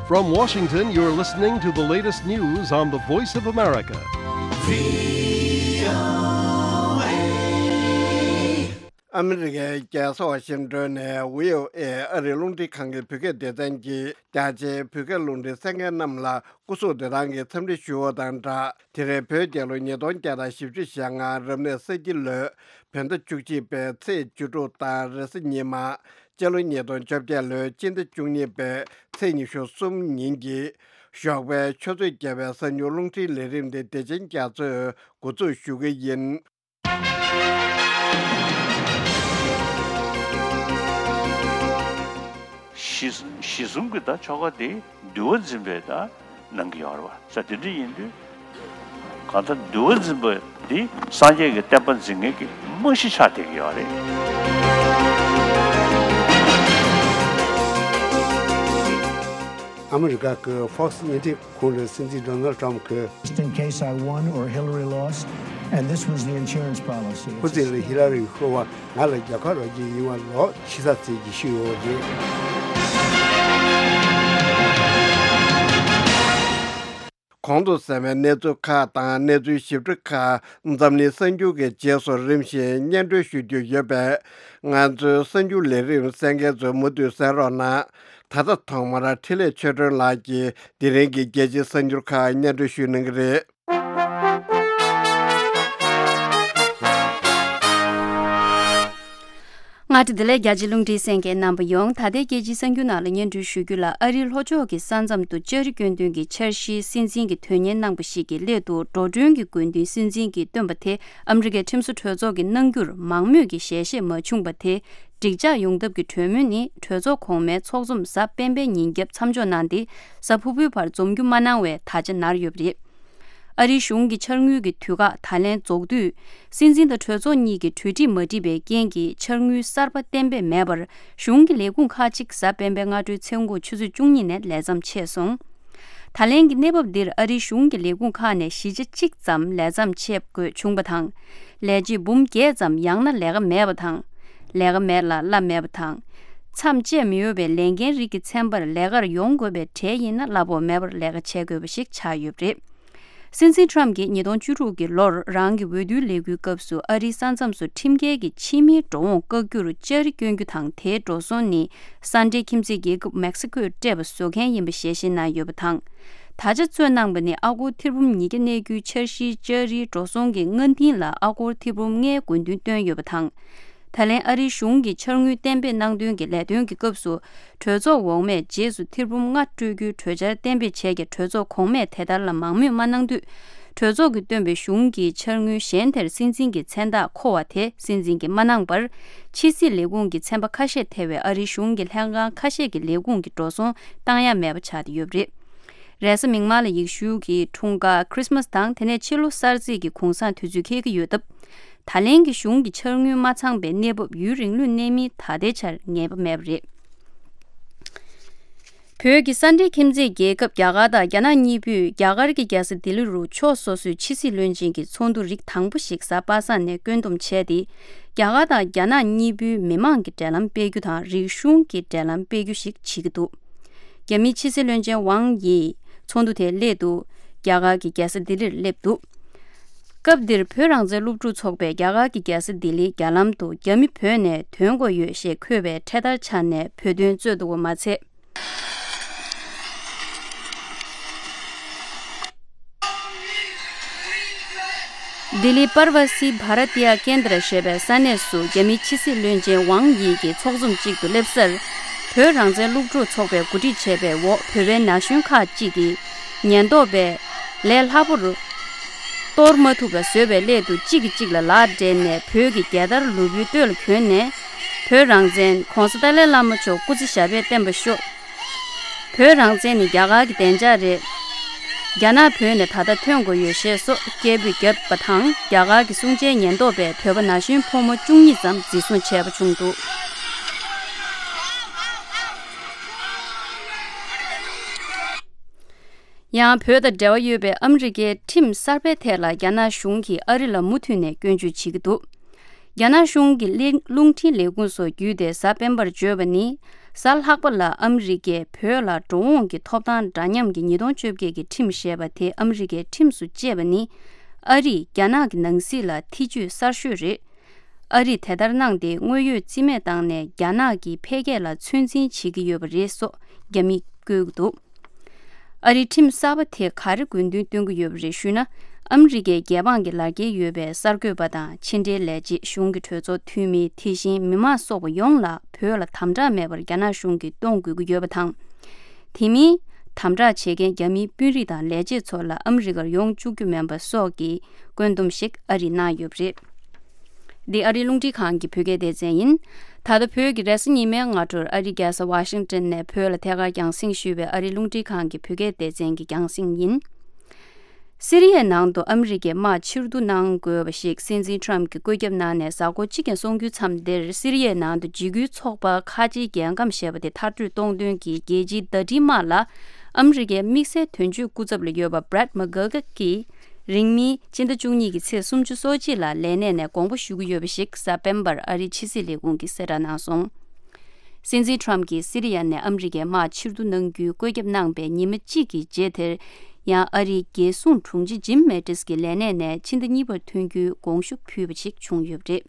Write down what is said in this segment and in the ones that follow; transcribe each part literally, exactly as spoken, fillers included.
From Washington, you're listening to the latest news on the Voice of America. ཨ་མི་རི་ཀའི་རྒྱལ་ས་ཝ་ཤིང་ཏོན་ནས་བྷི་ཨོ་ཨེ་ཨ་རིའི་རླུང་འཕྲིན་ཁང་གི་བོད་སྐད་སྡེ་ཚན་གྱིས་རྒྱ་ཆེའི་བོད་སྐད་རླུང་འཕྲིན་གསན་མཁན་རྣམས་ལ་སྐུ་གཟུགས་བདེ་ཐང་གི་འཚམས་འདྲི་ཞུ་བ་དང་སྦྲགས། དེ་རིང་བོད་རྒྱལ་ལོ་ཉིས་སྟོང་བརྒྱ་དང་བཞི་བཅུ་ཞེ་ལྔ་རབ་གནས་ས་ཁྱི་ལོའི་བོད་ཟླ་བཅུ་གཅིག་པའི་ཚེས་བཅུ་དྲུག་དང་རེས་གཟའ་ཉི་མ། སྤྱི་ལོ་ཉིས་སྟོང་བཅོ་བརྒྱད་ལོའི་སྤྱི་ཟླ་བཅུ་གཉིས་པའི་ཚེས་ཉི་ཤུ་གསུམ་ཉིན་གྱི་ཞོགས་པའི་ཆུ་ཚོད་བརྒྱད་པའི་གསར་འགྱུར་རླུང་འཕྲིན་ལས་རིམ་དེ་བདེ་ཆེན་རྒྱ་མཚོས་འགོ་འཛུགས་ཞུ་གི་ཡིན། གཞི་གཞི་བཟུང་གི་ད་ཆོ་ག་དེ་འདུལ་བ་འཛིན་པའི་ད་གནང་གི་ཡོད་རེད་བ། ས་དེ་འདྲ་ཡིན་དུས་གང་ལྟར་འདུལ་བ་འཛིན་པ་འདི་སངས་རྒྱས་ཀྱི་བསྟན་པ་འཛིན་མཁན་གྱི་རྨང་གཞི་ཆགས་བསྡད་ཀྱི་ཡོད་རེད། ཨ་མི་རི་ཀ་གི་Fox་བརྙན་འཕྲིན་ཁང་གི་སྲིད་འཛིན་Donald Trump་གིས། Just in case I won or Hillary lost, and this was the insurance policy. ཁོ་ཚོས་ལ་ཧི་ལ་རི་ཤོར་བ་ང་ལ་རྒྱལ་ཁ་རག་རྒྱུ་ཡིན་པ་ལོག་ཕྱི་ས་ཚིག་གིས་ཤོད་ཡོད་རེད། གོང་དུ་གསན་པའི་གནས་ཚུལ་ཁག་དང་གནས་ཚུལ་ཞིབ་ཕྲ་ཁག་འཛམ་གླིང་གསར་འགྱུར་གྱི་རྗེས་སུ་རིམ་བཞིན་སྙན་སྒྲོན་ཞུ་རྒྱུ་ཡོད་པས། ང་ཚོའི་གསར་འགྱུར་ལས་རིམ་གསན་མཁན་ཚོས་མུ་མཐུད་གསན་རོགས་གནང་། ད་ལྟ་ཐོག་མར་འཕྲིན་ལས་ཆོས་སྒྲོན་ལགས་ཀྱིས་དེ་རིང་གི་རྒྱལ་སྤྱིའི་གསར་འགྱུར་ཁག་སྙན་སྒྲོན་ཞུ་གནང་གི་རེད། མངའ་སྡེ་བདེ་ལེགས་རྒྱ་ཆེའི་རླུང་འཕྲིན་གསན་མཁན་རྣམ་པ་ཡོངས། ད་ལྟའི་རྒྱལ་སྤྱིའི་གསར་འགྱུར་ནང་ལ་སྙན་སྒྲོན་ཞུ་རྒྱུ་ལ། ཨ་རིའི་ལྷོ་ཕྱོགས་ཀྱི་ས་མཚམས་དུ་ལྕགས་རི་སྐྱོན་དོན་གྱི་འཆར་གཞིའི་སྲིད་འཛིན་གྱི་དོན་གཉེར་གནང་པ་ཞིག་གི་སླད་དུ། འགྲོ་གྲོན་གྱི་དགོས་འདུན་སྲིད་འཛིན་གྱིས་བཏོན་པ་དེ་ཨ་མི་རི་ཀའི་ཁྲིམས་བཟོ་གྲོས་ཚོགས་ཀྱིས་གནང་རྒྱུར་མང་མོས་ཀྱི་ཞལ་བཞེས་མ་བྱུང་བ་དེ། འགྲིག་འཇགས་ཡོང་ཐབས་ཀྱི་གྲོས་མོལ་ནི་གྲོས་ཚོགས་གོང་མའི་ཚོགས་འཛོམས་གཟའ་སྤེན་པའི་ཉིན་རྒྱབ་མཚམས་འཇོག་གནང་སྟེ། གཟའ་ཕུར་བུའི་བར་འཛོམས་རྒྱུ་མ་གནང་བའི་དར་ཆ་ནར་ཡོད་པ་རེད། ཨ་རིའི་གཞུང་གི་འཆར་དངུལ་གྱི་དུས་བཀག་ད་ལན་རྫོགས་དུས། སྲིད་འཛིན་དང་གྲོས་ཚོགས་གཉིས་ཀྱི་གྲོས་འགྲིག་མ་འགྲིག་པའི་རྐྱེན་གྱིས་འཆར་དངུལ་གསར་པ་གཏན་འབེབས་མེད་པར། གཞུང་གི་ལས་ཁུངས་ཁག་ཅིག་གཟའ་སྤེན་པའི་སྔ་དྲོའི་མཚན་གུང་ཆུ་ཚོད་བཅུ་གཉིས་ནས་ལས་མཚམས་ཆད་སོང་། ད་ལན་གྱི་གནས་བབ་འདིར་ཨ་རིའི་གཞུང་གི་ལས་ཁུངས་ཁག་ནས་བཞི་ཆ་གཅིག་ཙམ་ལས་མཚམས་ཆད་དགོས་བྱུང་བ་དང་། ལས་བྱེད་འབུམ་བརྒྱད་ཙམ་ཡང་ན་ལས་ཀ་མེད་པ་དང་། ལས་ཀ་མེད་ལ་གླ་མེད་པ་དང་། མཚམས་བཅད་མི་འོས་པའི་ལས་འགན་རིགས་ཀྱི་ཚན་པར་ལས་ཀར་ཡོང་དགོས་པའི་གྲས་ཡིན་ན་གླ་ཕོགས་མེད་པར་ལས་ཀ་བྱེད་དགོས་པ་ཞིག་ཆགས་ཡོད་པ་རེད། སྲིད་འཛིན་ཊམ་གྱིས་ཉིས་སྟོང་བཅུ་དྲུག་གི་ལོར་རང་གི་འོས་བསྡུའི་ལས་འགུལ་སྐབས་སུ་ཨ་རིའི་ས་མཚམས་སུ་ཁྲིམས་འགལ་གྱི་ཕྱི་མིའི་འགྲོ་འོང་བཀག་རྒྱུར་ལྕགས་རི་སྐྱོན་རྒྱུ་དང་། དེའི་འགྲོ་སོང་ནི་སན་ཏྲེ་ཁྱིམ་མཚེས་རྒྱལ་ཁབ་མེག་སི་ཀོས་སྤྲད་པ་བཟོ་མཁན་ཡིན་པ་ཞལ་བཞེས་གནང་ཡོད་པ་དང་། དར་ཆ་རྩོད་གནང་པ་ནི་ཨ་སྒོར་ཐེར་འབུམ་ཉིས་བརྒྱ་གནས་རྒྱུའི་འཆར་གཞིའི་ལྕགས་རིའི་འགྲོ་སོང་གི་སྔ་རྟིང་ལ་ཨ་སྒོར་ཐེར་འབུམ་ལྔའི་དགོས་འདུན་བཏོན་ཡོད་པ་དང་། ད་ལན་ཨ་རིའི་གཞུང་གིས་འཆར་དངུལ་གཏན་འབེབས་གནང་དོན་གྱི་ལས་དོན་གྱི་སྐབས་སུ། གྲོས་ཚོགས་འོག་མས་རྗེས་སུ་ཐེར་འབུམ་ལྔ་སྤྲོད་རྒྱུའི་གྲོས་འཆར་གཏན་འབེབས་བྱས་ཀྱང་། གྲོས་ཚོགས་གོང་མས་དེ་ལྟར་ལ་མང་མོས་མ་གནང་དུས། གྲོས་ཚོགས་ཀྱིས་བཏོན་པའི་གཞུང་གི་འཆར་དངུལ་གཞན་དེར་སྲིད་འཛིན་གྱི་མཚན་རྟགས་མཁོ་བ་དེ་སྲིད་འཛིན་གྱིས་མ་གནང་བར། ཕྱི་སྲིད་ལས་ཁུངས་ཀྱི་ཚན་པ་ཁ་ཤས་ཐེ་བའི་ཨ་རིའི་གཞུང་གི་ལྷན་ཁང་ཁ་ཤས་ཀྱི་ལས་ཁུངས་ཀྱི་འགྲོ་སོང་བཏང་ཡ་མེད་པ་ཆགས་ཏེ་ཡོད་པ་རེད། རེས་གཟའ་མིག་དམར་ལ་ཡེ་ཤུ་གི་འཁྲུངས་སྐར་Christmas་དང་། དེ་ནས་ཕྱི་ལོ་གསར་ཚེས་ཀྱི་གུང་སེང་དུས་ཚོད་འཁེལ་གྱི་ཡོད་སྟབས། ད་ལན་གྱི་གཞུང་གི་འཆར་དངུལ་མ་ཚང་པའི་གནས་བབ་ཡུན་རིང་ལོས་གནས་མིན་ད་ལྟའི་ཆར་ངེས་པ་མེད་པ་རེད། བོད་ཀྱི་སན་ཏྲེ་ཁྱིམ་མཚེས་རྒྱལ་ཁབ་རྒྱ་གར་དང་རྒྱ་ནག་གཉིས་པོས་རྒྱ་གར་གྱི་རྒྱལ་ས་ལྡི་ལི་རུ་ཕྱོགས་སོ་སོའི་ཕྱི་སྲིད་བློན་ཆེན་གྱི་ཚོགས་འདུ་རིགས་དང་པོ་ཞིག་གཟའ་པ་སངས་ནས་བསྐྱོད་འདོམས་བྱས་ཏེ། རྒྱ་གར་དང་རྒྱ་ནག་གཉིས་པོའི་མི་མང་གི་འབྲེལ་ལམ་སྤེལ་རྒྱུ་དང་། རིག་གཞུང་གི་འབྲེལ་ལམ་སྤེལ་རྒྱུ་ཞིག་བྱེད་ཀྱི་འདུག་རྒྱ་མིའི་ཕྱི་སྲིད་བློན་ཆེན་ཝང་ཡི་ཚོགས་འདུ་དེའི་སླད་དུ་རྒྱ་གར་གྱི་རྒྱལ་ས་ལྡི་ལིར་སླེབས་འདུག་སྐབས་འདིར་བོད་རང་བཙན་སློབ་ཕྲུག་ཚོགས་པས་རྒྱ་གར་གྱི་རྒྱལ་ས་ལྡི་ལིའི་རྒྱ་ལམ་དུ་རྒྱ་མི་བོད་ནས་ཐོན་དགོས་ཡོད་ཞེས་འཁོད་པའི་འཕྲེད་དར་འཕྱར་ནས་བོད་དོན་རྩོད་འདུག་པ་མ་ཚད། ལྡི་ལི་པར་ཝ་སི་བྷ་ར་ཏི་ཡ་ཀེན་དྲ་ཞེས་པའི་ས་གནས་སུ་རྒྱ་མིའི་ཕྱི་སྲིད་བློན་ཆེན་ཝང་ཡི་གིས་ཚོགས་འཛོམས་གཅིག་ཏུ་སླེབས་སར། བོད་རང་བཙན་སློབ་ཕྲུག་ཚོགས་པས་གོ་སྒྲིག་བྱས་པའི་འོག་བོད་པའི་ན་གཞོན་ཁག་ཅིག་གིས་ཉེན་རྟོག་པས་ལས་སླ་པོར་གཏོར་མ་ཐུབ་པ་བཟོ་བའི་སླད་དུ། གཅིག་གིས་གཅིག་ལ་ལག་སྦྲེལ་ནས་བོད་ཀྱི་རྒྱལ་དར་ལུས་པོའི་སྟོད་ལ་གྱོན་ནས། བོད་རང་བཙན། ྋགོང་ས་ཏཱ་ལའི་བླ་མ་མཆོག་སྐུ་ཚེ་ཞབས་པད་བརྟན་པར་ཤོག་བོད་རང་བཙན་ནི་རྒྱ་གར་གྱི་བདེ་འཇགས་རེད། རྒྱ་ནག་བོད་ནས་ད་ལྟ་ཐོན་དགོས་ཡོད་ཞེས་སོགས་སྐད་འབོད་བརྒྱབ་པ་དང་། རྒྱ་གར་གྱི་སྲུང་བྱའི་ཉེན་རྟོག་པས་བོད་པ་ན་གཞོན་ཕོ་མོ་བཅུ་གཉིས་ཙམ་འཛིན་བཟུང་བྱས་པ་བྱུང་འདུག་ཡང་བོད་དང་འབྲེལ་བ་ཡོད་པའི་ཨ་མི་རི་ཀའི་ཁྲིམས་གསར་པའི་ཐད་ལ་རྒྱ་ནག་གཞུང་གིས་ཨ་རི་ལ་མུ་མཐུད་ནས་སྐྱོན་བརྗོད་བྱེད་ཀྱི་འདུག་རྒྱ་ནག་གཞུང་གི་ལས་རླུང་འཕྲིན་ལས་ཁུངས་སོགས་བརྒྱུད་དེ་གཟའ་སྤེན་པར་བརྗོད་པ་ནི། གཟའ་ལྷག་པ་ལ་ཨ་མི་རི་ཀས་བོད་ལ་འགྲོ་འོང་གི་ཐོབ་ཐང་འདྲ་མཉམ་གྱི་ཉིས་སྟོང་བཅོ་བརྒྱད་ཀྱི་ཁྲིམས་ཞེས་པ་དེ་ཨ་མི་རི་ཀའི་ཁྲིམས་སུ་བཅད་པ་ནི། ཨ་རིས་རྒྱ་ནག་གི་ནང་སྲིད་ལ་ཐེ་བྱུས་གསར་ཤོས་རེད། ཨ་རིས་དེ་ལྟར་གནང་སྟེ་དངོས་ཡོད་རྩིས་མེད་བཏང་ནས་རྒྱ་ནག་གི་འཕེལ་རྒྱས་ལ་ཚོད་འཛིན་བྱེད་ཀྱི་ཡོད་པ་རེད་སོགས་རྒྱ་མིས་བཀོད་ཀྱི་འདུག་ཨ་རིའི་ཁྲིམས་གསར་པ་དེ་ག་རེ་དགོས་འདུན་སྟོན་གྱི་ཡོད་པ་རེད་ཞུས་ན། ཨ་མི་རི་ཀའི་རྒྱལ་འབངས་ཀྱི་ལག་འཁྱེར་ཡོད་པའི་གསར་འགོད་པ་དང་ཕྱི་འབྲེལ་ལས་བྱེད། གཞུང་གི་གྲོས་ཚོགས་འཐུས་མི། དེ་བཞིན་མི་མང་སོགས་པ་ཡོངས་ལ་བོད་ལ་དམ་དྲག་མེད་པར་རྒྱ་ནག་གཞུང་གིས་གཏོང་དགོས་ཀྱི་ཡོད་པ་དང་། དེ་མིན། དམ་དྲག་བྱེད་མཁན་རྒྱ་མིའི་དཔོན་རིགས་དང་ལས་བྱེད་ཚོ་ལ་ཨ་མི་རི་ཀར་ཡོང་བཅུག་རྒྱུ་མིན་པ་སོགས་ཀྱི་བཀོད་འདོམས་ཤིག་ཨ་རིས་གནང་ཡོད་པ་རེད། འདི་ཨ་རིའི་རླུང་འཕྲིན་ཁང་གི་བོད་སྐད་སྡེ་ཚན་ཡིན། ད་ལྟ་བོད་ཀྱི་རེས་གཟའ་ཉི་མའི་སྔ་དྲོར་ཨ་རིའི་རྒྱལ་ས་ཝ་ཤིང་ཏོན་ནས་བོད་ལ་ཐད་ཀར་རྒྱང་སྲིང་ཞུས་པའི་ཨ་རིའི་རླུང་འཕྲིན་ཁང་གི་བོད་སྐད་སྡེ་ཚན་གྱི་རྒྱང་སྲིང་ཡིན། སི་རི་ཡའི་ནང་དུ་ཨ་མི་རི་ཀས་དམག་ཕྱིར་བསྡུ་གནང་དགོས་པ་ཞིག་སྲིད་འཛིན་ཊམ་གྱིས་བཀོད་ཁྱབ་གནང་ནས་གཟའ་འཁོར་གཅིག་ཀྱང་སོང་རྒྱུའི་མཚམས་འདིར། སི་རི་ཡའི་ནང་དུ་འཇིགས་སྐུལ་ཚོགས་པ་ཁ་ཆེའི་རྒྱལ་ཁམས་ཞེས་པ་དེ་མཐར་སྐྲོད་གཏོང་དོན་གྱི་རྒྱལ་སྤྱིའི་ཟླ་སྒྲིལ་དམག་ལ་ཨ་མི་རི་ཀའི་དམིགས་བསལ་དོན་གཅོད་སྐུ་ཚབ་ལ་ཡོད་པ་Brett McGurk གིས། རིང་མིན་སྤྱི་ཟླ་བཅུ་གཉིས་ཀྱི་ཚེས་སུམ་ཅུ་སོ་གཅིག་ལ་ལས་གནས་ནས་དགོངས་པ་ཞུ་གི་ཡོད་པ་ཞིག་གཟའ་སྤེན་པར་ཨ་རིའི་ཕྱི་སྲིད་ལས་ཁུངས་ཀྱིས་གསལ་བསྒྲགས་གནང་སོང་། སྲིད་འཛིན་ཊམ་གྱིས་སི་རི་ཡ་ནས་ཨ་མི་རི་ཀའི་དམག་ཕྱིར་བསྡུ་གནང་རྒྱུའི་བཀོད་ཁྱབ་གནང་པའི་ཉི་མ་གཅིག་གི་རྗེས་དེར། ཡང་ཨ་རིའི་རྒྱལ་སྲུང་དྲུང་ཆེ་ཇིམ་མེ་ཏིས་ཀྱི་ལས་གནས་ནས་ཕྱི་ཟླ་གཉིས་པར་ཐོན་རྒྱུའི་དགོངས་ཞུ་ཕུལ་བ་ཞིག་བྱུང་ཡོད་པ་རེད།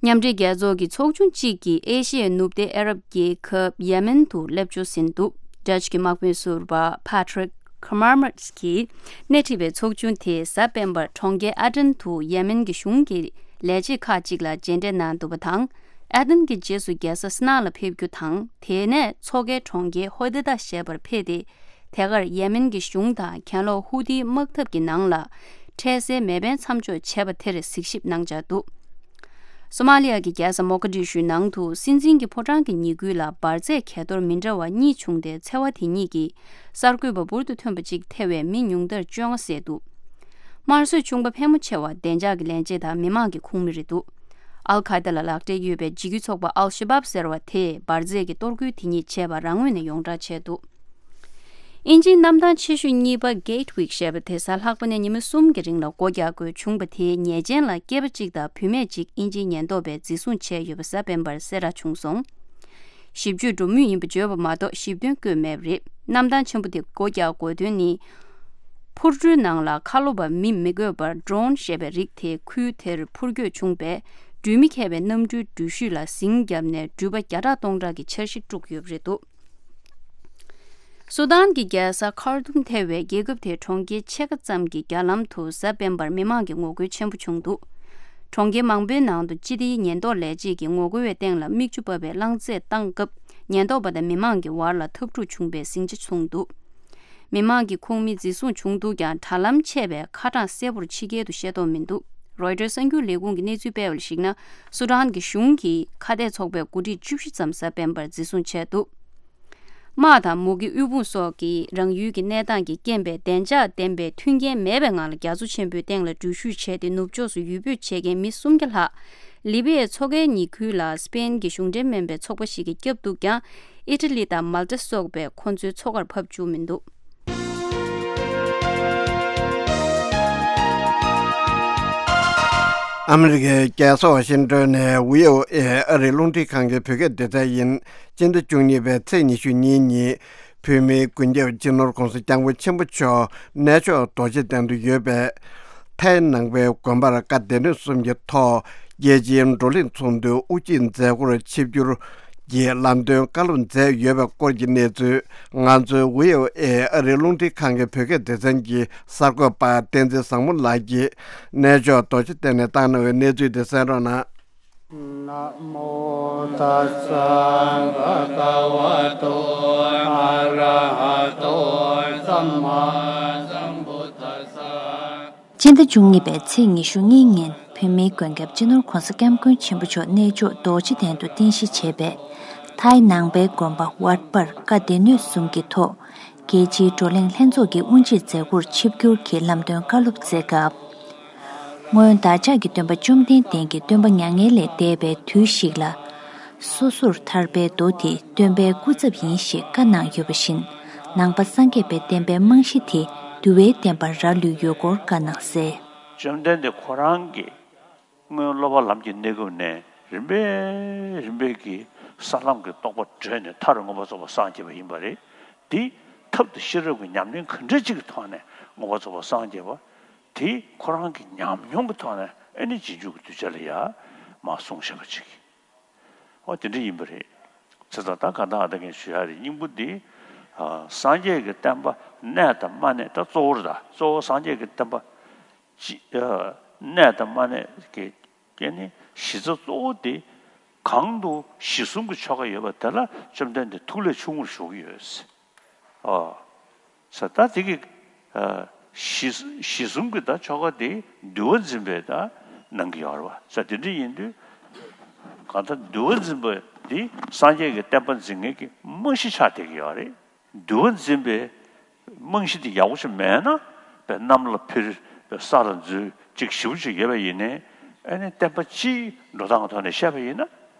མཉམ་འབྲེལ་རྒྱལ་ཚོགས་ཀྱི་ཚོགས་ཆུང་གཅིག་གིས་ཨེ་ཤི་ཡའི་ནུབ་སྡེ་ཨ་རབ་རྒྱལ་ཁབ་ཡེ་མེན་དུ་སླེབས་འབྱོར་ཟིན་འདུག་ཌཆ་གི་དམག་དཔོན་ཟུར་པ་Patrick Kamarmad གིས་སྣེ་ཁྲིད་པའི་ཚོགས་ཆུང་དེས་གཟའ་སྤེན་པར་གྲོང་ཁྱེར་ཨ་ཏན་དུ་ཡེ་མེན་གྱི་གཞུང་གི་ལས་བྱེད་ཁག་ཅིག་ལ་མཇལ་འཕྲད་གནང་འདུག་པ་དང་། ཨ་ཏན་གྱི་རྗེས་སུ་རྒྱལ་ས་སི་ན་ལ་ཕེབས་རྒྱུ་དང་། དེ་ནས་མཚོ་ཁའི་གྲོང་ཁྱེར་ཧོ་དེ་ད་ཞེས་པར་ཕེབས་ཏེ། དེ་གར་ཡེ་མེན་གྱི་གཞུང་དང་གྱེན་ལོག་ཧུ་ཏིའི་དམག་འཐབ་ཀྱི་ནང་ལ་འཕྲལ་སེལ་མེ་འཕེན་མཚམས་འཇོག་བྱས་པ་དེར་གཟིགས་ཞིབ་གནང་འཆར་འདུག་སོ་མ་ལི་ཡ་གི་རྒྱལ་ས་མོ་ཀ་དི་ཤུའི་ནང་དུ་སྲིད་འཛིན་གྱི་ཕོ་བྲང་གི་ཉེ་ཁུལ་ལ་འབར་རྫས་གས་གཏོར་མི་འདྲ་བ་གཉིས་བྱུང་སྟེ། འཚེ་བ་དེ་གཉིས་ཀྱིས་གསར་འགོད་པ་འབུར་དུ་ཐོན་པ་གཅིག་ཐེ་བའི་མི་ཉུང་མཐར་བཅོ་ལྔ་བསད་འདུག་དམར་གསོད་བྱུང་པ་ཕལ་མོ་ཆེ་བ་བདེ་འཇགས་ཀྱི་ལས་བྱེད་དང་མི་མང་གི་ཁོངས་མི་རེད་འདུག་ཨལ་ཁ་ཡེ་ད་ལ་ལག་འབྲེལ་ཡོད་པའི་འཇིགས་སྐུལ་ཚོགས་པ་ཨལ་ཤ་བབ་ཟེར་བ་དེས་འབར་རྫས་ཀྱི་གཏོར་རྒོལ་དེ་ཉིད་བྱས་པ་རང་ངོས་ནས་ཡོངས་གྲགས་བྱས་འདུག་དབྱིན་ཇིའི་གནམ་ཐང་ཆེ་ཤོས་གཉིས་པ་Gatwick ཞེས་པ་དེ་གཟའ་ལྷག་པ་ནས་ཉི་མ་གསུམ་གྱི་རིང་ལ་སྒོ་རྒྱག་དགོས་བྱུང་བ་དེའི་ཉེས་ཅན་ལ་སྐྱེས་པ་གཅིག་དང་བུད་མེད་གཅིག་དབྱིན་ཇིའི་ཉེན་རྟོག་པས་འཛིན་བཟུང་བྱས་ཡོད་པ་གཟའ་སྤེན་པར་གསལ་བསྒྲགས་བྱུང་སོང་། ཞིབ་དཔྱོད་འགྲོ་མུས་ཡིན་པ་བརྗོད་པ་མ་གཏོགས་ཞིབ་དོན་བཀོད་མེད་པ་རེད། གནམ་ཐང་ཆེན་པོ་དེ་སྒོ་རྒྱག་དགོས་དོན་ནི། འཕུར་གྲུའི་ནང་ལ་ཁ་ལོ་བ་མི་མི་དགོས་པར་Drone ཞེས་པའི་རིགས་དེ་ཁུལ་དེར་འཕུར་སྐྱོད་བྱུང་བས། འགྲུལ་མི་མཁས་པའི་གནམ་གྲུའི་འགྲུལ་བཞུད་ལ་ཟིང་བརྒྱབ་ནས་འགྲུལ་པ་བརྒྱ་ཕྲག་སྟོང་ཕྲག་གི་འཆར་གཞི་དཀྲུགས་ཡོད་པ་རེད་འདུག་སུ་དཱན་གྱི་རྒྱལ་ས་ཁར་ཏུམ་ཐེ་བའི་རྒྱལ་ཁབ་དེའི་གྲོང་ཁྱེར་ཕྱེད་ཀ་ཙམ་གྱི་རྒྱ་ལམ་དུ་གཟའ་སྤེན་པར་མི་མང་གི་ངོ་རྒོལ་ཆེན་པོ་བྱུང་འདུག་གྲོང་ཁྱེར་མང་པོའི་ནང་དུ་སྤྱི་བདེའི་ཉེན་རྟོག་ལས་བྱེད་ཀྱིས་ངོ་རྒོལ་བའི་སྟེང་ལ་མིག་ཆུ་ཕབ་པའི་རླངས་རྫས་བཏང་སྐབས། ཉེན་རྟོག་པ་དང་མི་མང་གི་བར་ལ་འཐབ་འཁྲུག་བྱུང་བའི་ཟིང་ཆ་བྱུང་འདུག་མི་མང་གི་ཁོངས་མི་འཛིན་བཟུང་བྱུང་འདུག་ཀྱང་། དྲ་ལམ་ཆད་པས་ཁ་གྲངས་གསལ་པོར་ཕྱི་རྒྱལ་དུ་ཤེས་རྟོགས་མི་འདུག་རོའི་ཊར་གསར་འགྱུར་ལས་ཁུངས་ཀྱིས་གནས་ཚུལ་སྤེལ་བར་གཞིགས་ན། སུ་དཱན་གྱི་གཞུང་གི་ཁ་གཏད་ཚོགས་པའི་འགོ་ཁྲིད་བཅུ་བཞི་ཙམ་གཟའ་སྤེན་པར་འཛིན་བཟུང་བྱས་འདུག་དམག་དང་མུ་གེ་དབུལ་ཕོངས་སོགས་ཀྱི་རང་ཡུལ་གྱི་གནས་སྟངས་ཀྱི་རྐྱེན་པས་བདེ་འཇགས་ལྡན་པའི་མཐུན་རྐྱེན་མེད་པའི་ངང་ལ་རྒྱ་མཚོ་ཆེན་པོའི་སྟེང་ལ་འགྲུལ་བཞུད་བྱས་ཏེ། ནུབ་ཕྱོགས་སུ་ཡུལ་སྤོས་བྱེད་མཁན་མི་སུམ་བརྒྱ་ལྷག་ལི་བི་ཡའི་མཚོ་ཁའི་ཉེ་ཁུལ་ལ་སི་པེན་གྱི་གཞུང་འབྲེལ་མིན་པའི་ཚོགས་པ་ཞིག་གིས་བསྐྱབས་འདུག་ཀྱང་། ཨི་ཊ་ལི་དང་མལ་ཏ་སོགས་པས་ཁོ་ཚོའི་མཚོ་ཁར་ཕབ་བཅུག་མི་འདུག་ཨ་མི་རི་ཀའི་རྒྱལ་ས་ཝ་ཤིང་ཏོན་ནས་བྷི་ཨོ་ཨེ་ཨ་རིའི་རླུང་འཕྲིན་ཁང་གི་བོད་སྐད་སྡེ་ཚན་ཡིན། སྤྱི་ཟླ་བཅུ་གཉིས་པའི་ཚེས་ཉི་ཤུ་གཉིས་ཉིན། བོད་མིའི་མགོན་སྐྱབས་སྤྱི་ནོར་༸གོང་ས་༸སྐྱབས་མགོན་ཆེན་པོ་མཆོག་གནས་མཆོག་རྡོ་རྗེ་གདན་དུ་ཡོད་པའི་ཐའི་ནང་པའི་དགོན་པར་བཀའ་སྡེ་སྣོད་གསུམ་གྱི་ཐོག་རྒྱལ་སྤྱིའི་བགྲོ་གླེང་ཚོགས་འདུའི་དབུ་འབྱེད་མཛད་སྒོར་ཆིབས་བསྒྱུར་གྱིས་ལམ་སྟོན་བཀའ་སློབ་མཛད་ཡོད་པའི་སྐོར་གྱི་གནས་ཚུལ། ང་ཚོའི་བྷི་ཨོ་ཨེ་ཨ་རིའི་རླུང་འཕྲིན་ཁང་གི་བོད་སྐད་སྡེ་ཚན་གྱི་གསར་འགོད་པ་བསྟན་འཛིན་བཟང་མོ་ལགས་ཀྱིས་གནས་མཆོག་རྡོ་རྗེ་གདན་ནས་བཏང་གནང་བའི་གནས་ཚུལ་དེ་གསན་རོགས་གནང་། Namo tassa bhagavato arahato sammāsambuddhassa. སྤྱི་ཟླ་བཅུ་གཉིས་པའི་ཚེས་ཉི་ཤུ་གཉིས་ཉིན་བོད་མིའི་མགོན་སྐྱབས་སྤྱི་ནོར་༸གོང་ས་༸སྐྱབས་མགོན་ཆེན་པོ་མཆོག་གནས་མཆོག་རྡོ་རྗེ་གདན་དུ་རྟེན་གཞི་བྱས་པའི་ཐའི་ནང་པའི་དགོན་པ་ཝརྟ་པར་བཀའ་སྡེ་སྣོད་གསུམ་གྱི་ཐོག་རྒྱལ་སྤྱིའི་བགྲོ་གླེང་ལྷན་ཚོགས་ཀྱི་དབུ་འབྱེད་མཛད་སྒོར་ཆིབས་བསྒྱུར་གྱིས་ལམ་སྟོན་བཀའ་སློབ་མཛད་སྐབས། སྔོན་བདག་ཅག་གི་སྟོན་པ་བཅོམ་ལྡན་འདས་ཀྱི་སྟོན་པ་མྱ་ངན་ལས་འདས་པའི་དུས་ཤིག་ལ། སོ་སོར་ཐར་པའི་མདོ་དེ་སྟོན་པའི་སྐུ་ཚབ་ཡིན་ཞེས་བཀའ་གནང་ཡོད་པ་བཞིན། ནང་པ་སངས་རྒྱས་པའི་བསྟན་པའི་རྨང་གཞི་དེ་འདུལ་བའི་བསྟན་པར་རག་ལུས་ཡོད་སྐོར་བཀའ་གནང་གསལ། བཅོམ་ལྡན་འདས་ཁོ་རང་གིས་ སྔོན་སློབ་པ་ལམ་གྱི་གནས་སྐབས་ནས་རིམ་པས་རིམ་པས་ཀྱིས་ས་ལམ་གྱི་རྟོགས་པ་བགྲོད་ནས་མཐར་མངོན་པར་རྫོགས་པར་སངས་རྒྱས་པ་ཡིན་པ་རེད། འདི་ཐབས་དང་ཤེས་རབ་ཀྱི་ཉམས་ལེན་ག་འདྲ་ཅིག་གི་ཐོག་ནས་མངོན་པར་རྫོགས་པར་སངས་རྒྱས་པ་དེ་ཁོ་རང་གི་ཉམས་མྱོང་གི་ཐོག་ནས་ཨེ་ནི་རྗེས་འཇུག་གི་གདུལ་བྱ་ལ་ཡ་མར་གསུངས་བཞག་པ་ཅིག་འོ་དེ་འདྲ་ཡིན་པ་རེད། བྱས་ཙང་ད་ག་ད་ཨ་ད་གིན་ཞུ་ཡ་རེད། སྙིང་པོ་འདི་ཨ་སངས་རྒྱས་ཀྱི་བསྟན་པ་གནས་དང་མ་གནས། ད་གཙོ་བོ་རེད། ད་གཙོ་བོ་སངས་རྒྱས་ཀྱི་བསྟན་པ་ཅི་ཨ་གནས་དང་མ་གནས་ཀྱི་ཀྱི་ནི་གཞི་རྩ་གཙོ་བོ་དེ་གང་དུ་གཞི་གསུམ་གྱི་ཆོ་ག་ཡོད་པ་དེ་ལ་བཅོམ་ལྡན་འདས་ཐུགས་ལས་ཆུང་ངུར་བཞུགས་ཀྱི་ཡོད། ཨོ། ས་ད་དེ་གི་ཨ་གཞི་གཞི་གསུམ་གྱི་ད་ཆོ་ག་དེ་འདུལ་བ་འཛིན་པས་ད་གནང་གི་ཡོད་རེད་བ། ས་དེ་འདྲ་ཡིན་དུས་གང་ལྟར་འདུལ་བ་འཛིན་པ་དེ་སངས་རྒྱས་ཀྱི་བསྟན་པ་འཛིན་མཁན་གྱི་རྨང་གཞི་ཆགས་བསྡད་ཀྱི་ཡོད་རེད། འདུལ་བ་འཛིན་པའི་རྨང་གཞི་དེ་ཡག་པོ་ཞིག་མེད་ན་པའི་གནམ་ལ་འཕུར་པའི་ས་ལ་འཛུལ་ཅིག་ཞེ་པོ་ཅིག་ཡོད་པ་ཡིན་ནའི་ཨ་ནི་བསྟན་པ་སྤྱིའི་འགྲོ་སྟངས་ཀྱི་ཐོག་ནས་བཤད་པ་ཡིན་ན་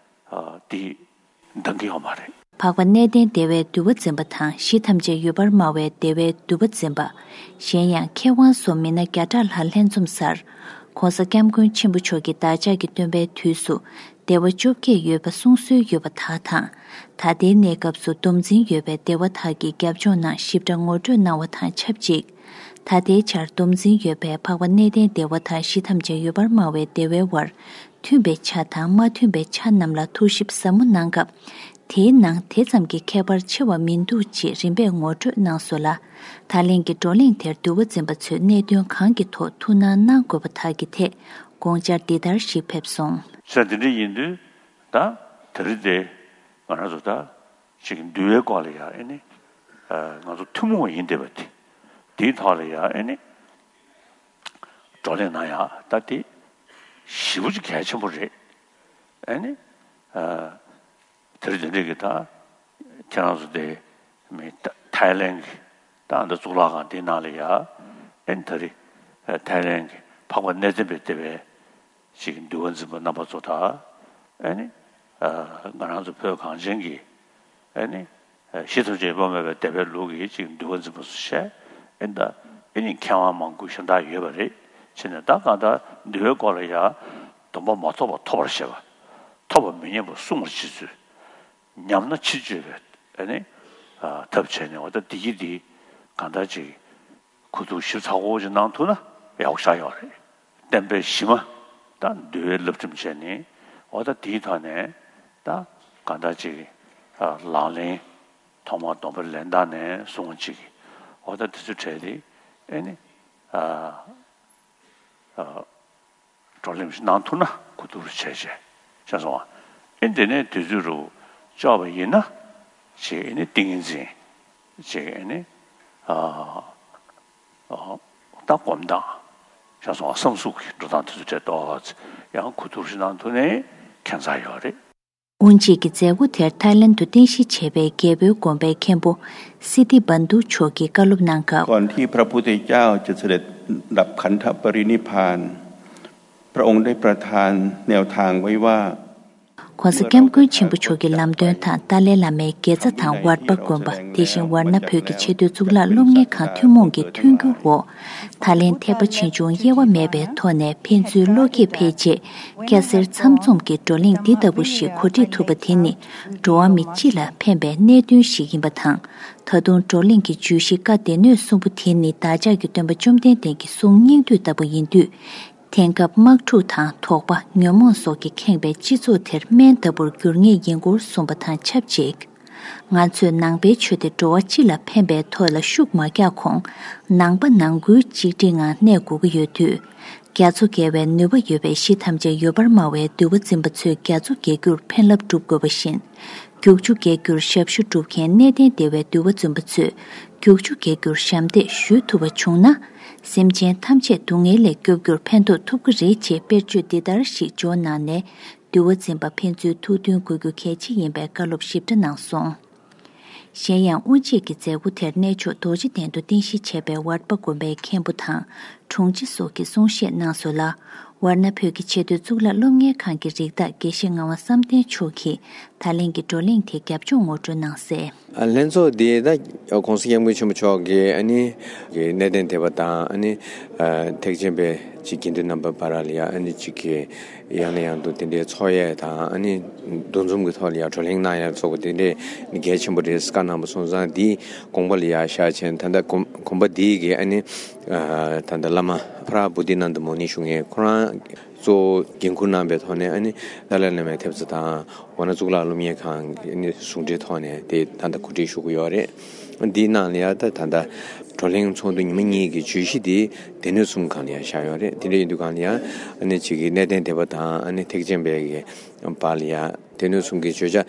ཨ་དེ་འདང་གི་ཡོད་མ་རེད། འཕགས་པ་གནས་བརྟན་བདེ་བའི་འདུལ་བ་འཛིན་པ་དང་གཞི་ཐམས་ཅད་ཡོད་པར་སྨྲ་བའི་བདེ་བའི་འདུལ་བ་འཛིན་པ། གཞན་ཡང་མཁས་དབང་སོགས་མི་སྣ་བརྒྱ་ཕྲག་ལྷག་ལྷན་འཛོམས་སར། ༸གོང་ས་༸སྐྱབས་མགོན་ཆེན་པོ་མཆོག་གིས་བདག་ཅག་གི་སྟོན་པའི་དུས་སུ་བདེ་བ་བཅོ་བརྒྱད་ཡོད་པ་གསུང་སྲོལ་ཡོད་པ་དག་དང་། ད་ལྟའི་གནས་སྐབས་སུ་སྡོམ་འཛིན་ཡོད་པའི་བདེ་བ་དག་གི་རྒྱབ་ལྗོངས་རྣམས་ཞིབ་ཕྲ་ངོ་སྤྲོད་གནང་བ་དང་ཆབས་ཅིག་ད་ལྟའི་ཆར་སྡོམ་འཛིན་ཡོད་པའི་འཕགས་པ་གནས་བརྟན་བདེ་བ་དང་གཞི་ཐམས་ཅད་ཡོད་པར་སྨྲ་བའི་བདེ་བའི་དབར་མཐུན་པའི་ཆ་དང་མ་མཐུན་པའི་ཆ་རྣམས་ལ་ཐུགས་ཞིབ་ཟབ་མོ་གནང་སྐབས། དེའི་ནང་དེ་ཙམ་གྱི་ཁྱད་པར་ཆེ་བ་མི་འདུག་ཅེས་རིམ་པས་ངོ་སྤྲོད་གནང་སོང་ལ། ད་ལན་གྱི་བགྲོ་གླེང་དེར་འདུལ་བ་འཛིན་པ་ཚོས་གནད་དོན་གང་གི་ཐོག་ཐུགས་སྣང་གནང་དགོས་པ་དག་གི་ཐད་དགོངས་འཆར་འདི་ལྟར་ཞིག་ཕེབས་སོང་། ས་འདི་འདྲ་ཡིན་དུས་ད་དེ་རིང་དེ་ང་རང་ཚོ་ད་ཅིག་འདུལ་བའི་སྐོར་ལ་ཡང་ཨེ་ནི་ང་ཚོ་ཐུན་མོང་ཡིན་བསྡད་པ་དེ་དེའི་ཐོག་ལ་ཡང་ཨེ་ནི་བགྲོ་གླེང་གནང་ཡག་ད་དེ་ཞེ་པོ་ཅིག་གལ་ཆེན་པོ་རེད། ཨེ་ནི་དེ་རིང་དེ་འདྲ་གི་ད་ཁྱེད་རང་ཚོ་དེ་མི་ཐ་ཐའི་ལེན་གི་ད་འདི་གཙུག་ལག་ཁང་དེའི་ནང་ལ་ཡ་ཨེ་ནི་ད་རེས་ཐའི་ལེན་གི་འཕགས་པ་གནས་བརྟན་པའི་བདེ་བའི་ཅིག་འདུལ་བ་འཛིན་པ་རྣམ་པ་ཚོ་དང་ཨེ་ནི་ང་རང་ཚོ་བོད་གངས་ཅན་གྱི་ཨེ་ནི་གཞི་ཐམས་ཅད་ཡོད་པ་སྨྲ་བའི་བདེ་བའི་ལུགས་ཀྱི་ཅིག་འདུལ་བ་འཛིན་པ་ཚོ་བྱས་ཨེ་ནི་ད་ཨེ་ནི་མཁས་དབང་མང་པོ་གཞན་དག་ཡོད་པ་རེད། བྱས་ནས་ད་གང་ལྟར་འདུལ་བའི་སྐོར་ལ་ཡ་སྡོམ་པ་མ་ཐོབ་པ་ཐོབ་པར་བྱེད་པ། ཐོབ་པ་མི་ཉམས་པ་སྲུང་བར་བྱེད་ཚུལ། ཉམས་ན་ཕྱིར་བཅོས་པའི་ཨ་ནི་ཨ་ཐབས་བྱས་ནས་འོ་ད་འདི་གི་འདི་གང་ལྟར་ཅིག་གོ་བསྡུར་ཞིབ་ཚགས་པོ་ཅིག་གནང་ཐུབ་ན་ཡག་པོ་ཆགས་ཡོད་རེད། བསྟན་པའི་གཞི་མ་ད་འདུལ་བའི་བསླབ་ཁྲིམས་བྱས་ནས་འོ་ད་འདིའི་ཐོག་ནས་ད་གང་ལྟར་ཅིག་ཨ་ལག་ལེན་ཐོག་མར་སྡོམ་པ་ལེན་སྟངས་ནས་བཟུང་ཅིག་འོ་ད་དེ་ཚོ་གྲས་དེ་ཨ་ནི་ཨ་ཨ། བགྲོ་གླེང་ཞིག་གནང་ཐུབ་ན་གོ་བསྡུར་བྱས་བྱས་བྱས་སོང་བ། ཨེ་འདི་ནས་དུས་ཚོད་རུ་ལྕོགས་པ་ཡིན་ན་ཅིག་ཨེ་ནི་ཏིང་ངེ་འཛིན་ཅིག་ཨེ་ནི་ཨ་ཨ་ད་སྒོམ་སྟངས་བྱས་སོང་བ། བསམ་གཟུགས་ཀྱི་འགྲོ་སྟངས་དེ་ཚོ་བྱས་ཏོག་ཙམ་ཡང་གོ་བསྡུར་ཞིག་གནང་ཐུབ་ནའི་ཁྱད་མཚར་ཡོད་རེད། དབུ་འབྱེད་ཀྱི་མཛད་སྒོ་དེར་ཐའི་ལེན་དུ་རྟེན་གཞི་བྱས་པའི་རྒྱལ་པོའི་དགོན་པའི་མཁན་པོ་སི་ཏི་བན་དུ་མཆོག་གིས་བཀའ་སློབ་གནང་སྐབས། ก่อนที่พระพุทธเจ้าจะเสด็จดับขันธปรินิพพาน พระองค์ได้ประทานแนวทางไว้ว่า ༸གོང་ས་༸སྐྱབས་མགོན་ཆེན་པོ་མཆོག་གི་ལམ་སྟོན་དང་ཏཱ་ལའི་བླ་མའི་དགེ་རྩ་དང་ཝརྟ་པ་དགོན་པ། དེ་བཞིན་ཝར་ཎ་བོད་ཀྱི་ཆེས་མཐོའི་གཙུག་ལག་སློབ་གཉེར་ཁང་ཐུན་མོང་གི་མཐུན་འགྱུར་འོག་ཐའི་ལེན་ཐེག་པ་ཆེ་ཆུང་དབྱེ་བ་མེད་པའི་ཐོག་ནས་ཕན་ཚུན་བློ་སྐྱེད་འཕེལ་ཆེད། སྐྱ་སེར་ཚང་འཛོམས་ཀྱི་བགྲོ་གླེང་འདི་ལྟ་བུ་ཞིག་གོ་སྒྲིག་ཐུབ་པ་དེ་ནི་འགྲོ་བ་མི་སྤྱི་ལ་ཕན་པའི་གནད་དོན་ཞིག་ཡིན་པ་དང་། ད་དུང་བགྲོ་གླེང་གི་བརྗོད་གཞི་བཀའ་སྡེ་སྣོད་གསུམ་པོ་དེ་ནི་བདག་ཅག་གི་སྟོན་པ་བཅོམ་ལྡན་འདས་ཀྱི་གསུང་སྙིང་བསྡུས་ལྟ་བུ་ཡིན་དུས། དེང་སྐབས་དམག་འཁྲུག་དང་དོགས་པ་ཉོན་མོངས་སོགས་ཀྱིས་ཁེངས་པའི་སྤྱི་ཚོགས་དེར་སྨན་ལྟ་བུར་འགྱུར་ངེས་ཡིན་སྐོར་གསུངས་པ་དང་ཆབས་ཅིག་ང་ཚོས་ནང་པའི་ཆོས་དེ་འགྲོ་བ་སྤྱི་ལ་ཕན་པའི་ཐོག་ལ་ཤུགས་མ་རྒྱག་གོང་། ནང་པ་ནང་ཁུལ་གཅིག་སྒྲིལ་ངང་གནས་དགོས་ཀྱི་ཡོད་དུས། རྒྱ་མཚོ་བརྒལ་བའི་ནུས་པ་ཡོད་པའི་གཞི་ཐམས་ཅད་ཡོད་པར་སྨྲ་བའི་འདུལ་བ་འཛིན་པ་ཚོས་རྒྱ་མཚོ་བརྒལ་རྒྱུར་ཕན་རླབས་སྒྲུབ་དགོས་པ་བཞིན། རྒྱུག་ཆུ་བརྒལ་རྒྱུར་ཞབས་ཞུ་སྒྲུབ་མཁན་གནས་བརྟན་སྡེ་བའི་འདུལ་བ་འཛིན་པ་ཚོས་རྒྱུག་ཆུ་བརྒལ་རྒྱུར་ཞབས་འདེགས་ཞུ་ཐུབ་པ་བྱུང་ན། སེམས་ཅན་ཐམས་ཅད་སྡུག་བསྔལ་ལས་སྐྱོབ་རྒྱུར་ཕན་ཐོགས་ཐུབ་ཀྱི་རེད་ཅེས་དཔེར་བརྗོད་འདི་ལྟར་ཞིག་འབྱོར་གནང་ནས། འདུལ་བ་འཛིན་པ་ཕན་ཚུན་ཐུགས་མཐུན་དགོས་རྒྱུ་གལ་ཆེ་ཡིན་པའི་བཀའ་སློབ་ཞིབ་ཕྲ་གནང་སོང་། གཞན་ཡང་དབུ་འབྱེད་ཀྱི་མཛད་སྒོ་དེར་གནས་མཆོག་རྡོ་རྗེ་གདན་དུ་རྟེན་གཞི་བྱས་པའི་ཝརྟ་པ་དགོན་པའི་མཁན་པོ་དང་། དྲུང་ཆེ་སོགས་ཀྱིས་གསུང་བཤད་གནང་སོང་ལ། ཝར་ན་བོད་ཀྱི་ཆེས་མཐོའི་གཙུག་ལག་སློབ་གཉེར་ཁང་གི་རིགས་བདག་དགེ་བཤེས་ངག་དབང་བསམ་གཏན་མཆོག་གིས་ད་ལན་གྱི་བགྲོ་གླེང་དེ་རྒྱབ་ལྗོངས་ངོ་སྤྲོད་གནང་གསལ། ལྷན་ཚོགས་འདི་ད་༸གོང་ས་༸སྐྱབས་མགོན་ཆེན་པོ་མཆོག་གིས་ཨ་ནི་གནད་དོན་དེ་བ་དང་ཨ་ནི་ཐེག་ཆེན་པའི་ཅིག་དགེ་འདུན་རྣམ་པ་བར་ལ་ཡ་ཨ་ནི་ཅིག་གི་ཡང་ནས་ཡང་དུ་དེ་འདྲའི་ཚོགས་ཡས་དང་ཨ་ནི་འདུ་འཛོམས་ཀྱི་ཐོག་ལ་ཡ་བགྲོ་གླེང་གནང་ཡ་སོགས་དེ་འདྲའི་གལ་ཆེན་པོ་རེད་བཀའ་གནང་བ་སོང་ཙང་འདིའི་དགོངས་པ་ལ་ཡ་བཞག་བྱས་ད་ལྟ་དགོངས་དགོངས་པ་འདིའི་གི་ཨ་ནི་ད་ལྟ་བླ་མ་ཕ་ར་བོ་དྷི་ནནྡ་མུ་ནི་ཞུ་མཁན་ཁོ་རང་གཙོ་བོ་འགན་འཁུར་གནང་པའི་ཐོག་ནས་ཨ་ནི་ཏཱ་ལའི་བླ་མའི་ཐེབས་རྩ་དང་། འོ་ན་གཙུག་ལག་སློབ་གཉེར་ཁང་གི་ནི་ཟུང་འབྲེལ་ཐོག་ནས་དེ་ད་ལྟ་གོ་སྒྲིག་ཞུ་གི་ཡོད་རེད། འདིའི་ནང་ལ་ཡང་ད་ད་ལྟ་བགྲོ་གླེང་ཚོགས་འདུ་ཉི་མ་གཉིས་ཀྱི་བརྗོད་གཞི་དེ་སྡེ་སྣོད་གསུམ་སྒང་ལ་ཡང་བཞག་ཡོད་རེད། དེ་འདྲ་ཡིན་དུས་སྒང་ལ་ཡང་ཨ་ནི་ཅིག་གི་གནད་དོན་དེ་བ་དང་ཨ་ནི་ཐེག་ཆེན་པའི་གི་བར་ལ་ཡང་སྡེ་སྣོད་གསུམ་གྱི་བརྗོད་བྱ་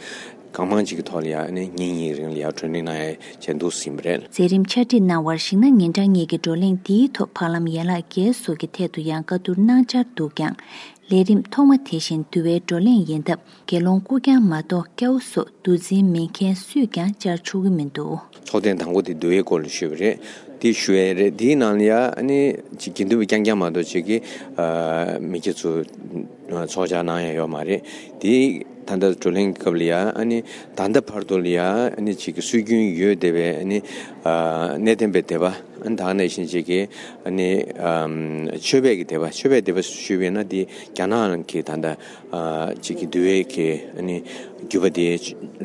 གང་མང་ཅིག་གི་ཐོག་ལ་ཡང་ཨ་ནི་ཉིན་གཉིས་རིང་ལ་ཡང་བགྲོ་གླེང་གནང་ཡ་བྱས་འདུག་ཟིན་པ་རེད། མཛད་རིམ་ཕྱག་བྲིས་གནང་བར་གཞིགས་ན་ཉིན་གྲངས་གཉིས་ཀྱི་བགྲོ་གླེང་འདིའི་ཐོག་བར་ལམ་ཡན་ལག་བརྒྱད་སོགས་ཀྱི་ཐད་དུ་ཡང་བཀའ་བསྡུར་གནང་འཆར་འདུག་ཀྱང་། ལས་རིམ་ཐོག་མ་དེ་བཞིན་འདུལ་བའི་བགྲོ་གླེང་ཡིན་སྟབས་དགེ་སློང་སྐུ་རྐྱང་མ་གཏོགས་སྐྱ་བོ་སོགས་འདུལ་འཛིན་མིན་མཁན་སུས་ཀྱང་བཅར་ཆོག་གི་མི་འདུག། ཚོགས་ཐེངས་དང་པོ་དེ་འདུལ་བའི་སྐོར་ལ་ཞུས་པ་རེད། དེ་ཞུ་ཡས་རེད། དེའི་ནང་ལ་ཡ་ཨ་ནི་ཅིག་དགེ་འདུན་པ་རྐྱང་རྐྱང་མ་གཏོགས་ཅིག་གིས་མི་སྐྱ་ཚོ་ཚོགས་བཅར་གནང་ཡ་ཡོད་མ་རེད། དེ་ད་ལྟ་བགྲོ་གླེང་གི་སྐབས་ལ་ཡ་ཨ་ནི་ད་ལྟ་བར་དུ་ལ་ཡ་ཨ་ནི་ཅིག་གི་སྲོལ་རྒྱུན་ཡོད་བསྡད་པའི་ཨ་ནི་གནས་བརྟན་པའི་སྡེ་པ། ཨ་ནི་ད་ག་ནང་བཞིན་ཅིག་གིས་ཨ་ནི་ཨམ་ཆོས་པའི་གི་སྡེ་པ། ཆོས་པའི་སྡེ་པ་ཞུས་པས་ན་འདི་རྒྱ་ནག་གི་ད་ལྟ་ཨ་ཅིག་གི་འདུལ་བའི་གི་ཨ་ནི་བརྒྱུད་པ་དེ་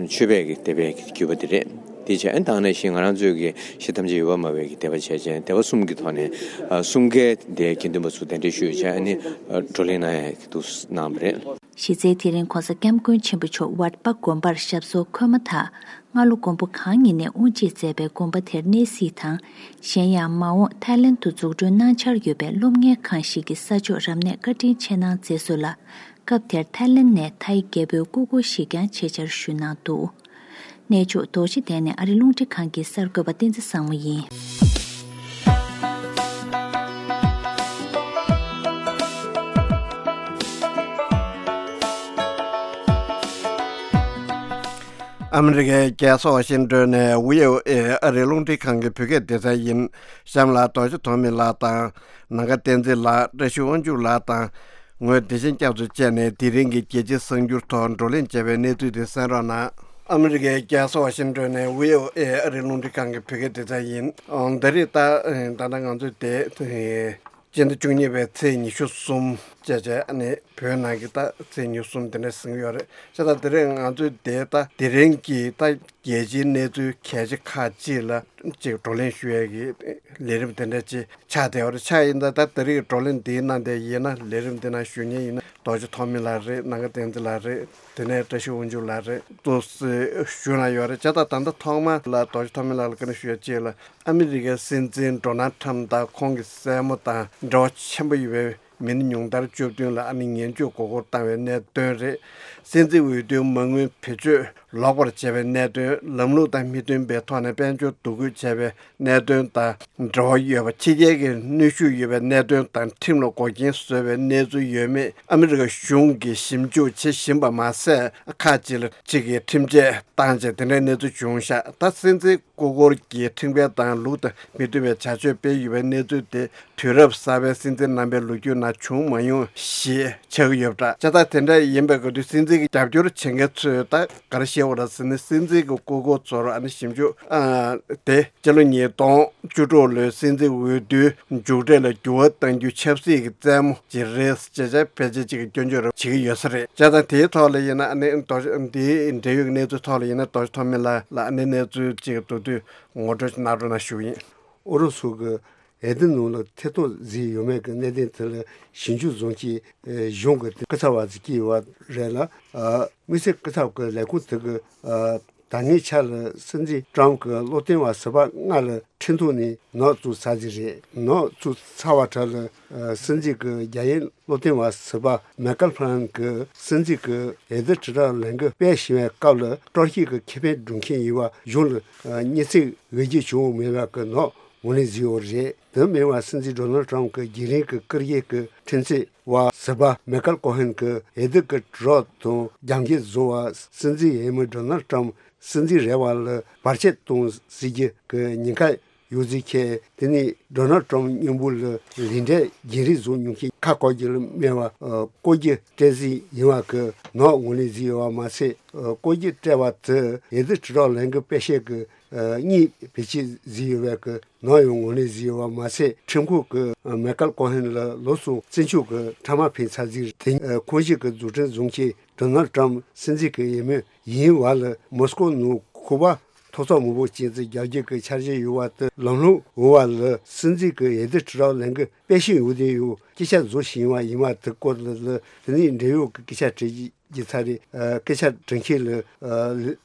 ཆོས་པའི་གི་སྡེ་པའི་གི་བརྒྱུད་པ་དེ་རེད། དེ་བྱས་ཨ་ནི་ད་ག་ནང་བཞིན་ང་རང་ཚོའི་གི་གཞི་ཐམས་ཅད་ཡོད་པར་སྨྲ་བའི་གི་སྡེ་པ་བྱས་བྱས་སྡེ་པ་གསུམ་གི་ཐོག་ནས་ཨ་གསུམ་ཀའི་དེ་དགེ་འདུན་པ་ཚོ་གདན་འདྲེན་ཞུས་བྱས་ཨ་ནི་ཨ་བགྲོ་གླེང་གནང་ཡ་གི་འདུག་གནང་བ་རེད། གཞི་རྩའི་དེ་རིང་ྋགོང་ས་ྋསྐྱབས་མགོན་ཆེན་པོ་མཆོག་ཝརྟ་པ་དགོན་པར་ཞབས་སོར་འཁོད་མ་ཐག་སྔ་ལོ་མགོན་པོ་གང་ཉིད་ནས་དབུ་འབྱེད་མཛད་པའི་དགོན་པ་དེར་གནས་གཟིགས་དང་། གཞན་ཡང་མ་འོངས་ཐའི་ལེན་དུ་འཛུགས་སྐྲུན་གནང་འཆར་ཡོད་པའི་སློབ་གཉེར་ཁང་ཞིག་གི་ས་ཕྱོགས་རབ་གནས་བཀའ་དྲིན་ཆེ་གནང་མཛད་སོང་ལ། སྐབས་དེར་ཐའི་ལེན་ནས་ཐའི་རྒྱལ་པོའི་སྐུ་འཁོར་ཞིག་ཀྱང་ཆེད་བཅར་ཞུས་གནང་འདུག། གནས་མཆོག་རྡོ་རྗེ་གདན་ནས་ཨ་རི་རླུང་འཕྲིན་ཁང་གི་གསར་འགོད་པ་བསྟན་འཛིན་བཟང་མོ་ཡིན། ཨ་མི་རི་ཀའི་རྒྱལ་ས་ཝ་ཤིང་ཏོན་ནས་བྷི་ཨོ་ཨེ་ཨ་རིའི་རླུང་འཕྲིན་ཁང་གི་བོད་སྐད་སྡེ་ཚན་ཡིན། གཤམ་ལ་རྡོ་རྗེ་ཐོགས་མེད་ལགས་དང་། ནམ་མཁའ་བསྟན་འཛིན་ལགས། བཀྲ་ཤིས་དབང་ཕྱུག་ལགས་དང་། ངོས་བདེ་ཆེན་སྐྱབས་སུ་བཅར་ནས་དེ་རིང་གི་རྒྱལ་སྤྱིའི་གསར་འགྱུར་ཐོག་བགྲོ་གླེང་བྱས་པའི་གནས་ཚུལ་དེ་གསན་རོགས་གནང་། ཨ་མི་རི་ཀའི་རྒྱལ་ས་ཝ་ཤིང་ཏོན་ནས་བྷི་ཨོ་ཨེ་ཨ་རིའི་རླུང་འཕྲིན་ཁང་གི་བོད་སྐད་སྡེ་ཚན་ཡིན། ཨང་། ད་རེས་ད་ད་ལྟ་ང་ཚོས་དེ་སྤྱི་ཟླ་བཅུ་གཉིས་པའི་ཚེས་ཉི་ཤུ་གསུམ་བཅས་བྱས་ཨ་ནི་བོད་ནང་གི་ད་ཚེས་ཉི་ཤུ་གསུམ་དེ་འདྲ་ཟིན་གྱི་ཡོད་རེད། བྱས་ཙང་དེ་རིང་ང་ཚོས་དེ་ད་དེ་རིང་གི་ད་རྒྱལ་སྤྱིའི་གནས་ཚུལ་གལ་ཆེ་ཁག་ཅིག་ལ་ཅིག་བགྲོ་གླེང་ཞུ་ཡས་ཀྱི་ལས་རིམ་དེ་འདྲ་ཅིག་ཆགས་བསྡད་ཡོད་རེད། ཆ་ཡིན་ད་ད་དེ་རིང་གི་བགྲོ་གླེང་འདིའི་ནང་དེ་ཡིན་ན་ལས་རིམ་འདི་ནང་ཞུགས་མཁན་ཡིན་ན་རྡོ་རྗེ་ཐོགས་མེད་ལགས་རེད། ནམ་མཁའ་བསྟན་འཛིན་ལགས་རེད། དེ་ནས་བཀྲ་ཤིས་དབང་ཕྱུག་ལགས་རེད། ཏོག་ཙམ་ཞུ་ན་ཡོད་རེད། བྱས་ཙང་ད་ལྟ་ཐོག་མ་ལ་རྡོ་རྗེ་ཐོགས་མེད་ལགས་ལ་བཀའ་འདྲི་ཞུ་ཡ་གཅིག་ལ། ཨ་མི་རི་ཀའི་སྲིད་འཛིན་ཌོ་ནལ་ཊམ་དང་ཁོང་གི་སྲས་མོ་དང་འབྲེལ་བ་ཆེན་པོ་ཡོད་པའི་མི་སྣ་ཉུང་མཐར་བཅུ་བདུན་ལ་ཨ་ནི་ངན་བྱུས་མགོ་སྐོར་བཏང་བའི་གནད་དོན་རེད། སྲིད་འཛིན་འོས་བསྡུའི་མ་དངུལ་བེད་སྤྱོད་ལོག་པར་བྱས་པའི་གནད་དོན། ལམ་ལུགས་དང་མི་མཐུན་པའི་ཐོག་ནས་དཔལ་འབྱོར་བསྡུ་སྐུལ་བྱས་པའི་གནད་དོན་དང་འབྲེལ་བ་ཡོད་པ། ཕྱི་རྒྱལ་གྱི་གནོན་ཤུགས་ཡོད་པའི་གནད་དོན་དང་ཁྲིམས་ལ་འགོག་རྐྱེན་བཟོས་པའི་གནས་ཚུལ་ཡོད་མེད་ཨ་མི་རི་ཀ་གཞུང་གིས་ཞིབ་འཇུག་བྱེད་བཞིན་པ་མ་ཟད། ཁག་ཅིག་ལ་གཅིག་གིས་ཁྲིམས་ཆད་བཏང་རྗེས་དེ་འདྲའི་གནས་ཚུལ་བྱུང་ཤག་ད་སྲིད་འཛིན་སྐུ་འཁོར་གྱི་ཁྲིམས་འགལ་དང་ལུགས་དང་མི་མཐུན་པའི་བྱ་སྤྱོད་སྤེལ་ཡོད་པའི་གནས་ཚུལ་དེ་དུས་རབས་གསར་པའི་སྲིད་འཛིན་རྣམ་པའི་ལོ་རྒྱུས་ནང་བྱུང་མ་མྱོང་ཞེས་ཆགས་ཀྱི་ཡོད་པ་འདྲ། བྱས་ཙང་དེ་འདྲ་ཡིན་པའི་སྐབས་དུས་སྲིད་འཛིན་གྱི་རྒྱབ་སྐྱོར་བྱེད་མཁན་ཚོས་ད་ག་རེ་བཤད་པ་རེད་ཟེར་ན། སྲིད་འཛིན་གྱི་སྐུ་འཁོར་ཚོར་ཨ་ནི་ཞིབ་འཇུག་ཨ་དེ་སྤྱི་ལོ་ཉིས་སྟོང་བཅུ་དྲུག་ལོའི་སྲིད་འཛིན་འོས་བསྡུའི་མཇུག་འབྲས་ལ་འགྱུར་བ་གཏང་རྒྱུའི་ཆབ་སྲིད་ཀྱི་རྩེད་མོ་ཅིག་རེད་ཅེས་བྱས་ཕལ་ཆེར་ཅིག་གིས་སྐྱོན་བརྗོད་རེ་བྱེད་ཀྱི་ཡོད་ས་རེད། བྱས་ཙང་དེའི་ཐོག་ལ་ཡིན་ན་ཨ་ནི་རྡོ་འདིའི་འབྲེལ་ཡོད་ཀྱི་གནས་ཚུལ་ཐོག་ལ་ཡིན་ན་རྡོ་རྗེ་ཐོགས་མེད་ལགས་ལ་ཨ་ནི་གནས་ཚུལ་ཅིག་མདོར་བསྡུས་ངོ་སྤྲོད་གནང་རོགས་གནང་ཞུ་གི་ཡིན། ཨུ་རུ་སུ་གི་འོས་བསྡུ་ནང་ལ་ཐད་གཏོང་བཟོས་ཡོད་མེད་ཀྱི་གནད་དོན་དེ་ལ་ཞིབ་འཇུག་བཟོ་མཁན་གཞུང་གི་སྐུ་ཚབ་པ་ཞིག་བསྐོས་ཡོད་པ་རེད་ལ། དམིགས་བསལ་སྐུ་ཚབ་ཀྱི་ལས་ཁུངས་དེ་གིས་ད་སྔའི་ཆར་ལ་སྲིད་འཛིན་ཀྲམ་གྱི་སློབ་སྟོན་པ་ཟུར་པ་ལྔ་ལ་ཁྲིམས་ཐོག་ནས་ནག་བཙུགས་ཚར་རྒྱུ་རེད། ནག་བཙུགས་ཚར་བ་དེ་ལ་སྲིད་འཛིན་གྱི་རྒྱ་ཡན་སློབ་སྟོན་པ་ཟུར་པ་མེ་ཁལ་ཕ་ལན་གྱིས་སྲིད་འཛིན་གྱི་འོས་བསྡུ་དྲིལ་བསྒྲགས་ལས་འགུལ་སྤེལ་བཞིན་པའི་སྐབས་ལ་དཀྲོག་གཞས་ཀྱི་ཁེ་ཕན་སྒྲུབ་མཁན་ཡིན་པ་གཞུང་ལ་སྙན་སེང་འོས་བསྡུ་བྱུང་མེད་པ་གི་ནག་ངོས་ལེན་བཟོས་ཡོད་རེད། དེ་མིན་པ་སྲིད་འཛིན་ཌོ་ནལ་ཊམ་གྱི་རྒྱུན་རིང་གི་བཀུར་འོས་ཀྱི་ཁྲིམས་རྩོད་པ་ཟུར་པ་མེ་ཁལ་ཀོ་ཧན་གྱིས་འོས་བསྡུ་གི་དྲིལ་བསྒྲགས་དང་རྒྱབ་འགལ་བཟོ་བ། སྲིད་འཛིན་འོས་མི་ཌོ་ནལ་ཊམ་སྲིད་འཛིན་རེ་བ་ལ་བར་ཆད་གཏོང་སྲིད་རྒྱུ་གི་ཉེན་ཁ་ ཡོད་ཟེར་མཁན། དེ་ནས་ཌོ་ནལ་ཊམ་མཉམ་པོ་ལ་ལས་འབྲས་རྒྱན་རིས་བཟོ་མྱོང་མཁན་ཁ་བསྐོར་རྒྱུ་ལ་སྨྲས་པ་ཨ་བསྐོར་རྒྱུ་སྤྲད་ཟིན་ཡིན་པ་གི་ནག་ངོས་ལེན་ཟིན་ཡོད་པ་མ་ཟད། ཨ་བསྐོར་རྒྱུ་སྤྲད་པ་དེ་འོས་བསྡུ་དྲིལ་བསྒྲགས་ལས་འགུལ་སྤེལ་བྱེད་ཀྱི་ཨ་གཉིས་བེད་སྤྱད་ཟིན་ཡོད་པའི་གི་ནག་ཡང་ངོས་ལེན་ཟིན་ཡོད་པ་མ་ཟད། ཁྲིམས་ཁང་གི་ཨ་མའི་ཁལ་ཀོ་ཧན་ལ་ལོ་གསུམ་བཙོན་འཇུག་གི་ཕྲ་མ་ཕན་ཚ་ཟིན། དེ་ཨ་ཁོངས་ཞུགས་ཀྱི་རྫུ་འཕྲུལ་བཟུང་མཁན་ཌོ་ནལ་ཊམ་སྲིད་འཛིན་གྱི་འོས་མི་ཡིན་པ་ལ་མོ་སི་ཀོ་ནང་ཁོ་པ་ཐོབ་ཚོགས་མང་པོ་ཅན་དུ་རྒྱག་རྒྱུ་གི་འཆར་གཞི་ཡོད་པ་དེ་ལམ་ལྷོང་འོང་བ་ལ་སྲིད་འཛིན་གྱི་འོས་བསྡུ་དྲིལ་བསྒྲགས་ལས་འགུལ་སྤེལ་བཞིན་ཡོད་དེ་ཡོད། སྐད་ཆ་བཟོ་བཞིན་པ་ཡིན་པ་དེ་སྐོར་ལ་ལ་དེ་ནས་འབྲེལ་ཡོད་ཀྱི་སྐད་ཆ་དྲི་རྒྱུ་ཚར་རེད། ཨ་སྐད་ཆ་དྲི་མཁན་ལ་ཨ་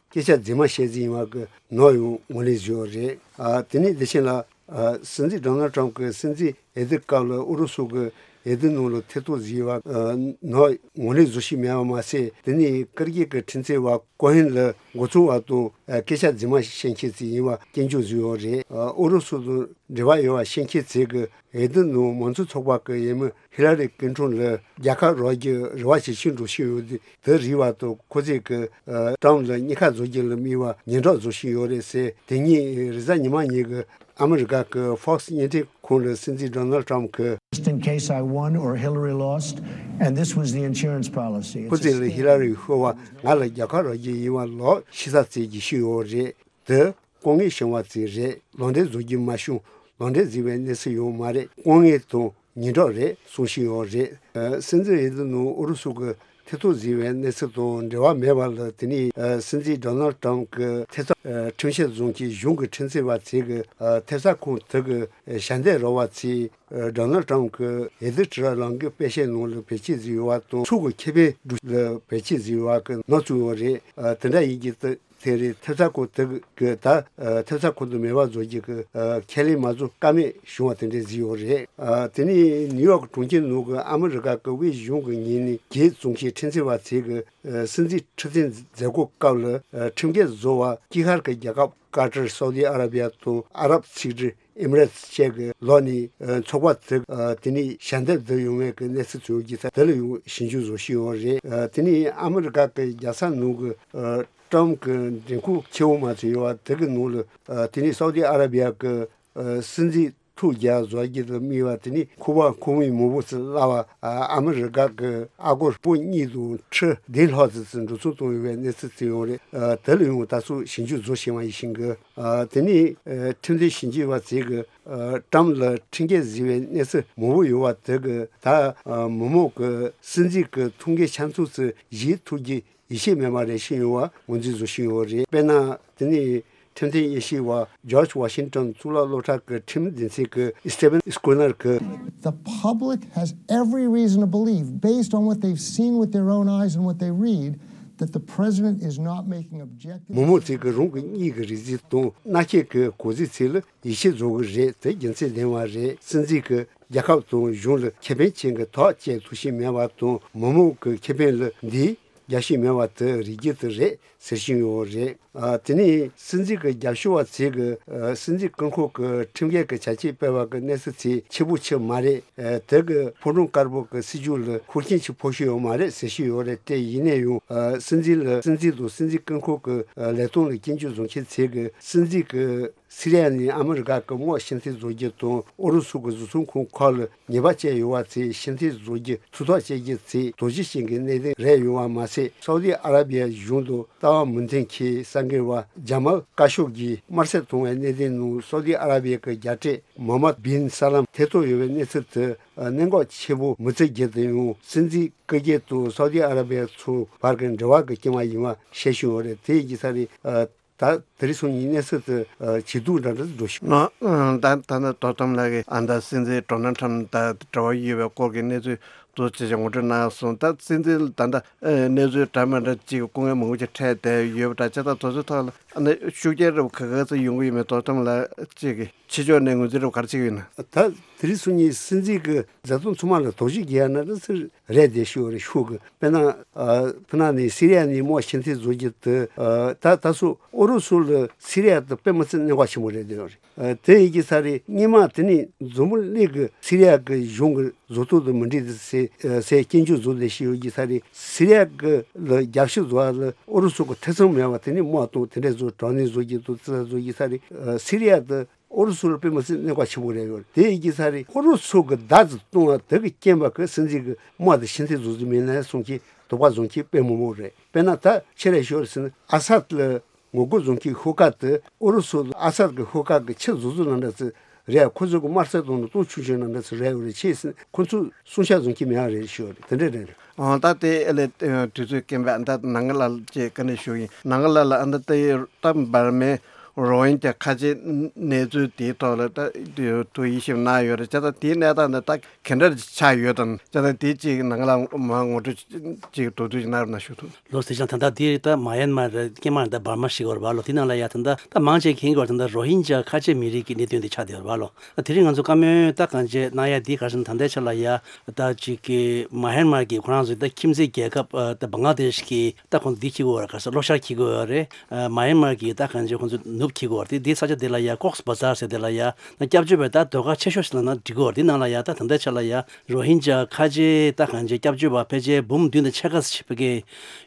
སྐད་ཆ་རྫུན་མ་བཤད་རྩིས་ཡིན་པ་གི་ནག་ཡང་ངོས་ལེན་བཟོས་ཡོད་རེད། ཨ་དེ་ནས་དེ་བཞིན་ལ་ཨ་སྲིད་འཛིན་ཌོ་ནལ་ཊམ་གྱི་སྲིད་འཛིན་འོས་བསྡུ་སྐབས་ལ་ཨུ་རུ་སུ་གི་འོས་བསྡུ་ནང་ལ་ཐེ་གཏོགས་བཟོས་པ་ཨ་ནག་ངོས་ལེན་བཟོ་བཞིན་མེད་པ་མ་ཟད། དེ་ནས་ཀིར་གི་གི་ཁྲིམས་རྩོད་པ་ཀོ་ཧན་ལ་མགོ་ཚོས་པ་དང་ཨ་སྐད་ཆ་རྫུན་མ་བཤད་མཁན་ཞིག་ཡིན་པ་སྐྱོན་བརྗོད་བཟོས་ཡོད་རེད། ཨ་ཨུ་རུ་སུ་དང་འབྲེལ་བ་ཡོད་པ་བཤད་མཁན་ཚོས་གི་འོས་བསྡུ་ནང་མང་གཙོ་ཚོགས་པ་གི་འོས་མི་ཧི་ལ་རི་ཀིན་ཊོན་ལ་རྒྱལ་ཁ་རག་རྒྱུ་རེ་བ་ཇེ་ཆེར་འགྲོ་བཞིན་ཡོད་དེ། དེ་རིགས་པ་དང་ཁོ་ཚོས་ཀྱི་ཨ་ཊམ་ལ་གཉིས་ཀ་བཟོ་རྒྱུ་ལ་དམིགས་པ་ཉེན་བརྡ་བཟོ་བཞིན་ཡོད་རེད་ཟེར། དེ་ཉིན་རེས་གཟའ་ཉི་མ་ཉིན་གྱི་ཨ་མི་རི་ཀ་གི་ཧྥོག་སི་བརྙན་འཕྲིན་ཁང་ལ་སྲིད་འཛིན་ཌོ་ནལ་ཊམ་གྱིས། Just in case I won or Hillary lost, and this was the insurance policy. ཁོ་ཚོས་ལ་ཧི་ལ་རི་ཤོར་བ་ང་ལ་རྒྱལ་ཁ་རག་རྒྱུ་ཡིན་པ་ལོག་ཤི་ས་བཙལ་རྒྱུ་ཞིག་ཡོད་རེད། དེ་ལྐོག་རྔན་བྱིན་པ་ཙམ་རེད། ལག་འབྲེལ་བཟོ་རྒྱུ་མ་བྱུང་། ལག་འབྲེལ་བཟོས་པའི་གནས་ཚུལ་ཡང་མ་རེད། དཀའ་ངལ་དང་ཉེན་ཁ་རེད་གསུང་བཞིན་ཡོད་རེད། ཨ་སྲིད་འཛིན་འོས་བསྡུ་ནང་ཨུ་རུ་སུ་གི་ཐེ་གཏོགས་བཟོས་པའི་གནས་ཚུལ་དང་འབྲེལ་བ་མེད་པ་ལ་དེ་ནས་ཨ་སྲིད་འཛིན་ཌོ་ནལ་ཊམ་གྱི་ཐེབས་རྩ་ཨ་ཁྲིམས་ཞིབ་བཟུང་གི་གཞུང་གི་ཁྲིམས་རྩོད་པ་ཚོས་ཀྱི་ཨ་ཐེབས་རྩ་ཁང་དེ་གི་ཨ་ཞལ་འདེབས་རག་པ་ཚོས་ཨ་ཌོ་ནལ་ཊམ་གྱི་འོས་བསྡུ་དྲིལ་བསྒྲགས་ལས་འགུལ་སྤེལ་བྱེད་ནང་ལ་བེད་སྤྱོད་བཟོས་ཡོད་པ་དང་། ཕྱོགས་ཀྱི་ཁེ་ཕན་སྒྲུབ་ལ་བེད་སྤྱོད་བཟོས་ཡོད་པ་གི་ནག་བཙུགས་ཡོད་རེད། ཨ་དེ་འདྲ་ཡིན་གྱི་དེ། དེ་རིང་ཐེབས་རྩ་ཁང་དེ་གི་ད་ཨ་ཐེབས་རྩ་ཁང་དུ་མེད་པ་བཟོ་རྒྱུ་གི་ཨ་ཁས་ལེན་མ་བཟོ་ཀ་མེད་བྱུང་བ་དེ་འདྲ་ཟིག་ཡོད་རེད། ཨ་དེ་ནས་ནིའུ་ཡོག་གྲོང་ཁྱེར་ནང་གི་ཨ་མི་རི་ཀ་གི་དབུས་གཞུང་གི་ངོས་ནས་རྒྱལ་བཙོང་མཁན་ཁྲིམས་རྩོད་པ་ཚོས་གི་ཨ་སྲིད་འཛིན་ཁྲི་འཛིན་མཛད་སྒོ་སྐབས་ལ་ཨ་ཁྲིམས་འགལ་བཟོ་བ་དཀྱིལ་ཤར་གྱི་རྒྱལ་ཁབ་ཀ་ཏར། སའུ་དི་ཨ་ར་བི་ཡ་དང་ཨ་རབ་ཚིག་འབྲུ་ཨེ་མི་རེ་ཊི་བཅས་ཀྱི་ལག་ནས་ཨ་ཚོགས་པ་དེ་ཨ་དེ་ནས་ཞལ་འདེབས་བསྡུ་ཡོང་བའི་གི་གནས་ཚུལ་ཚོས་ཀྱི་ས་དེ་ལ་ཡང་ཞིབ་འཇུག་བཟོ་བཞིན་ཡོད་རེད། ཨ་དེ་ནས་ཨ་མི་རི་ཀ་གི་རྒྱལ་ས་ནང་གི་ཨ་ཀྲམ་གྱི་མགྲོན་ཁང་ཆེ་བོ་མ་ཚོད་ཡོད་པ་དེ་གི་ནང་ལ་ཨ་དེ་ནས་སའུ་དི་ཨ་ར་བི་ཡ་གི་ཨ་སྲིད་འཛིན་ཐུགས་རྒྱལ་བཟོ་རྒྱུ་དང་དམིགས་པ་དེ་ནས་ཁོ་པ་ཁོ་མོའི་མང་པོ་ཚོས་གླ་བ་ཨ་ཨ་མི་རི་ཀ་གི་ཨ་སྒོར་སྤུན་གཉིས་དང་ཁྲི་བདུན་ལྷག་ཙམ་ཚོས་འགྲོ་སོང་བཏང་ཡོད་པའི་གནས་ཚུལ་ཚོས་ཡོད་རེད། ཨ་དེ་ལ་ཡང་ད་གཟོད་ཞིབ་འཇུག་བཟོ་བཞིན་པ་ཡིན་ཞིང་གི། ཨ་དེ་ནས་ཨ་ཁྲིམས་དོན་ཞིབ་འཇུག་པ་ཚོས་གི་ཨ་ཀྲམ་ལ་ཁྲིམས་འགལ་བཟོས་པའི་གནས་ཚུལ་མང་པོ་ཡོད་པ་དེ་གི་ད་ཨ་མི་མང་གི་སྲིད་འཛིན་གི་ཐུགས་འགན་ཆ་ཚང་ཚོས་བཞེས་ཐུབ་རྒྱུ་ཡིད་ཆེས་མེད་པ་རེད་བཤད་ཡོང་བ་ངོས་འཛིན་བཟོ་བཞིན་ཡོད་རེད། དཔེར་ན་དེ་ནས་ཁྲིམས་དོན་དབྱེ་ཞིབ་པ་ཇོརྗ་ཝ་ཤིང་ཊོན་གཙུག་ལག་སློབ་གྲྭ་གི་ཁྲིམས་སྡེ་ཚན་གི་སི་ཊི་ཝན་སི་ཀུ་ནར་གི། The public has every reason to believe, based on what they've seen with their own eyes and what they read, that the president is not making objective མི་མང་ཚོས་ཀྱི་རང་གི་གཉིད་ཀྱི་རེ་ཟིག་དང་མནའ་སྐྱེལ་གྱི་གོ་ཟིག་ཚོས་ལ་ཡིད་ཆེས་བཟོ་གི་རེད། དེ་རྒྱུ་མཚན་ལྡན་པ་རེད། སྲིད་འཛིན་གྱིས་རྒྱལ་ཁབ་དང་གཞུང་ལ་ཁེ་ཕན་ཅན་གྱི་ཐབས་བྱེད་ཐུབ་བཞིན་མེད་པ་དང་། མི་མང་གི་ཁེ་ཕན་ལ་འདིའི་རྒྱབ་བཤིག་མེད་པ་དེ་རིགས་རྒྱུ་དེ་རེད་ཟེར་བཞིན་ཡོད་རེད། ཨ་དེ་ནས་སྲིད་འཛིན་གྱི་རྒྱབ་སྐྱོར་བ་ཚོས་ཀྱི་ཨ་སྲིད་འཛིན་སྐུ་འཁོར་གྱི་ཁྲིམས་འགལ་གྱི་བྱ་སྤྱོད་སྤེལ་བ་གི་གནས་ཚུལ་ཚོ་ཆེ་པོ་ཆེ་མ་རེད། ཨ་དེ་གི་ཕོ་བྲང་དཀར་པོ་གི་སྲིད་ཇུས་ལ་ཤུགས་རྐྱེན་ཅིག་ཕོག་ཤེས་ཡོད་མ་རེད་ཟེར་བཞིན་ཡོད་རེད། དེ་ཡིན་ན་ཡང་ཨ་སྲིད་འཛིན་ལ་སྲིད་འཛིན་དང་སྲིད་འཛིན་སྐུ་འཁོར་གྱི་ཨ་ལས་དོན་ལ་སྐྱོན་བརྗོད་བཟོ་མཁན་ཚོས་ཀྱི་སྲིད་འཛིན་གྱི་སི་རི་ཡ་ནས་ཨ་མི་རི་ཀ་གི་དམག་ཕྱིར་འཐེན་བཟོ་རྒྱུ་དང་། ཨུ་རུ་སུ་གི་བཟོ་ཚོང་ཁང་ཁག་ལ་ཉེས་པ་བཅད་ཡོད་པ་ཚོས་ཕྱིར་འཐེན་བཟོ་རྒྱུ་ཐུགས་ཐག་བཅད་རྒྱུ་ཚོ་དོགས་གཞི་ཅན་གྱི་གནད་དོན་རེད་ཡོད་པ་མ་ཟད། སའུ་དི་ཨ་ར་བི་ཡ་གཞུང་དང་ལྟ་བ་མི་མཐུན་མཁན་གསར་འགོད་པ་ཇ་མལ་ཀ་ཤོག་གིས་དམར་གསོད་བཏང་བའི་གནད་དོན་ནང་སའུ་དི་ཨ་ར་བི་ཡ་གི་རྒྱལ་སྲས་མོ་ཧམ་མད་བིན་ས་ལམ་ཐེ་གཏོགས་ཡོད་པའི་གནས་ཚུལ་དེ་གནད་འགག་ཆེ་པོ་མི་བརྩི་རྒྱུ་དེ་ཡང་སྲིད་འཛིན་སྐུ་སྒེར་དང་སའུ་དི་ཨ་ར་བི་ཡ་ཚོའི་བར་གྱི་འབྲེལ་བ་གི་རྐྱེན་པ་ཡིན་པ་བཤད་བཞིན་ཡོད་རེད། དེ་ཡིན་གྱི་ས་རེད། ད་དེ་རིང་སང་ཉིན་གནས་ཚུལ་དེ་ཨ་ཇེ་སྡུག་འདྲ་འདྲ་འགྲོ་བཞིན། ཨ་ད་ད་ནི་དོ་དམ་ལགས་ཀྱིས་ཨ་ད་སྲིད་འཛིན་ཌོ་ནལ་ཊམ་དང་འབྲེལ་བ་ཡོད་པའི་སྐོར་གྱི་གནས་ཚུལ་ཏོག་ཙམ་ཅིག་ངོ་སྤྲོད་གནང་སོང་། ད་སྲིད་འཛིན་ད་ལྟ་ཨ་གནས་ཚུལ་འདྲ་མི་འདྲ་ཅིག་སྐུ་ངལ་མང་པོ་ཅིག་འཕྲད་བསྡད་ཡོད་པ་འདྲ། བྱས་ཙང་དེ་ཚོའི་ཐོག་ལ་ཨ་ནི་ཤུགས་རྐྱེན་རིགས་ག་ག་ཚོད་ཡོང་གི་ཡོད་མེད་དོ་དམ་ལགས་ཅིག་གིས་ཕྱི་ཕྱོགས་ནས་ངོས་འཛིན་རིགས་ག་རེ་བྱེད་ཀྱི་ཡོད་ན། ད་དེ་རིང་སང་ཉིན་སྲིད་འཛིན་གྱི་མཛད་དོན་ཚང་མ་ལ་དོགས་གཞི་རྒྱག་ཡ་ན་ད་ཚུར་རེད་བསྡད་ཤོག་རེད་ཤོག་གི། དཔེར་ན་ཨ་ཕུ་ན་ནས་སི་རི་ཡ་ནས་དམག་ཕྱིར་འཐེན་བཟོ་རྒྱུ་དེ་ཨ་ད་ད་སོ་ཨུ་རུ་སུ་ལ་སི་རི་ཡ་དེ་དཔེ་མི་སྲིད་གནད་འགག་ཆེན་པོ་རེད་བསྡད་ཡོད་རེད། ཨ་དེ་ཡིན་གྱི་ས་རེད། སྔོན་མ་དེ་ནས་འཛམ་བུ་གླིང་གི་སི་རི་ཡ་གི་གཞུང་གི་བཟོ་ཐབས་དང་མི་འགྲིག་དེ་ཟེར་ཨ་ཟེར་སྐྱོན་བརྗོད་བཟོ་བསྡད་ཤེས་ཡོད་ཀྱི་ས་རེད། སི་རི་ཡ་གི་ལ་རྒྱབ་སྐྱོར་བཟོ་བ་ལ་ཨུ་རུ་སུ་གི་ཐེ་ཚོམ་མེད་པ་དེ་ནས་དམག་དང་དེ་འདྲ་བཟོ་དྲག་གནོན་བཟོ་རྒྱུ་དང་རྩིས་ལ་བཟོ་རྒྱུ་ས་རེད། ཨ་སི་རི་ཡ་དེ་ ཨུ་རུ་སུ་ལ་དཔེ་མི་སྲིད་གནོད་པ་ཆེན་པོ་རེད་ཡོད་རེད། དེ་ཡིན་གྱི་ས་རེད། ཨུ་རུ་སུ་གི་མདའ་ཙམ་བཏང་བ་དེ་གི་རྐྱེན་པ་གི་སྲིད་འཛིན་གི་དམག་དེ་ཤི་ཚེ་རྫོགས་རྫོགས་མིན་ན་གསུང་གི་དོགས་པ་བཟུང་གི་དཔེ་མི་མོ་རེད། དཔེར་ན་ད་ཆེ་རེ་ཤོར་ཟིན་ཨ་སད་ལ་ངོ་རྒོལ་བཟུང་གི་ཤོག་ཁག་དེ་ཨུ་རུ་སུ་ཨ་སད་གི་ཤོག་ཁག་གི་ཆེ་རྫོགས་རྫོགས་ནང་འདྲ་ཚོད་རེད། ཁོ་ཚོ་གི་དམར་གསོད་དང་ནི་ཏོག་ཆུང་ཆུང་ནང་འདྲ་ཚོད་རེད་ཡོད་རེད། ཆེ་ཟིན་ཁོ་ཚོ་སྲུང་བྱ་བཟུང་གི་མེད་ཨ་རེད་ཤོད་རེད། དེ་འདྲ་རེད། ཨོ་ད་དེ་ཨེ་ལས་དུས་ཚོད་རྐྱེན་པས་ཨ་ད་ནང་ལ་ཅེས་བཀའ་འདྲི་ཞུ་ཡིན། ནང་ལ་ལ་ཨ་ད་དེ་ད་འབར་མའི་རོ་ཧིན་ཇ་ཁ་ཆེ་གནས་ཚུལ་དེའི་ཐོག་ལ་ད་དུ་ཡིད་ཞིབ་གནང་ཡོད་རེད། ཅེས་ད་དེའི་གནས་སྟངས་འདི་ད་ག་འདྲ་ཆགས་ཡོད་དམ། ཅེས་ད་དེ་ཅིག་ནང་ལ་མ་ངོ་སྤྲོད་ཅིག་དོ་དུས་གནང་རོགས་གནང་ཞུ་ཐུབ། ལོ་ཟེར་ཞིང་ད་ལྟ་དེ་ད་མ་ཡན་མར་རེད། ཀེ་མར་ད་འབར་མ་ཞིག་ཡོད་རེད་བ་ལོ། དེ་ནང་ལ་ཡ་ད་ད་ད་མང་ཆེ་མཁྱེན་གྱི་ཡོད་རེད། ད་ད་རོ་ཧིན་ཇ་ཁ་ཆེ་མི་རིགས་ཀྱི་གནད་དོན་དེ་ཆགས་བསྡད་ཡོད་རེད་བ་ལོ། ད་དེ་རིང་ང་ཚོ་བཀའ་མོལ་ད་གང་བྱས་གནང་ཡ་འདི་ག་རེ་ཟེར་ན་ད་ལྟའི་ཆ་ལ་ཡ་ད་ཅིག་གི་མ་ཧན་མར་གྱི་ཁོ་རང་ཚོའི་ད་ཁྱིམ་མཚེས་རྒྱལ་ཁབ་ཨ་ད་བང་ལ་དེཤ་གི་ད་ཁོང་ཚོ་འདི་འཁྱེར་གྱི་ཡོད་རེད། ག་རེ་ཟེར་གློ་ཤར་འཁྱེར་གྱི་ཡོད་རེད། ཨ་མ་ཧན་མར་གྱི་ད་གང་བྱས་ཁོང་ཚོ་ནུབ་འཁྱེར་གྱི་ཡོད་རེད། དེ་དེ་ས་ཆ་དེ་ལ་ཡ་ཀོག་སི་བ་ཛར་ཟེར་དེ་ལ་ཡ་ད་སྐྱབས་བཅོལ་བའི་ད་སྡོད་སྒར་ཆེ་ཤོས་ཤིག་ལབ་ན་འགྲིག་གི་ཡོད་རེད། དེ་ནང་ལ་ཡ་ད་ད་ལྟའི་ཆ་ལ་ཡ་རོ་ཧིན་ཇ་ཁ་ཆེ་ད་གང་བྱས་སྐྱབས་བཅོལ་བ་ཕལ་ཆེར་འབུམ་བདུན་དང་ཕྱེད་ཀ་ཙམ་ཕ་གི་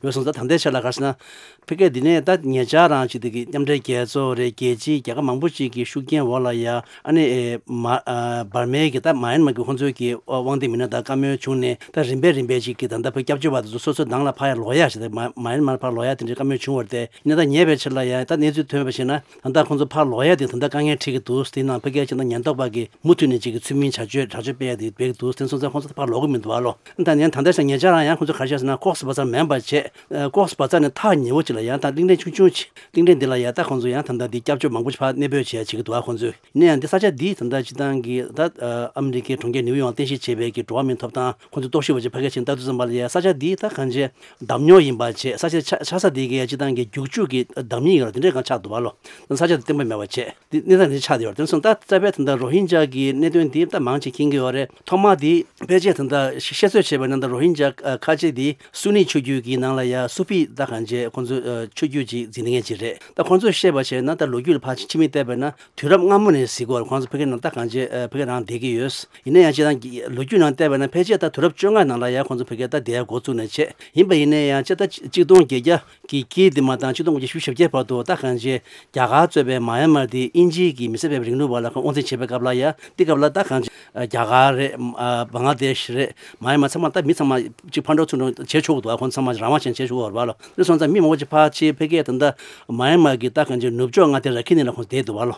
ཡོད་སོང་ཙང་། ད་ལྟའི་ཆ་ལ་ག་རེ་ཟེར་ན། ཕ་གི་འདི་ནས་ད་ཉེ་ཆར་རང་ཅིག་དེ་གི་མཉམ་འབྲེལ་རྒྱལ་ཚོགས་རེད། རྒྱལ་སྤྱིའི་རྒྱལ་ཁབ་མང་པོ་ཅིག་གི་ཤུགས་རྐྱེན་འོག་ལ་ཡ་ཨ་ནི་ཨེ་མ་ཨ་འབར་མའི་གི་ད་མ་ཡན་མར་གི་ཁོང་ཚོའི་གི་དབང་འདུས་མི་སྣ་དང་བཀའ་མོལ་བྱུང་ནས། ད་རིམ་པས་རིམ་པས་ཅིག་གི་ད་ལྟ་བོད་སྐྱབས་བཅོལ་བ་དེ་ཚོ་སོ་སོའི་ནང་ལ་ཕར་ཡ་ལོག་ཡ་ཞིག་དང་མ་མ་ཡན་མར་ཕར་ལོག་ཡ་དེ་འདྲའི་བཀའ་མོལ་བྱུང་བ་རེད་དེ། ཡིན་ན་ད་ཉེ་བའི་ཆར་ལ་ཡ་ད་གནས་ཚུལ་ཐོན་པ་བྱས་ན་ད་ལྟ་ཁོང་ཚོ་ཕར་ལོག་ཡ་དེ་ད་ལྟ་དཀའ་ངལ་འཕྲད་ཀྱི་འདུག་དེ་ནང་ཕ་གིའི་ཕྱི་ནང་ཉེན་རྟོག་པ་གི་མུ་མཐུད་ནས་ཅིག་གི་ཚུལ་མིན་བྱ་སྤྱོད་དྲག་སྤྱོད་སྤེལ་ཡ་དེ་སྤེལ་གྱི་འདུག་དེ་སོང་ཙང་ཁོང་ཚོ་ཕར་ལོག་གི་མི་འདུག་བ་ལོ། ད་ཉེ་ད་ལྟ་ཞག་ཉེ་ཆར་རང་ཡང་ཁོང་ཚོ་ག་རེ་བྱས་ཟེར་ན་ཀོག་སི་བ་ཛར་མིན་པ་བྱས། ཨ་ཀོག་སི་བ་ཛར་ནས་ཐག་ཉེ་བོ་ཅིག་ལ་ཡང་ད་གླིང་ཕྲན་ཆུང་ཆུང་ཅིག་གླིང་ཕྲན་འདི་ལ་ཡང་ད་ཁོང་ཚོ་ཡང་ད་ལྟ་འདི་སྐྱབས་བཅོལ་མང་པོ་ཅིག་ཕར་གནས་སྤོས་བྱས་བྱེད་ཀྱི་འདུག་ཨ་ཁོང་ཚོས་ཡིན་ན་ཡང་འདི་ས་ཆ་འདི་ད་ལྟ་སྤྱི་བཏང་གི་ད་ཨ་མི་རི་ཀའི་གྲོང་ཁྱེར་ནིའུ་ཡོག་རྟེན་གཞི་བྱས་པའི་གི་འགྲོ་བ་མིའི་ཐོབ་ཐང་ཁོང་ཚོས་རྟོག་ཞིབ་པ་ཅིག་ཕ་གིར་ཕྱིན་ལྟ་དུས་ཙམ་པ་ལ་ཡང་ས་ཆ་འདི་ད་གང་བྱས་བདག་ཉོ་ཡིན་པ་བྱས། ས་ཆ་ཆ་ཆགས་ས་འདི་གི་ཡང་སྤྱི་བཏང་གི་རྒྱུག་ཆུ་གི་བདག་ཉིད་ཡོད་ར་དེ་འདྲའི་གང་ཆགས་འདུག་བ་ལོ། ས་ཆ་འདི་བརྟན་པོ་མེད་པ་བྱས། འདི་གནས་སྟངས་འདི་ཆགས་བསྡད་ཡོད་རེད། དེ་སོང་ཙང་ད་རྩ་བའི་ད་ལྟ་རོ་ཧིན་ཇ་གི་གནད་དོན་འདི་ད་མང་ཆེ་མཁྱེན་གྱི་ཡོད་རེད། ཐོག་མ་འདི་ཕལ་ཆེར་ད་ལྟ་བཤད་ཚོད་བྱས་པ་ན་ད་རོ་ཧིན་ཇ་ཨ་ཁ་ཆེ་འདི་སུ་ནི་ཆོས་བརྒྱུད་ཀྱི་ནང་ལ་ཡ་སུ་ཕི་ད་གང་བྱས་ཁོང་ཚོ་ཨ་ཆོས་བརྒྱུད་ཅིག་འཛིན་མཁན་ཅིག་རེད། ད་ཁོང་ཚོས་བཤད་པ་བྱས་ན་ད་ལོ་རྒྱུས་ལ་ཕར་ཕྱི་མིག་བལྟས་པ་ན་དུས་རབས་སྔ་མོ་ནས་གཟིགས་སྐོར་ཁོང་ཚོ་ཕ་གི་ནང་ད་གང་བྱས་ཨ་ཕ་གི་ནང་བསྡད་ཀྱི་ཡོད། ཡིན་ན་ཡང་སྤྱིར་བཏང་གི་ལོ་རྒྱུས་ནང་བལྟས་པ་ན་ཕལ་ཆེར་ད་དུས་རབས་བཅོ་ལྔ་ནང་ལ་ཡ་ཁོང་ཚོ་ཕ་གི་ད་བསྡད་ཡ་འགོ་བཙུགས་ནས་བྱས། ཡིན་པ་ཡིན་ན་ཡང་སྤྱིར་ད་གཅིག་སྟོང་བརྒྱད་བརྒྱ་གི་དཀྱིལ་དེ་མ་བཏང་ཆིག་སྟོང་དགུ་བརྒྱ་བཞི་བཅུ་ཞེ་བརྒྱད་བར་དུ་ད་གང་བྱས་རྒྱ་གར་གཙོས་པའི་མ་ཡན་མར་དེ་དབྱིན་ཇིའི་གི་མི་སེར་སྤེལ་བའི་རིང་ལུགས་པ་ལ་ཁོང་དབང་འཛིན་བྱེད་པའི་སྐབས་ལ་ཡ་དེ་སྐབས་ལ་ད་གང་བྱས་རྒྱ་གར་རེད། ཨ་བང་ལ་དེཤ་རེད། མ་ཡན་མར་ཚང་མ་ད་མི་ཚང་མ་གཅིག་ཕར་འགྲོ་ཚུར་འགྲོ་བྱེད་ཆོག་གི་འདུག་ཨ་ཁོང་ཚང་མ་རང་དབང་ཅན་བྱེད་ཆོག་གི་ཡོད་རེད་བ་ལོ། དེ་སོང་ཙང་མི་མང་པོ་ཅིག་ཕར་ཕྱིན་ཕ་གིའི་ད་ལྟ་མ་ཡན་མར་གི་ད་གང་བྱས་ནུབ་ཕྱོགས་མངའ་སྡེ་ར་ཁི་ནི་ལ་ཁོང་བསྡད་འདུག་བ་ལོ།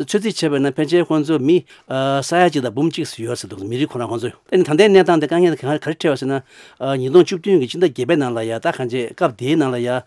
ཚོད་རྩིས་བྱས་པ་ན་ཕལ་ཆེར་ཁོང་ཚོ་མི་ཨ་ས་ཡ་གཅིག་དང་འབུམ་གཅིག་ཙམ་ཡོད་ཟེར་འདུག་མི་རིགས་ཁོ་རང་ཁོང་ཚོ། ཨ་ནི་ད་ལྟའི་གནས་སྟངས་དེ་དཀའ་ངལ་ག་ག་རེ་འཕྲད་པ་ཟེར་ན། ཨ་ཉིས་སྟོང་བཅུ་བདུན་གྱི་ཕྱི་ཟླ་བརྒྱད་པའི་ནང་ལ་ཡ་ད་གང་བྱས་སྐབས་དེའི་ནང་ལ་ཡ་ཨ་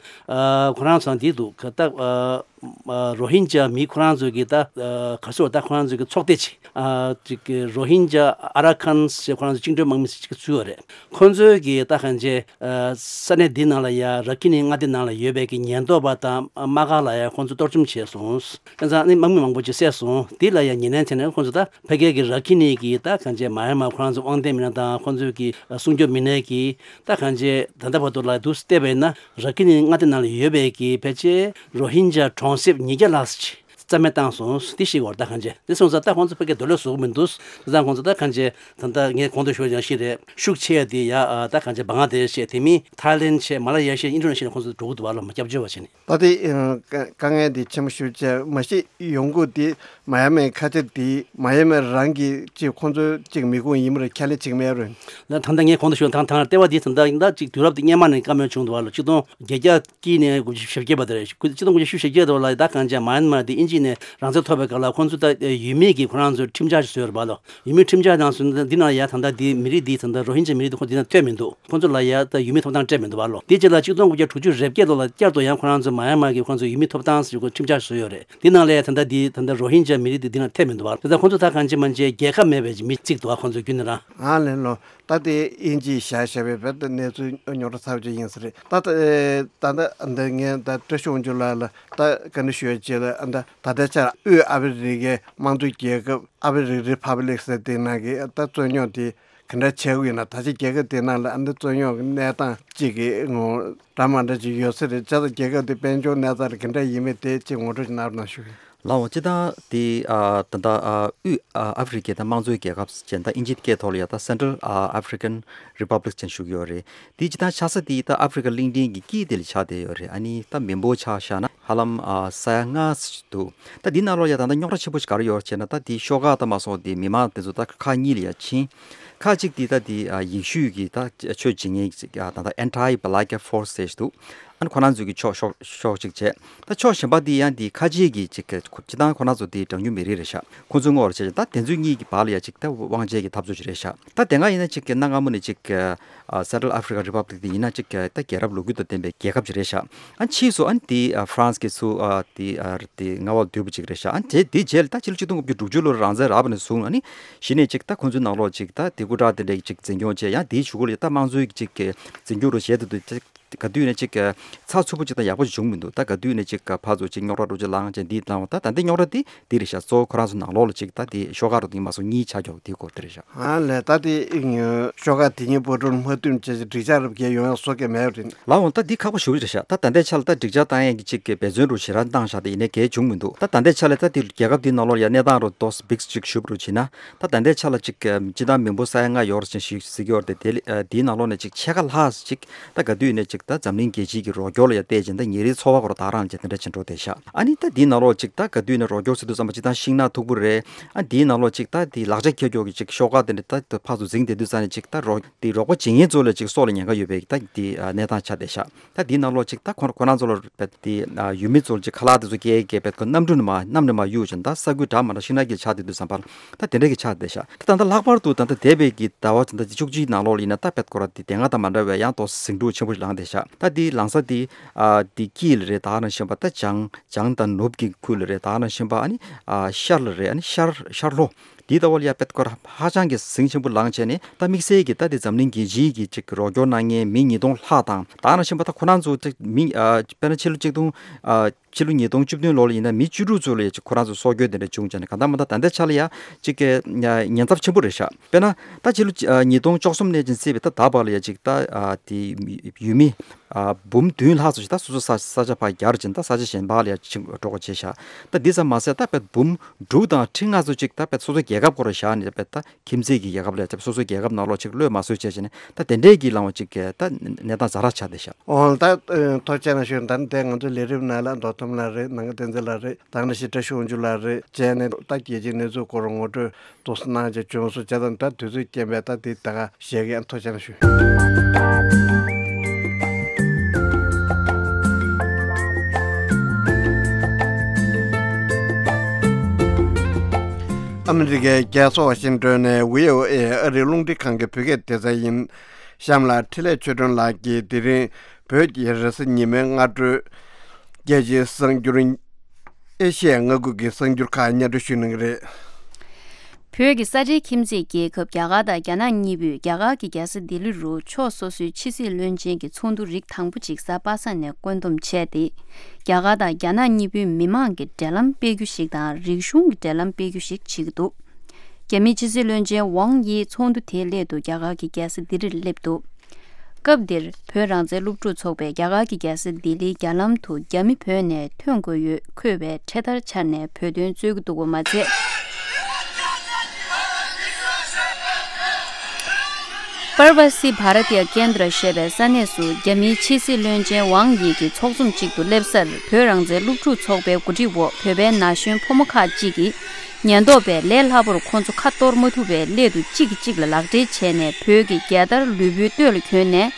ཁོ་རང་ཚོ་འདི་འདུག་ག་ད་ཨ་ཨ་རོ་ཧིན་ཇ་མི་ཁོ་རང་ཚོ་གི་ད་ཨ་ག་སོ་ད་ཁོ་རང་ཚོ་གི་ཚོགས་སྡེ་ཅིག་ཨ་ཅིག་གི་རོ་ཧིན་ཇ་ཨ་ར་ཁན་ཞེས་ཁོ་རང་ཚོ་བཅིངས་འགྲོལ་དམག་མི་ཞིག་ཚུད་ཡོད་རེད། ཁོ་ཚོའི་གི་ད་གང་བྱས་ཨ་ས་གནས་འདི་ནང་ལ་ཡ་ར་ཁི་ནི་མངའ་སྡེ་ནང་ལ་ཡོད་པའི་གི་ཉེན་རྟོག་པ་དང་དམག་སྒར་ལ་ཡ་ཁོ་ཚོ་གཏོར་བཅོམ་བྱས་སོང་། ཨ་ནི་དམག་མི་མང་པོ་ཅིག་བསད་སོང་། འདི་ལ་ཡང་ཉེས་ལན་བྱས་ནས་ཁོང་ཚོ་ད་ཕ་གིའི་གི་ར་ཁི་ནི་གི་ད་གང་བྱས་མ་ཡན་མར་ཁོ་རང་ཚོ་དབང་ལྡན་མི་སྣ་དང་ཁོང་ཚོའི་གི་སྲུང་སྐྱོབ་མི་སྣའི་གི་ད་གང་བྱས་ད་ལྟ་བར་དུ་ལ་འདུག་བལྟས་པས་ན་ར་ཁི་ནི་མངའ་སྡེ་ནང་ལ་ཡོད་པའི་གི་ཕལ་ཆེར་རོ་ཧིན་ཇ་གྲོང་གསེབ་ཉིས་བརྒྱ་ལྷག་ཙམ་ཅིག་རྩ་མེད་བཏང་སོང་། འདི་ཞིག་བར་ད་གང་བྱས་འདི་སོང་ཙང་ད་ཁོང་ཚོ་ཕ་གིར་འདོད་བློ་བཟོ་གི་མི་འདུག་དེ་ཙང་ཁོང་ཚོ་ད་གང་བྱས་ད་ལྟ་ངས་གོང་དུ་ཞུས་ཡང་ཤི་རེད། ཤུགས་ཆེ་ཡ་དེ་ཡ་ད་གང་བྱས་བང་ལ་དེ་ཤ་དེ་མིན་ཐའི་ལེན་ཤ་མ་ལ་ཡ་ཤ་ཨིན་ཌོ་ནེ་ཤ་ཁོང་ཚོ་འགྲོ་གི་འདུག་བ་ལ་མ་སྐྱབས་བཅོལ་བ་བྱས་ནས། ད་དེ་དཀའ་ངལ་འདི་ཆེན་པོ་ཞེ་པོ་ཅིག་མ་གཞི་ཡོང་སྒོ་འདི་མ་ཡ་མའི་ཁ་ཆེ་འདི་མ་ཡ་མའི་རང་གི་ཅིག་ཁོང་ཚོའི་ཅིག་མི་ཁུངས་ཡིན་པ་རེད། ཁས་ལེན་བྱེད་ཀྱི་མེད་རེད། ད་ད་ལྟ་ངས་གོང་དུ་ཞུས་དང་ཐང་ལྟེ་བ་འདི་ད་ལྟ་ད་ཅིག་དུས་རབས་འདི་སྔོན་མ་ནས་བཀའ་མོལ་བྱུང་འདུག་བ་ལ་ཆིག་སྟོང་བརྒྱད་བརྒྱ་དཀྱིལ་ནས་དགུ་བཅུ་ཞེ་བརྒྱད་བར་དུ་རེད། ཆིག་སྟོང་དགུ་བཅུ་ཞེ་བརྒྱད་བར་ལ་ད་གང་བྱས་མ་ཡན་མར་འདི་དབྱིན་ཇི་ནས་རང་བཙན་ཐོབ་པའི་སྐབས་ལ་ཁོང་ཚོ་ད་ཡུལ་མིའི་གི་ཁོ་རང་ཚོའི་ཁྲིམས་འཆར་ཞིག་བཟོས་ཡོད་རེད་བ་ལ། ཡུལ་མིའི་ཁྲིམས་འཆར་ནང་སོང་ན་འདི་ནང་ཡ་ད་ལྟ་འདི་མི་རིགས་འདི་ད་ལྟ་རོ་ཧིན་ཇ་མི་རིགས་འདི་ཁོ་འདི་ནང་ཐོན་མི་འདུག་ཁོ་ཚོ་ལ་ཡ་ད་ཡུལ་མིའི་ཐོབ་ཐང་སྤྲད་མི་འདུག་བ་ལོ། དེ་རྗེས་ལ་ཆིག་སྟོང་དགུ་བརྒྱ་དྲུག་ཅུ་རེ་བརྒྱད་ལོ་ལ་བསྐྱར་དུ་ཡང་ཁོ་རང་ཚོ་མ་ཡན་མར་གྱི་ཁོ་ཚོ་ཡུལ་མིའི་ཐོབ་ཐང་ཟེར་ཁོ་ཁྲིམས་འཆར་བཟོས་ཡོད་རེད། འདི་ནང་ལ་ཡ་ད་ལྟ་འདི་ད་ལྟ་རོ་ཧིན་ཇ་མི་རིགས་འདི་འདི་ནང་ཐོན་མི་འདུག་བ། དེ་ལྟར་ཁོ་ཚོ་ད་གང་ཅི་མ་ཅི་རྒྱལ་ཁབ་མེད་པའི་མི་གཅིག་འདུག་བ། ཁོ་ཚོ་རྒྱུན་ནས་རང་ཨ་ལེ་ལོ། ད་དེ་དབྱིན་ཇིའི་བཞག་བཞག་པའི་བོད་དུ་གནས་ཚུལ་རྙོག་དྲ་ཚ་པོ་ཅིག་ཡིན་ས་རེད། ད་ད་ད་ད་འདི་ངས་ད་བཀྲ་ཤིས་དབང་ཕྱུག་ལགས་ལ་ད་བཀའ་འདྲི་ཞུ་ཡ་བྱས་ལ་ད་ད་ལྟའི་ཆར་དབུས་ཨ་ཕི་རི་ཀའི་དམངས་གཙོའི་རྒྱལ་ཁབ་ཨ་ཕི་རི་ཀ་རི་ཕབ་ལིག་ཟེར་དེ་ནང་གི་ད་རྩོད་རྙོག་དེ་ག་འདྲ་བྱེད་དགོས་ཡིན་ན། ད་ཆ་རྒྱལ་ཁབ་དེ་ནང་ལ་ཨ་འདི་རྩོད་རྙོག་གི་གནས་སྟངས་གཅིག་གི་ངོ་འདྲ་མ་འདྲ་ཅིག་ཡོད་ས་རེད། བྱས་ཙང་རྒྱལ་ཁབ་དེ་དཔལ་འབྱོར་གནས་སྟངས་ལ་ག་འདྲ་ཡིན་མིན་དེ་གཅིག་ངོ་སྤྲོད་ཅིག་གནང་རོགས་གནང་ཞུ་གི་ཡིན། ལགས་འོང་། སྤྱིར་བཏང་དེ་ཨ་ད་ལྟ་ཨ་དབུས་ཨ་ཨ་ཧྥེ་རི་ཁའི་ད་དམངས་གཙོའི་རྒྱལ་ཁབ་ཅན་ད་ཨིན་ཇིའི་སྐད་ཐོག་ལ་ཡ་ད་Central African Republic ཅན་ཞུ་གི་ཡོད་རེད། དེ་སྤྱིར་བཏང་ཆགས་ས་དེ་ད་ཨ་ཧྥེ་རི་ཁ་གླིང་ཕྲན་གྱི་དཀྱིལ་དེ་ལ་ཆགས་བསྡད་ཡོད་རེད། ཨ་ནི་ད་མི་འབོར་ཆ་བཞག་ན་ཧ་ལམ་ཨ་ས་ཡ་ལྔ་ཙམ་འདུག་ད་དེའི་ནང་ལོགས་ཡ་ད་ལྟ་རྙོག་དྲ་ཆེན་པོ་ཞིག་ག་རེ་ཡོད་ཟེར་ན། ད་དེ་ཤོག་ཁག་ད་མ་སོང་དེ་མི་མང་དེ་ཚོ་ད་ཁག་གཉིས་ལ་ཡ་ཕྱིན། ཁག་གཅིག་དེ་ད་དེ་ཨ་ཡེ་ཤུ་གི་ད་ཆོས་བྱེད་མཁན་ཅིག་ཨ་ད་ད་Anti-Balaka Force ཟེར་ཞིག་འདུག་ཨ་ནི་ཁོ་རང་ཚོ་གི་ཕྱོགས་ཕྱོགས་ཕྱོགས་གཅིག་བྱས། ད་ཕྱོགས་གཞན་པ་དེ་ཡང་དེ་ཁ་ཆེ་གི་ཅིག་སྤྱིར་བཏང་ཁོ་རང་ཚོ་དེ་གྲངས་ཉུང་མི་རིགས་རེད་ཤག་ཁོ་ཚོའི་ངོ་བོར་བྱས་ད་དེ་ཚོ་གཉིས་ཀྱི་བར་ལ་ཡ་ཅིག་ད་དབང་ཆའི་གི་འཐབ་རྩོད་ཅིག་རེད་ཤག་ད་དེ་སྔ་ཡིན་ན་ཅིག་གི་གནའ་སྔ་མོ་ནས་ཅིག་གི་ཨ་Central African Republic དེ་ཡིན་ན་ཅིག་གི་ད་རྒྱལ་རབས་ལོ་རྒྱུས་དང་ལྡན་པའི་རྒྱལ་ཁབ་ཅིག་རེད་ཤག་ཨ་ཕྱིས་སུ་ཨ་ནི་དེ་ཨ་ཧྥ་རན་སི་གི་ཚུར་ཨ་དེ་ཨ་དེ་མངའ་འོག་བསྡུས་པ་ཅིག་རེད་ཤག་ཨ་ནི་དེ་དེ་རྗེས་ལ་ད་ཕྱི་ལོ་ཆིག་སྟོང་དགུ་བརྒྱ་དྲུག་ཅུ་ལོར་རང་བཙན་རག་པ་ནས་བཟུང་ཨ་ནི་གཞི་ནས་ཅིག་ད་ཁོ་ཚོའི་ནང་ལོགས་ཅིག་ད་དེ་སྐུ་དྲག་དེ་འདྲའི་ཅིག་འཛིན་སྐྱོང་བྱས། ཡང་དེའི་གཞུག་གུ་ལ་ད་དམངས་གཙོའི་ཅིག་གི་འཛིན་སྐྱོང་རུ་བྱས་ཏེ་འདུག་ད་ག་དུས་ནས་ཅིག་གི་ཚགས་ཚུད་པོ་ཅིག་དང་ཡག་པོ་ཅིག་བྱུང་མི་འདུག་ད་ག་དུས་ནས་ཅིག་གི་ཕར་ཚུར་ཅིག་རྙོག་དྲ་འགྲོ་ཅིག་ལངས་བྱས་འདི་བཏང་བ། ད་ད་འདི་རྙོག་དྲ་འདི་འདི་རེད་ཤག་གཙོ་བོ་ཁོ་རང་ཚོ་ནང་ལོགས་ལ་ཅིག་ད་འདི་ཤོག་ཁག་རུ་འདི་མ་སོང་གཉིས་ཆགས་ཀྱོག་འདི་སྐོར་དེ་རེད་ཤག་ཨ་ལས། ད་དེ་ཤོག་ཁག་དེ་གཉིས་པོ་ཀྲུང་མ་བསྟུན་བྱས་ཅིག་འགྲིག་ཆགས་རབས་རྒྱལ་ཡོང་ཡ་བཟོ་གི་མེད་རེད། ལགས་འོང་། ད་འདི་ཁག་པོ་ཞེ་པོ་རེད་ཤག་ད་ད་ལྟའི་ཆ་ལ་ད་འགྲིག་ཆགས་བཏང་ཡས་ཀྱི་ཅིག་གི་འབད་བརྩོན་རུ་ཞེ་དྲག་བཏང་ཤག་ད་ཡིན་ནའི་གལ་བྱུང་མི་འདུག་ད་ད་ལྟའི་ཆ་ལ་ད་དེ་རྒྱལ་ཁབ་འདིའི་ནང་ལོགས་ལ་ཡ་གནས་སྟངས་རུ་ཏོག་ཙམ་འབིགས་ཅིག་ཞུ་བ་རུ་བྱས་ན། ད་ད་ལྟའི་ཆ་ལ་ཅིག་གི་སྤྱིར་བཏང་མི་འབོར་ས་ཡ་ལྔ་ཡོད་རེད་ཅིག་ཞིག་ཟེར་གྱི་ཡོད་རེད་དེ། དེ་ལ་ཨ་དེའི་ནང་ལོགས་ནས་ཅིག་ཕྱེད་ཀ་ལྷག་ཅིག་ད་ག་དུས་ནས་ཅིག་ད་འཛམ་གླིང་རྒྱལ་སྤྱིའི་གི་རོགས་སྐྱོར་ལ་ཡ་བལྟས་ཅིང་ད་ཉིན་རེའི་འཚོ་བ་སྐོར་ད་རང་ཅིག་དེ་འདྲ་ཅིག་འགྲོ་བསྡད་ཤག་ཨ་ནི་ད་དེའི་ནང་ལོགས་ཅིག་ད་ག་དུས་ནས་རོགས་སྐྱོར་ཟེར་དུས་ཙམ་པ་སྤྱིར་བཏང་ཤིང་ནགས་མཐུག་པོ་རེད། ཨ་དེའི་ནང་ལོགས་ཅིག་ད་དེ་ལག་ཆ་འཁྱེར་ཀྱོག་གི་ཅིག་ཤོག་ཁག་དེ་འདྲ་ད་ཕར་ཚུར་འཛིང་བསྡད་དུས་ཙང་ནས་ཅིག་ད་རོགས་དེ་རོགས་པ་བྱེད་མཁན་ཚོ་ལ་ཅིག་སྲོག་ལ་ཉེན་ཁ་ཡོད་པའི་ད་དེ་ཨ་གནས་སྟངས་ཆགས་བསྡད་ཤག་ད་འདིའི་ནང་ལོགས་ཅིག་ད་ཁོ་ཁོ་རང་ཚོ་ལ་རྦད་དེ་ཨ་ཡུལ་མི་ཚོ་ལ་ཅིག་ཁ་ལག་དེ་ཚོ་སྐྱེལ་སྐྱེལ་རྦད་ཁོ་གནམ་གྲུ་ནས་མར་གནམ་ནས་མར་གཡུག་ཅིང་ད་ས་ཁུལ་འདྲ་མི་འདྲ་ཤིང་ནགས་དཀྱིལ་ཆགས་བསྡད་དུས་ཙམ་པ་ལ་ད་དེ་འདྲ་གི་ཆགས་བསྡད་ཤག་ད་ད་ལྟ་ལྷག་པར་དུ་ད་ལྟ་འདས་པའི་གི་ཟླ་བ་ད་ལྟ་བཅུ་གཅིག་ནང་ལོགས་ལ་ཡིན་ན་ད་རྦད་ཁོ་ར་དེ་དེ་སྔ་དང་མ་འདྲ་བའི་ཡང་ཏོག་ཙམ་ཟིང་འཁྲུག་ཆེན་པོ་ཞིག་ལངས་བསྡད་ཤག་ད་དེ་ལངས་ས་དེ་ཨ་དེ་དཀྱིལ་ལ་རེད། ད་ག་ནང་བཞིན་པ་ད་བྱང་བྱང་དང་ནུབ་ཀྱི་ཁུལ་ལ་རེད། ད་ག་ནང་བཞིན་པ་ཨ་ནི་ཨ་ཤར་ལ་རེད། ཨ་ནི་ཤར་ཤར་ལྷོ་འདི་ལྟ་བུ་ལ་ཡ་རྦད་ཁོ་ར་ཧ་ཅང་གི་ཟིང་ཆེན་པོ་ལངས་བྱས་ནས་ད་དམིགས་བསལ་གྱི་ད་དེ་འཛམ་གླིང་རྒྱལ་སྤྱིའི་གི་ཅིག་རོགས་སྐྱོར་གནང་མཁན་མི་ཉིས་སྟོང་ལྷག་དང་། ད་ག་ནང་བཞིན་པ་ད་ཁོ་རང་ཚོ་ཅིག་མི་ཨ་དཔེར་ན་ཕྱི་ལོ་ཆིག་སྟོང་ཨ་ཕྱི་ལོ་ཉིས་སྟོང་བཅུ་བདུན་ལོ་ལ་ཡིན་ན་མི་བཅུ་དྲུག་ཚོ་ལ་ཡ་ཅིག་ཁོ་རང་ཚོ་སྲོག་སྐྱོན་དེ་འདྲ་བྱུང་བྱས་ནས་གང་ལྟར་མ་ལྟར་ད་ལྟའི་ཆ་ལ་ཡ་ཅིག་གི་ཉེན་ཚབས་ཆེན་པོ་རེད་ཤག་དཔེར་ན་ད་ཕྱི་ལོ་ཨ་ཉིས་སྟོང་བཅུ་གསུམ་ནས་ཅིག་བརྩིས་པའི་ད་ད་བར་ལ་ཡ་ཅིག་ད་ཨ་དེ་ཡུལ་མི་ཨ་འབུམ་བདུན་ལྷག་ཙམ་ཞིག་ད་སོ་སོ་ས་ས་ཆ་ཕར་གྱར་ཅིང་ད་ས་ཆ་གཞན་པ་ལ་ཡ་ཕྱིན་འགྲོ་དགོས་བྱས་ཤག་ད་འདི་ཙམ་མ་ཟད་ད་དཔེ་འབུམ་དྲུག་དང་ཁྲི་ལྔ་ཙམ་ཅིག་ད་དཔེ་སོ་སོའི་རྒྱལ་ཁབ་སྐོར་བཞག་ནས་དཔེ་ད་ཁྱིམ་མཚེས་ཀྱི་རྒྱལ་ཁབ་ལ་ཡ་སོ་སོའི་རྒྱལ་ཁབ་ནང་ལོགས་ཅིག་གློད་མ་བཟོད་བྱས་བྱས་ནས་ད་དེ་འདྲའི་གི་ལངས་པ་ཅིག་གི་ད་གནས་སྟངས་ཛ་དྲག་ཆགས་བསྡད་ཤག་འོ་ད་ཨ་ཐུགས་རྗེ་ཆེ་གནང་ཞུ། ད་ནི་དེ་ང་ཚོ་ལས་རིམ་ནང་ལ་མདོ་ཁམས་ལགས་རེད། ནང་ཁ་བསྟན་འཛིན་ལགས་རེད། ད་ནི་ཞི་བཀྲ་ཤོག་འཇུ་ལགས་རེད་བྱས་ནས་ད་རྒྱལ་སྤྱིའི་གནས་ཚུལ་སྐོར་ངོ་སྤྲོད་ཏོག་ཙམ་གནང་བྱས་བྱུང་སོང་། བྱས་ཙང་ད་དུས་ཚོད་རྐྱེན་པས་ད་དེ་ད་ག་བཞག་གི། ཨ་ཐུགས་རྗེ་ཆེ་གནང་ཞུ། ཨ་མི་རི་ཀའི་རྒྱལ་ས་ཝ་ཤིང་ཏོན་ནས་བྷི་ཨོ་ཨེ་ཨ་རིའི་རླུང་འཕྲིན་ཁང་གི་བོད་སྐད་སྡེ་ཚན་ཡིན། གཤམ་ལ་འཕྲིན་ལས་ཆོས་སྒྲོན་ལགས་ཀྱིས་དེ་རིང་བོད་ཀྱི་རེས་གཟའ་ཉི་མའི་སྔ་དྲོའི་རྒྱལ་སྤྱིའི་གསར་འགྱུར། ཨེ་ཤི་ཡའི་མངའ་ཁུལ་གྱི་གསར་འགྱུར་ཁག་སྙན་སྒྲོན་ཞུ་གནང་གི་རེད། བོད་ཀྱི་ས་ཁྲའི་ཁྱིམ་མཚེས་རྒྱལ་ཁབ་རྒྱ་གར་དང་རྒྱ་ནག་གཉིས་པོས་རྒྱ་གར་གྱི་རྒྱལ་ས་ལྡི་ལི་རུ་ཕྱོགས་སོ་སོའི་ཕྱི་སྲིད་བློན་ཆེན་གྱི་ཚོགས་འདུ་རིགས་དང་པོ་ཅིག་གཟའ་པ་སངས་ནས་བཀོད་འདོམས་བྱས་ཏེ། རྒྱ་གར་དང་རྒྱ་ནག་གཉིས་པོའི་མི་མང་གི་འབྲེལ་ལམ་སྤེལ་རྒྱུ་ཞིག་དང་རིག་གཞུང་གི་འབྲེལ་ལམ་སྤེལ་རྒྱུ་ཞིག་བྱེད་ཀྱི་འདུག་རྒྱ་མིའི་ཕྱི་སྲིད་བློན་ཆེན་ཝང་དབྱི་ཚོགས་འདུ་དེའི་སླད་དུ་རྒྱ་གར་གྱི་རྒྱལ་ས་ལྡི་ལིར་སླེབས་འདུག་སྐབས་འདིར་བོད་རང་བཙན་སློབ་ཕྲུག་ཚོགས་པས་རྒྱ་གར་གྱི་རྒྱལ་ས་ལྡི་ལིའི་རྒྱ་ལམ་དུ་རྒྱ་མི་བོད་ནས་ཐོན་དགོས་ཡོད་འཁོད་པའི་འཕྲེད་དར་འཕྱར་ནས་བོད་དོན་རྩོད་ཀྱི་འདུག་པ་མ་ཚད། པར་བ་སི་བྷ་ར་ཏི་ཡ་ཀེན་དྲ་ཞེས་པའི་ས་གནས་སུ་རྒྱ་མིའི་ཕྱི་སྲིད་བློན་ཆེན་ཝང་དབྱི་གི་ཚོགས་འཛོམས་ཅིག་ཏུ་སླེབས་སར། བོད་རང་བཙན་སློབ་ཕྲུག་ཚོགས་པའི་གོ་སྒྲིག་འོག་བོད་པའི་ན་གཞོན་ཕོ་མོ་ཁག་ཅིག་གིས་ཉེན་རྟོག་པས་ལས་སླ་པོར་ཁོང་ཚོ་ཁ་གཏོར་མ་ཐུབ་པའི་སླད་དུ་གཅིག་གིས་གཅིག་ལ་ལག་སྦྲེལ་བྱས་ནས་བོད་ཀྱི་རྒྱལ་དར་ལུས་པོའི་སྟོད་ལ་གྱོན་ནས།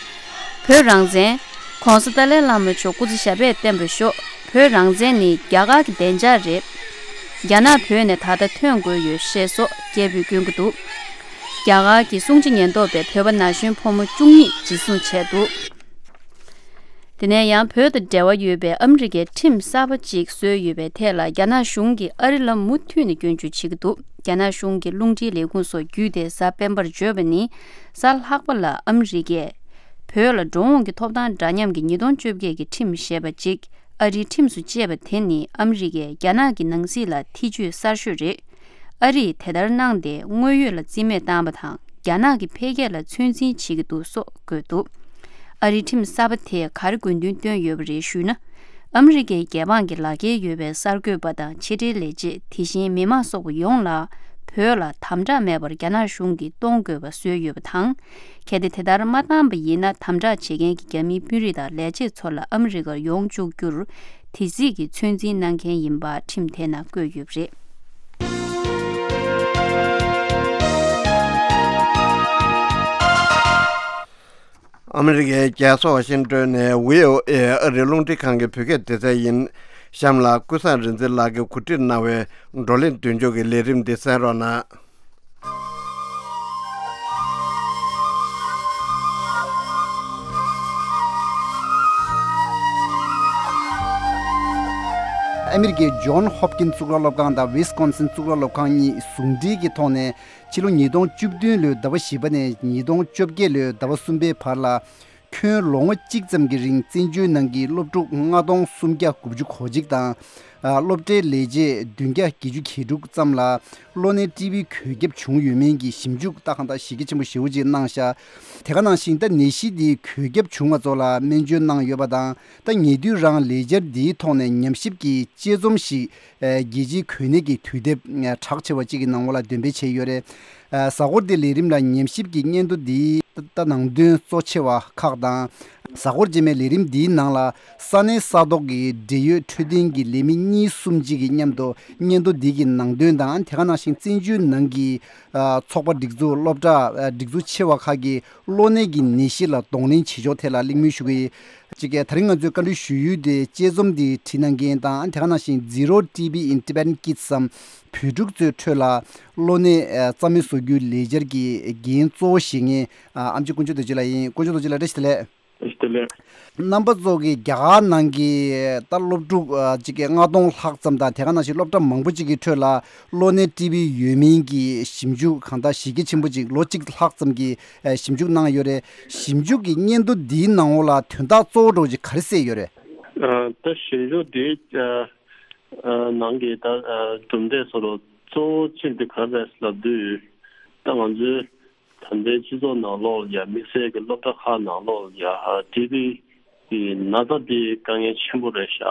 བོད་རང་བཙན། ༸གོང་ས་ཏཱ་ལའི་བླ་མ་མཆོག་སྐུ་ཚེ་ཞབས་པད་བརྟན་པར་ཤོག་བོད་རང་བཙན་ནི་རྒྱ་གར་གྱི་བདེ་འཇགས་རེད། རྒྱ་ནག་བོད་ནས་ད་ལྟ་ཐོན་དགོས་ཡོད་ཞེས་སོགས་སྐད་འབོད་བསྐྱོན་གྱི་འདུག་རྒྱ་གར་གྱི་སྲུང་བརྩི་ཉེན་རྟོག་པས་བོད་པ་ན་གཞོན་ཕོ་མོ་བཅུ་གཉིས་འཇིགས་བཟུང་བྱས་འདུག་དེ་ནས་ཡང་བོད་དང་འབྲེལ་བ་ཡོད་པའི་ཨ་མི་རི་ཀའི་ཁྲིམས་གསར་པ་ཅིག་བཟོས་ཡོད་པའི་ཐད་ལ་རྒྱ་ནག་གཞུང་གིས་ཨ་རི་ལ་མུ་མཐུད་ནས་སྐྱོན་བརྗོད་བྱེད་ཀྱི་འདུག་རྒྱ་ནག་གཞུང་གི་རླུང་འཕྲིན་ལས་ཁུངས་སོགས་བརྒྱུད་དེ་གཟའ་སྤེན་པར་བརྗོད་པ་ནི། གཟའ་ལྷག་པ་ལ་ཨ་མི་རི་ཀས་བོད་ལ་འགྲོ་འོང་གི་ཐོབ་ཐང་འདྲ་མཉམ་གྱི་ཉིས་སྟོང་བཅོ་བརྒྱད་ཀྱི་ཁྲིམས་ཞེས་པ་ཅིག་ཨ་རིའི་ཁྲིམས་སུ་བཅད་པ་དེ་ནི་ཨ་མི་རི་ཀས་རྒྱ་ནག་གི་ནང་སྲིད་ལ་ཐེ་བྱུས་གསར་ཤོས་རེད། ཨ་རིས་དེ་ལྟར་གནང་སྟེ་དངོས་ཡོད་ལ་རྩིས་མེད་བཏང་བ་དང་རྒྱ་ནག་གི་འཕེལ་རྒྱས་ལ་ཚོད་འཛིན་བྱེད་ཀྱི་འདུག་སོགས་བཀོད་འདུག་ཨ་རིའི་ཁྲིམས་གསར་པ་དེས་ག་རེ་དགོས་འདུན་བཏོན་ཡོད་པ་རེད་ཞུས་ན། ཨ་མི་རི་ཀའི་རྒྱལ་འབངས་ཀྱི་ལག་འཁྱེར་ཡོད་པའི་གསར་འགོད་པ་དང་ཕྱི་དྲིལ་ལས་བྱེད། དེ་བཞིན་མི་མང་སོགས་ཡོངས་ལ་བོད་ལ་དམ་དྲག་མེད་པར་རྒྱ་ནག་གཞུང་གིས་གཏོང་དགོས་པ་བཟོས་ཡོད་པ་དང་། གལ་ཏེ་དེ་ལྟར་མ་བཏང་པ་ཡིན་ན། དམ་དྲག་བྱེད་མཁན་གྱི་རྒྱ་མིའི་དཔོན་རིགས་དང་ལས་བྱེད་ཚོ་ལ་ཨ་མི་རི་ཀར་ཡོང་བཅུག་རྒྱུར་དེ་སྲིད་ཀྱི་ཚོད་འཛིན་གནང་མཁན་ཡིན་པ་ཁྲིམས་དེ་ནང་བཀོད་ཡོད་པ་རེད། ཨ་མི་རི་ཀའི་རྒྱལ་ས་ཝ་ཤིང་ཏོན་ནས་བྷི་ཨོ་ཨེ་ཨ་རིའི་རླུང་འཕྲིན་ཁང་གི་བོད་སྐད་སྡེ་ཚན་ཡིན། གཤམ་ལ་ཀུན་བཟང་རིག་འཛིན་ལགས་ཀྱིས་གོ་སྒྲིག་གནང་བའི་བགྲོ་གླེང་མདུན་ལྕོག་གི་ལས་རིམ་འདི་གསན་རོགས་གནང་། ཨ་མི་རི་ཀའི་ཇོན་ཧོབ་ཀིན་གཙུག་ལག་སློབ་ཁང་དང་ཝི་སི་ཀོན་སིན་གཙུག་ལག་སློབ་ཁང་གཉིས་ཟུང་འབྲེལ་གྱི་ཐོག་ནས། ཕྱི་ལོ་ཉིས་སྟོང་བཅུ་བདུན་ལོའི་ཟླ་བ་བཞི་པ་ནས་ཉིས་སྟོང་བཅོ་བརྒྱད་ལོའི་ཟླ་བ་གསུམ་པའི་བར་ལ། ཁྱོན་ལོ་ངོ་གཅིག་ཙམ་གྱི་རིང་བཙན་བྱོལ་ནང་གི་སློབ་ཕྲུག་ལྔ་སྟོང་སུམ་བརྒྱ་དགུ་བཅུ་གོ་གཅིག་དང་། ཨ། སློབ་གྲྭའི་ལས་བྱེད་བདུན་བརྒྱ་བརྒྱད་ཅུ་གྱ་དྲུག་ཙམ་ལ་གློ་ནད་ཊི་བི་འགོས་ཁྱབ་བྱུང་ཡོད་མིན་གྱི་ཞིབ་འཇུག་ད་གང་ལྟར་གཞི་རྒྱ་ཆེན་པོ་ཞེ་པོ་ཅིག་གནང་ཤག་དེ་ག་ནང་བཞིན་ད་ནད་གཞི་འདི་འགོས་ཁྱབ་བྱུང་བ་ཚོ་ལ་སྨན་བཅོས་གནང་ཡོད་པ་དང་། ད་ཉེ་དུས་རང་ལས་འཆར་འདིའི་ཐོག་ནས་ཉམས་ཞིབ་ཀྱི་དཔྱད་རྩོམ་ཞིག་ཨ། རྒྱལ་སྤྱིའི་འགོས་ནད་ཀྱི་དུས་དེབ་ཨ། གྲགས་ཆེ་བ་གཅིག་གི་ནང་ལོགས་ལ་འདོན་སྤེལ་བྱས་ཡོད་རེད། ཨ། གཟའ་འཁོར་འདིའི་ལས་རིམ་ལ་ཉམས་ཞིབ་ཀྱི་སྙན་ཐོ་འདིའི་ད་ནང་དོན་གཙོ་ཆེ་བ་ཁག་དང་། གཟའ་འཁོར་རྗེས་མའི་ལས་རིམ་འདིའི་ནང་ལ་ས་གནས་ས་ཐོག་གི་འབྲེལ་ཡོད་འཕྲོད་བསྟེན་གྱི་ལས་མི་གཉིས་གསུམ་གཅིག་གིས་མཉམ་དུ་སྙན་ཐོ་འདི་གི་ནང་དོན་དང་། དེ་ག་ནང་བཞིན་བཙན་བྱོལ་ནང་གི་ཨ། ཚོགས་པ་སྒྲིག་འཛུགས། སློབ་གྲྭ་ཨ། སྒྲིག་འཛུགས་ཆེ་བ་ཁག་གི་གློ་ནད་ཀྱི་ནད་གཞི་ལ་གདོང་ལེན་བྱེད་ཕྱོགས་ཐད་ལ་གླེང་མོལ་ཞུ་གི་ཡིན། གཅིག་གིས་ད་རིང་ང་ཚོས་བཀའ་འདྲི་ཞུ་ཡུལ་དེ་དཔྱད་རྩོམ་འདི་བྲིས་གནང་མཁན་དང་། དེ་ག་ནང་བཞིན་Zero T B in Tibetan Kids བསམ་བོད་ཕྲུག་ཚོའི་ཁྲོད་ལ་གློ་ནད་ཨ། རྩ་མེད་བཟོ་རྒྱུའི་ལས་འཆར་གྱི་འགན་གཙོ་བོ་བཞེས་མཁན་ཨ། ཨེམ་ཆི་དཀོན་མཆོག་རྡོ་རྗེ་ལགས་ཡིན། དཀོན་མཆོག་རྡོ་རྗེ་ལགས་བཀྲ་ཤིས་བདེ་ལེགས། བཀྲ་ཤིས་བདེ་ལེགས། རྣམ་པ་ཚོ་གིས་རྒྱ་གར་ནང་གི་ད་སློབ་ཕྲུག་ཨ། གཅིག་གི་ལྔ་སྟོང་ལྷག་ཙམ་དང་། དེ་ག་ནང་བཞིན་སློབ་གྲྭ་མང་པོ་གཅིག་གི་ཁྲོད་ལ་གློ་ནད་ཊི་བི་ཡོད་མིན་གྱི་ཞིབ་འཇུག་གང་ལྟར་གཞི་རྒྱ་ཆེན་པོ་གཅིག་ལོ་གཅིག་ལྷག་ཙམ་གྱི་ཨ། ཞིབ་འཇུག་གནང་ཡོད་རེད། ཞིབ་འཇུག་གི་སྙན་ཐོ་འདིའི་ནང་འོག་ལ་དོན་དག་གཙོ་བོ་འདྲ་བོ་ཅིག་ག་རེ་གསལ་ཡོད་རེད། ཨ། ད་ཞིབ་འཇུག་འདིའི་ཨ། ཨ། ནང་གི་ད་ཨ། གྲུབ་འབྲས་སོགས་ལ་གཙོ་བོ་གཅིག་དེ་ག་རེ་རེད་ལབ་དུས། ད་ང་ཚོའི་ད་ལྟའི་སྤྱི་ཚོགས་ནང་ལོགས་ལ་ཡ། དམིགས་བསལ་གྱི་སློབ་གྲྭ་ཁག་ནང་ལོགས་ལ་ཡ། ཊི་བི་གི་ན་ཚ་འདི་དཀའ་ངལ་ཆེན་པོ་རེད་ཤག་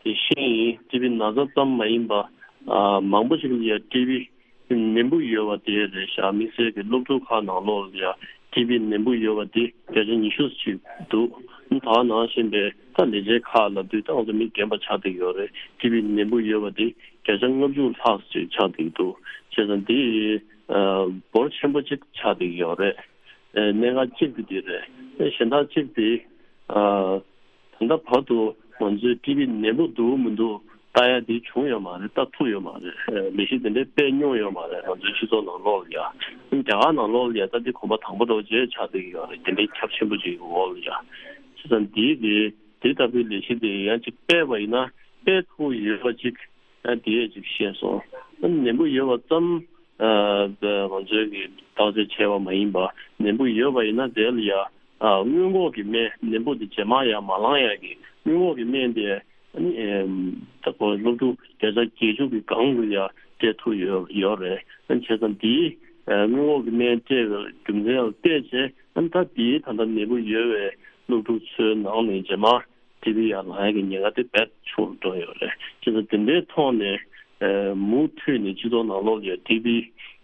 དེ་བཞིན་ཊི་བི་ན་ཚ་ཙམ་མ་ཡིན་པ། ཨ། མང་པོ་ཞིག་ལ་ཡ་ཊི་བི་ནད་འབུ་ཡོད་པ་དེ་རེད་ཤག་དམིགས་བསལ་གྱི་སློབ་ཕྲུག་ཁག་ནང་ལོགས་ལ་ཡ་ཊི་བི་ནད་འབུ་ཡོད་པ་དེ་བརྒྱ་ཆ་ཉི་ཤུ་ཅིག་འདུག་ད་ག་ནང་བཞིན་པའི་ད་ལས་བྱེད་ཁག་ལབ་དུས་ད་ང་ཚོ་མི་རྒན་པ་ཆགས་བསྡད་ཡོད་རེད། ཊི་བི་ནད་འབུ་ཡོད་པ་དེ་བརྒྱ་ཆ་ལྔ་བཅུ་ལྷག་ཅིག་ཆགས་བསྡད་འདུག་བྱས་ཙང་དེ་ཨ། འབོར་ཆེན་པོ་ཅིག་ཆགས་བསྡད་ཡོད་རེད། ཨ། གནད་འགག་གཅིག་དེ་དེ་རེད། ཨ། གཞན་དག་གཅིག་དེ་ཨ། ད་ལྟ་བར་དུ་ང་ཚོའི་ཊི་བི་ནད་འབུ་འདུག་མི་འདུག་ལྟ་ཡ་དེ་བྱུང་ཡོད་མ་རེད། ལྟ་ཐུབ་ཡོད་མ་རེད། ཨ། ལས་གཞི་དེ་འདྲའི་སྤེལ་མྱོང་ཡོད་མ་རེད། ང་ཚོའི་སྤྱི་ཚོགས་ནང་ལོགས་ལ་ཡ། རྒྱ་གར་ནང་ལོགས་ལ་ཡ་ད་འདི་གོམ་པ་དང་པོ་འདྲ་བོ་ཅིག་ཆགས་བསྡད་ཀྱི་ཡོད་རེད། དེ་འདྲའི་ཁྱབ་ཆེན་པོ་ཅིག་གི་འོག་ལ་ཡ། བྱས་ཙང་དེའི་དེ་དེ་ལྟ་བུའི་ལས་གཞི་དེ་ཡང་ཅིག་སྤེལ་བ་ཡིན་ན་སྤེལ་ཐུབ་ཡོད་པ་ཅིག་ཨ། དེ་ཅིག་བཤད་སོང་། ཨ། ནད་འབུ་ཡོད་པ་ཙམ་ཨ། ང་ཚོས་ཀྱི་བརྟག་དཔྱད་བྱས་པ་མ་ཡིན་པ། ནད་འབུ་ཡོད་པ་ཡིན་ན་དེ་ལ་ཡ། ཨ། སྔོན་འགོག་གི་སྨན། ནད་འབུ་དེ་རྗེས་མ་ཡར་མ་ལངས་ཡ་གི་སྔོན་འགོག་གི་སྨན་དེ་ཨ་ནི་ཨེམ། ད་ཁོ་སློབ་ཕྲུག་བརྒྱ་ཆ་བརྒྱད་ཅུ་གི་སྒང་དུ་ཡ་སྤྲད་ཐུབ་ཡོད་ཡོད་རེད། ཨ། བྱས་ཙང་དེའི་ཨ། སྔོན་འགོག་གི་སྨན་སྤྲད་པའི་རྒྱུ་མཚན་ལ་བལྟས་བྱས། ཨ། ད་དེའི་ད་ལྟ་ནད་འབུ་ཡོད་པའི་སློབ་ཕྲུག་ཚོའི་ནང་ནས་རྗེས་མ་ཊི་བི་ཡར་ལངས་ཡ་གི་ཉེན་ཁ་དེ་རྦད་ཆུང་རུ་འགྲོ་ཡོད་རེད། བྱས་ཙང་དེ་འདྲའི་ཐོག་ནས་ཨ། མུ་མཐུད་ནས་སྤྱི་ཚོགས་ནང་ལོགས་ལ་ཡ་ཊི་བི་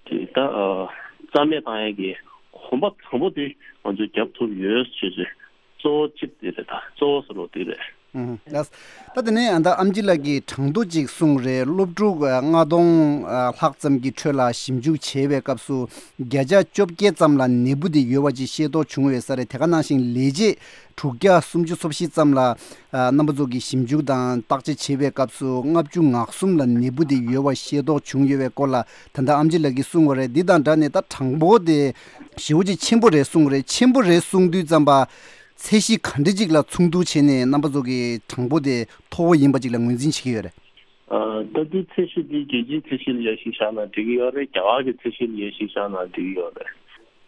དེ་ད་ཨ། རྩ་མེད་བཏང་ཡ་གི་གོམ་པ་དང་པོ་དེ་ང་ཚོས་རྒྱབ་ཐུབ་ཡོད་ཅེས་ཅེས། གཙོ་བོ་གཅིག་དེ་རེད། ད་གཙོ་བོ་ཟེར་བ་དེ་རེད། ཨུམ། ལགས། ད་དེ་ནས་ཨ། ད་ཨེམ་ཆི་ལགས་ཀྱིས་གྲངས་ཐོ་ཅིག་གསུངས་རེད། སློབ་ཕྲུག་ཨ། ལྔ་སྟོང་ཨ། ལྷག་ཙམ་གྱི་ཁྲོད་ལ་ཞིབ་འཇུག་བྱས་པའི་སྐབས་སུ་བརྒྱ་ཆ་བཅོ་བརྒྱད་ཙམ་ལ་ནད་འབུ་དེ་ཡོད་པ་ཅིག་ཤེས་རྟོགས་བྱུང་ཡོད་ས་རེད། དེ་ག་ནང་བཞིན་ལས་བྱེད་དྲུག་བརྒྱ་སུམ་ཅུ་སོ་བཞི་ཙམ་ལ་ཨ། རྣམ་པ་ཚོ་གིས་ཞིབ་འཇུག་དང་བརྟག་དཔྱད་བྱས་པའི་སྐབས་སུ་ལྔ་བཅུ་ང་གསུམ་ལ་ནད་འབུ་དེ་ཡོད་པ་ཤེས་རྟོགས་བྱུང་ཡོད་པའི་སྐོར་ལ་ད་ལྟ་ཨེམ་ཆི་ལགས་ཀྱིས་གསུངས་པ་རེད། འདི་དང་སྦྲགས་ནས་ད་གྲངས་འབོར་དེ་ཞེ་པོ་ཅིག་ཆེན་པོ་རེད་གསུངས་རེད། ཆེན་པོ་རེད་གསུངས་དུས་ཙམ་པ། ཚད་གཞི་ག་འདྲ་ཅིག་ལ་མཚུངས་བསྡུར་བྱས་ནས་རྣམ་པ་ཚོ་གི་གྲངས་འབོར་དེ་མཐོ་བོ་ཡིན་པ་ཅིག་ལ་ངོས་འཛིན་བྱེད་ཀྱི་ཡོད་རེད། ཨ། ད་དེ་ཚད་གཞི་དེ་རྒྱལ་སྤྱིའི་ཚད་གཞི་ལ་ཡར་གཞི་བཞག་ན་འགྲིག་གི་ཡོད་རེད། རྒྱ་གར་གྱི་ཚད་གཞི་ལ་ཡར་གཞི་བཞག་ན་འགྲིག་གི་ཡོད་རེད།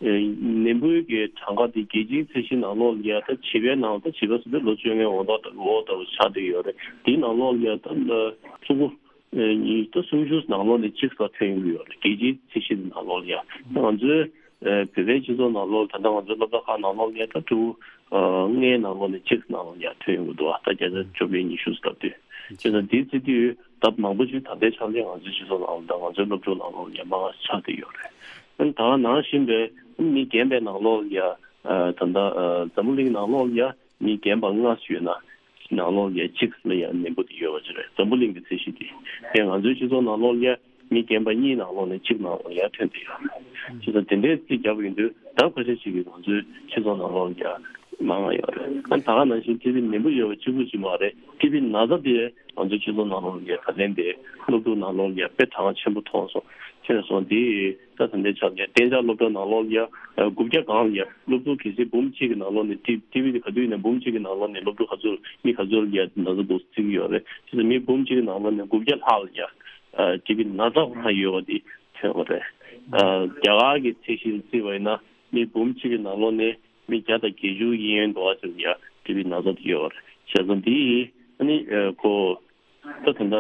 ཨེ། ནད་འབུའི་གི་གྲངས་ཀ་དེ་རྒྱལ་སྤྱིའི་ཚད་གཞི་ནང་ལོགས་ལ་ཡ་ད་བྱིས་པའི་ནང་ད་བྱིས་པ་ཟེར་དུས་ལོ་བཅོ་ལྔའི་འོག་ཏུ་འོག་ཏུ་ཆགས་བསྡད་ཡོད་རེད། དེའི་ནང་ལོགས་ལ་ཡ་ད་ཕྲུ་གུ་ཨེ། ད་སུམ་ཅུ་ནང་ལོགས་ནས་གཅིག་ཙམ་ཐོན་གྱི་ཡོད་རེད། རྒྱལ་སྤྱིའི་ཚད་གཞི་ནང་ལོགས་ལ་ཡ། ང་ཚོའི་ ཨ་བོད་པའི་སྤྱི་ཚོགས་ནང་ལོགས་ད་ལྟ་ང་ཚོའི་སློབ་གྲྭ་ཁག་ནང་ལོགས་ལ་ད་ཕྲུ་གུ་ཨ་ལྔའི་ནང་ལོགས་ནས་གཅིག་ནང་ལོགས་ཡར་ཐོན་ཡོང་གི་འདུག་ད་བརྒྱ་ཆ་བཅོ་བརྒྱད་ཉི་ཤུ་ཙམ་ལྟ་དུས། བྱས་ཙང་འདི་བརྩི་དུས་ད་མང་པོ་ཞིག་ད་ལྟའི་ཆ་ནས་ང་ཚོའི་སྤྱི་ཚོགས་ནང་ལོགས་ད་ང་ཚོའི་སློབ་ཕྲུག་ནང་ལོགས་ལ་ཡར་མང་ཆགས་བསྡད་ཡོད་རེད། ཨ་ནི་ད་ག་ནང་བཞིན་པའི་མི་རྒན་པའི་ནང་ལོགས་ལ་ཡར་ཨ་ད་ལྟ་ཨ་འཛམ་བུ་གླིང་ནང་ལོགས་ལ་ཡར་མི་རྒན་པ་ལྔ་ཡོད་ན་ནང་ལོགས་ལ་ཡར་གཅིག་ལ་ཡར་ནད་འབུ་དེ་ཡོད་པ་ཅིག་རེད། འཛམ་བུ་གླིང་གི་ཚད་གཞི་དེ། དེ་ང་ཚོའི་སྤྱི་ཚོགས་ནང་ལོགས་ལ་ཡར་མི་རྒན་པ་གཉིས་ནང་ལོགས་ནས་གཅིག་ནང་ལོགས་ཡར་ཐོན་བསྡད་ཡོད་རེད། བྱས་ཙང་དེ་འདྲའི་རྩིས་བརྒྱབ་ཡོང་དུས་ད་ཁ་ཤས་ཤིག་གིས་ང་ཚོའི་སྤྱི་ཚོགས་ནང་ལོགས་ལ་ཡར་མང་བ་ཡོད་རེད། ཨ་ད་ག་ནང་བཞིན་ཊི་བི་ནད་འབུ་ཡོད་པ་གཅིག་པུ་ཅིག་མ་རེད། ཊི་བི་ན་ཚ་དེ་ང་ཚོའི་སྤྱི་ཚོགས་ནང་ལོགས་ལ་ཡར་ད་ལན་དེ་སློབ་ཕྲུག་ནང་ལོགས་ལ་ཡར་དཔེ་གྲངས་ཆེན་པོ་མཐོང་སོང་། ཁྱེད་རང་སོང་དེ་ད་ད་ལྟའི་ཆར་ཡ་གཏན་འཇགས་སློབ་གྲྭ་ནང་ལོགས་ལ་ཡ་དགུ་བརྒྱ་སྒང་ལ་ཡ་སློབ་ཕྲུག་གལ་སྲིད་འབུམ་གཅིག་གི་ནང་ལོགས་ནས་ཊི་ཊི་བི་དེ་ག་དུས་ཡིན་ན་འབུམ་གཅིག་གི་ནང་ལོགས་ནས་སློབ་ཕྲུག་ག་ཚོད་མི་ག་ཚོད་ལ་ཡ་ན་ཚ་འདུག་བརྩི་གི་ཡོད་རེད། དེ་ཚོ་མི་འབུམ་གཅིག་གི་ནང་ལོགས་ནས་དགུ་བརྒྱ་ལྷག་ལ་ཡ་ཊི་བི་ན་ཚ་ཁོ་རང་ཡོད་པ་དེ་ཐོན་པ་རེད། རྒྱ་གར་གྱི་ཚད་གཞི་བརྩིས་པ་ཡིན་ན་མི་འབུམ་གཅིག་གི་ནང་ལོགས་ནས་མི་བརྒྱ་དང་བརྒྱད་ཅུ་ཡན་འགྲོ་བ་ཙམ་ཡ་ཊི་བི་ན་ཚ་དེ་ཡོད་པ་རེད། བྱས་ཙང་དེ་ཨ་ནི་ཁོ། ད་ད་ལྟ་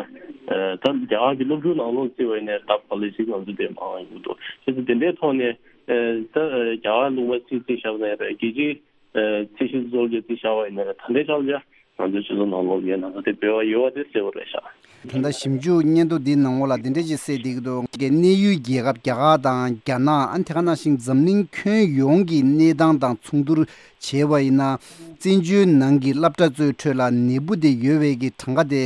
ཨ་ད་རྒྱ་གར་གྱི་སློབ་ཕྲུག་ནང་ལོགས་བརྩིས་པ་ཡིན་ན་ལྡབ་ག་ལེ་ཞིག་ང་ཚོ་དེ་མང་ཡོང་གི་འདུག་བྱས་ཙང་དེ་འདྲའི་ཐོག་ནས་ཨ་ད་རྒྱ་གར་ལུང་པ་རྩིས་རྩིས་བཞག་ན་ཡང་རེད། རྒྱལ་སྤྱིའི་ཨ་ཚད་གཞི་གཙོ་བོ་རྩིས་བཞག་པ་ཡིན་ན་རེད། ད་ལྟའི་ཆར་ལ་ང་ཚོའི་སྤྱི་ཚོགས་ནང་ལོགས་ཡོད་ན་ད་དེ་འབོལ་བ་ཡོད་པ་དེ་གསལ་པོ་རེད་ཤག་ད་ལྟ་ཞིབ་འཇུག་སྙན་ཐོ་འདིའི་ནང་ལོགས་ལ་འདི་འདྲ་ཞིག་གསལ་བསྡད་ཀྱི་འདུག་གནས་ཡུལ་རྒྱལ་ཁབ་རྒྱ་གར་དང་རྒྱ་ནག་ཨ་ནི་དེ་ག་ནང་བཞིན་འཛམ་གླིང་ཁྱོན་ཡོངས་ཀྱི་གནས་སྟངས་དང་མཚུངས་བསྡུར་བྱས་པ་ཡིན་ན། བཙན་བྱོལ་ནང་གི་སློབ་གྲྭ་ཚོའི་ཁྲོད་ལ་ནད་འབུ་དེ་ཡོད་པའི་གི་གྲངས་ཀ་དེ།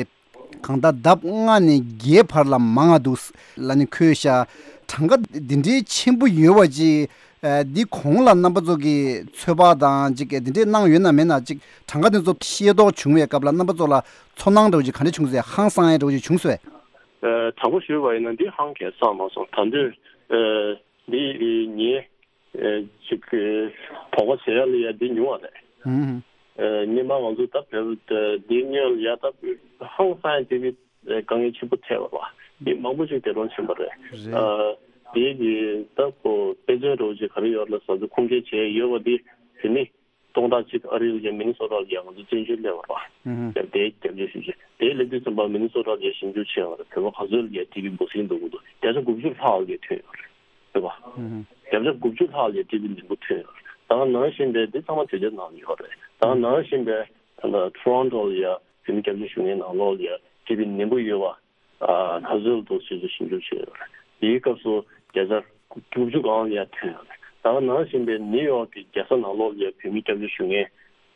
གང་ལྟར་ལྡབ་ལྔ་ནས་བརྒྱད་བར་ལ་མང་ང་འདུག་ལ་ནི་འཁོད་ཤག་གྲངས་ཀ་འདི་འདྲའི་ཆེན་པོ་ཡོད་པ་ཅིག་ཨ་འདི་གོང་ལ་རྣམ་པ་ཚོ་གིས་ཚོད་དཔག་དང་ཅིག་འདི་འདྲའི་གནང་ཡོད་ན་མེད་ན། ཅིག་གྲངས་ཀ་འདི་ཚོ་ཤེས་རྟོགས་བྱུང་བའི་སྐབས་ལ་རྣམ་པ་ཚོ་ལ་ཚོར་སྣང་འདྲ་བོ་ཅིག་ག་འདྲ་བྱུང་སོང་། ཧང་སང་ཡ་འདྲ་བོ་ཅིག་བྱུང་སོང་། ཨ་དྲང་པོ་ཞུས་པ་ཡིན་ན་འདི་ཧང་གས་སང་མ་སོང་། ད་དུང་ཨ་འདི་ངས། ཨེ་ཅིག་ཨེ་དོགས་པ་བྱེད་ཡ་ལ་ཡ་འདི་ཉུང་བ་རེད། ཨུམ། ཨེ་སྔོན་མ་ང་ཚོ་ད་བོད་འདི་སྔོན་ལ་ཡ་ད་ཧང་སང་ཡ་ཊི་བི་དཀའ་ངལ་ཆེན་པོ་འཕྲད་པ་རེད། འདི་མང་པོ་ཞིག་འདས་གྲོངས་ཕྱིན་པ་རེད། རེད། ཨ་འདི་གི་ད་ཁོ་དཔེ་མཚོན་འདྲ་བོ་ཅིག་ག་རེ་ཡོད་ལ་ཟ་ཚོ་ཁུངས་སྐྱེལ་བྱས་ཡོད་པ་འདི་དེ་ནི་སྟོང་ཕྲག་གཅིག་ཨ་རི་ལ་ཡ་མི་ནི་སོ་ཊ་ལ་ཡ་ང་ཚོ་བཙན་བྱོལ་སླེབས་པ་རེད། ཨུམ། དེ་རྒྱབ་སྐྱོར་ཞུ་ཆེད་དེ་སླེབས་དུས་ཙམ་པ་མི་ནི་སོ་ཊ་ལ་ཡ་ཞིབ་འཇུག་བྱས་པ་རེད། བོད་པ་ག་ཚོད་ལ་ཡ་ཊི་བི་འབུ་སྲིན་འདུག་གི་འདུག་བརྒྱ་ཆ་དགུ་བཅུ་ལྷག་ལ་ཡ་ཐོན་ཡོད་རེད། རེད་པ། ཨུ་ཧུ། བརྒྱ་ཆ་དགུ་བཅུ་ལྷག་ལ་ཡ་ཊི་བི་ནད་འབུ་ཐོན་ཡོད་རེད། ད་ག་ནང་བཞིན་པའི་འདི་ཚང་མ་བོད་རྒྱ་ནང་ལ་ཡོད་རེད། ད་ག་ནང་བཞིན་པའི་ད་ལྟ་ཊོ་རོན་ཊོ་ལ་ཡ་བོད་མི་སྐྱབས་བཅོལ་ཞུ་མཁན་ནང་ལོགས་ལ་ཡ་ཊི་བི་ནད་འབུ་ཡོད་པ་ཨ་ག་ཚོད་འདུག་ཞེས་ཞིབ་འཇུག་བྱས་ཡོད་རེད། དེའི་སྐབས་སུ་བརྒྱ་ཆ་དགུ་བཅུ་སྒང་ལ་ཡ་ཐོན་ཡོད་རེད། ད་ག་ནང་བཞིན་པའི་ནིའུ་ཡོག་གི་རྒྱལ་ས་ནང་ལོགས་ལ་ཡ་བོད་མི་སྐྱབས་བཅོལ་ཞུ་མཁན་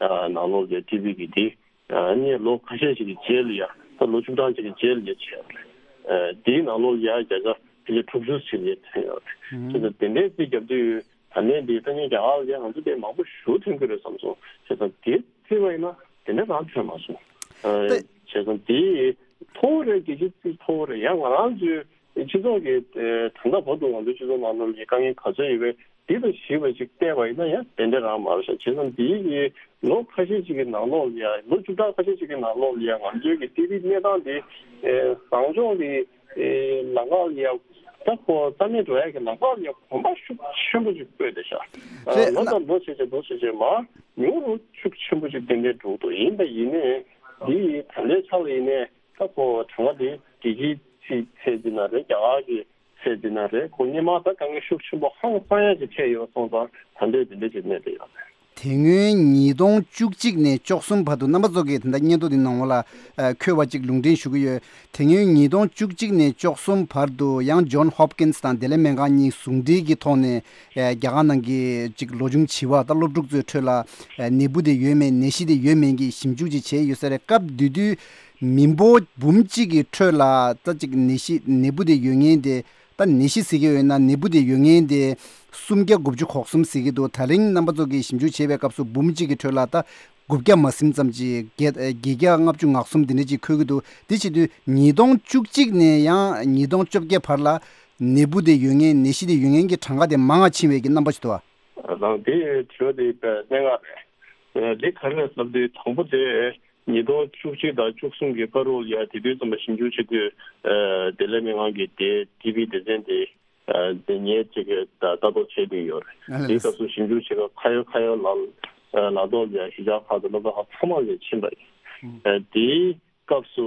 ཨ་ནང་ལོགས་ལ་ཡ་ཊི་བི་གི་དེ། ཨ་ནི་ལོ་ཁ་ཤས་ཤིག་གི་རྗེས་ལ་ཡ་ད་ལོ་བཅུ་གྲངས་ཤིག་གི་རྗེས་ལ་ཡ་བྱས་པ་རེད། ཨ་དེའི་ནང་ལོགས་ལ་ཡ་བརྒྱ་ཆ་ཕལ་ཆེར་དྲུག་ཅུ་ཞིག་ལ་ཡ་ཐོན་ཡོད་རེད། ཨུ་ཧུ། བྱས་ཙང་དེ་འདྲའི་རྩིས་རྒྱབ་དུས་ད་ནས་འདི་ད་ནི་རྒྱ་གར་ལ་ཡ་ང་ཚོ་དེ་མང་པོ་ཞེ་པོ་ཐོན་གྱི་རེད་བསམ་སོང་། བྱས་ཙང་དེ་བརྩིས་པ་ཡིན་ན་དེ་འདྲ་རང་ཐོན་མ་སོང་། ཨ་ཏེ། བྱས་ཙང་དེ་མཐོ་བོ་རེད། རྒྱལ་སྤྱིའི་རྩིས་མཐོ་བོ་རེད། ཡང་ང་རང་ཚོའི་སྤྱི་ཚོགས་ཀྱི་ཨེ་ད་ལྟ་བར་དུ་ང་ཚོའི་སྤྱི་ཚོགས་ནང་ལོགས་ཀྱི་དཀའ་ངལ་ག་ཚོད་ཡོད་པའི་འདི་དང་གཞིགས་པ་ཅིག་བལྟས་པ་ཡིན་ན་ཡང་དེ་འདྲ་རང་མ་རེད་ཤག་བྱས་ཙང་འདི་ཡི་ལོ་ཁ་ཤས་ཅིག་གི་ནང་ལོགས་ལ་ཡ་ལོ་བཅུ་ཕྲག་ཁ་ཤས་ཅིག་གི་ནང་ལོགས་ལ་ཡ་ང་ཚོའི་གི་ཊི་བི་གནས་སྟངས་འདི་ཨེ་བཟང་ཕྱོགས་ཀྱི་ཨེ་ལམ་ཁ་ལ་ཡ་ད་ཁོ་རྩ་མེད་འགྲོ་ཡ་གི་ལམ་ཁ་ལ་ཡ་གོམ་པ་ཤུགས་ཆེན་པོ་ཅིག་སྤོས་བསྡད་ཤག་རེད། ལོ་ན་དང་ལོ་བྱས་བྱས་ལོ་བྱས་བྱས་མར་ཉུང་རུ་ཤུགས་ཆེན་པོ་ཅིག་དེ་འདྲས་འགྲོ་གི་འདུག་ཡིན་པ་ཡིན་ནའི་འདི་ཡི་ད་ལྟའི་ཆ་ལ་ཡིན་ནའི། ད་ཁོ་གྲངས་ཀ་དེ་རྒྱལ་སྤྱིའི་ཚད་འཛིན་ན་རེད། རྒྱ་གར་གྱི་ཚད་འཛིན་ན་རེད། ཁོ་སྔོན་མ་ད་དཀའ་ངལ་ཤུགས་ཆེན་པོ་ཧང་སང་ཡ་ཅིག་འཕྲད་ཡོད་སོང་ཙང་ད་འདོད་དེ་འདྲ་ཅིག་གནས་བསྡད་ཡོད་རེད། དེ་སྔོན་ཉིས་སྟོང་བཅུ་གཅིག་ནས་བཅུ་གསུམ་བར་དུ་རྣམ་པ་ཚོ་གིས་ད་ལྟ་སྙན་ཐོ་འདི་ནང་ལ་འཁོད་པ་ཅིག་ལུང་འདྲེན་ཞུ་གི་ཡོད། དེ་སྔོན་ཉིས་སྟོང་བཅུ་གཅིག་ནས་བཅུ་གསུམ་བར་དུ་ཡང་ཇོན་ཧོབ་ཀིན་སི་དང་བདེ་ལེགས་སྨན་ཁང་གཉིས་ཟུང་འབྲེལ་གྱི་ཐོག་ནས་རྒྱ་གར་ནང་གི་ཅིག་ལོ་ཆུང་བྱིས་པ་དང་སློབ་ཕྲུག་ཚོའི་ཁྲོད་ལ་ནད་འབུ་དེ་ཡོད་མེད་ནད་གཞི་དེ་ཡོད་མེད་ཀྱི་ཞིབ་འཇུག་ཅིག་བྱས་ཡོད་ས་རེད། སྐབས་དེ་དུས། མི་འབོར་འབུམ་གཅིག་གི་ཁྲོད་ལ་ད་ཅིག་ནད་གཞི་ནད་འབུ་དེ་ཡོད་མཁན་དེ། ད་ནད་གཞི་ཟེར་གྱི་ཡོད་ན་ནད་འབུ་དེ་ཡོད་མཁན་དེ་སུམ་བརྒྱ་དགུ་བཅུ་གོ་གསུམ་ཟེར་གྱི་འདུག་ད་རིང་རྣམ་པ་ཚོ་གིས་ཞིབ་འཇུག་བྱས་པའི་སྐབས་སུ་འབུམ་གཅིག་གི་ཁྲོད་ལ་ད་དགུ་བརྒྱ་མ་ཟིན་ཙམ་ཅིག་བརྒྱད་བརྒྱད་བརྒྱ་ལྔ་བཅུ་ང་གསུམ་དེ་འདྲ་ཅིག་འཁོད་ཀྱི་འདུག་དེ་བྱེད་དུས་ཉིས་སྟོང་བཅུ་གཅིག་ནས་ཡང་ཉིས་སྟོང་བཅོ་བརྒྱད་བར་ལ་ནད་འབུ་དེ་ཡོད་མཁན་ནད་གཞི་དེ་ཡོད་མཁན་གྱི་གྲངས་ཀ་དེ་མང་ང་ཕྱིན་པའི་གི་རྣམ་པ་ཞིག་འདུག་ཨ། རང་དེ་དྲི་བ་དེ་གནད་འགག་རེད། འདི་ག་རེ་རེད་ཟེར་དུས་དང་པོ་དེ། ཉིས་སྟོང་བཅུ་གཅིག་དང་བཅུ་གསུམ་གྱི་བར་དུ་ལ་ཡ་དེ་དུས་ཙམ་པ་ཞིབ་འཇུག་བྱེད་དུས། ཨ་བདེ་ལེགས་སྨན་ཁང་གི་དེ་ཊི་བི་སྡེ་ཚན་དེ་ཨ་དེ་ངས་ཅིག་ལྟ་རྟོག་བྱས་བསྡད་ཡོད་རེད། ཨ་ལས། དེའི་སྐབས་སུ་ཞིབ་འཇུག་བྱེད་སྐབས་ཁ་ཡོད་ཁ་ཡོད་ལ་ལ་ཐོག་ལ་ཡ་གཞིས་ཆགས་ཁག་དང་སློབ་གྲྭ་ཁག་ཚང་མ་ལ་ཕྱིན་པ་ཡིན། ཨ་དེའི་སྐབས་སུ་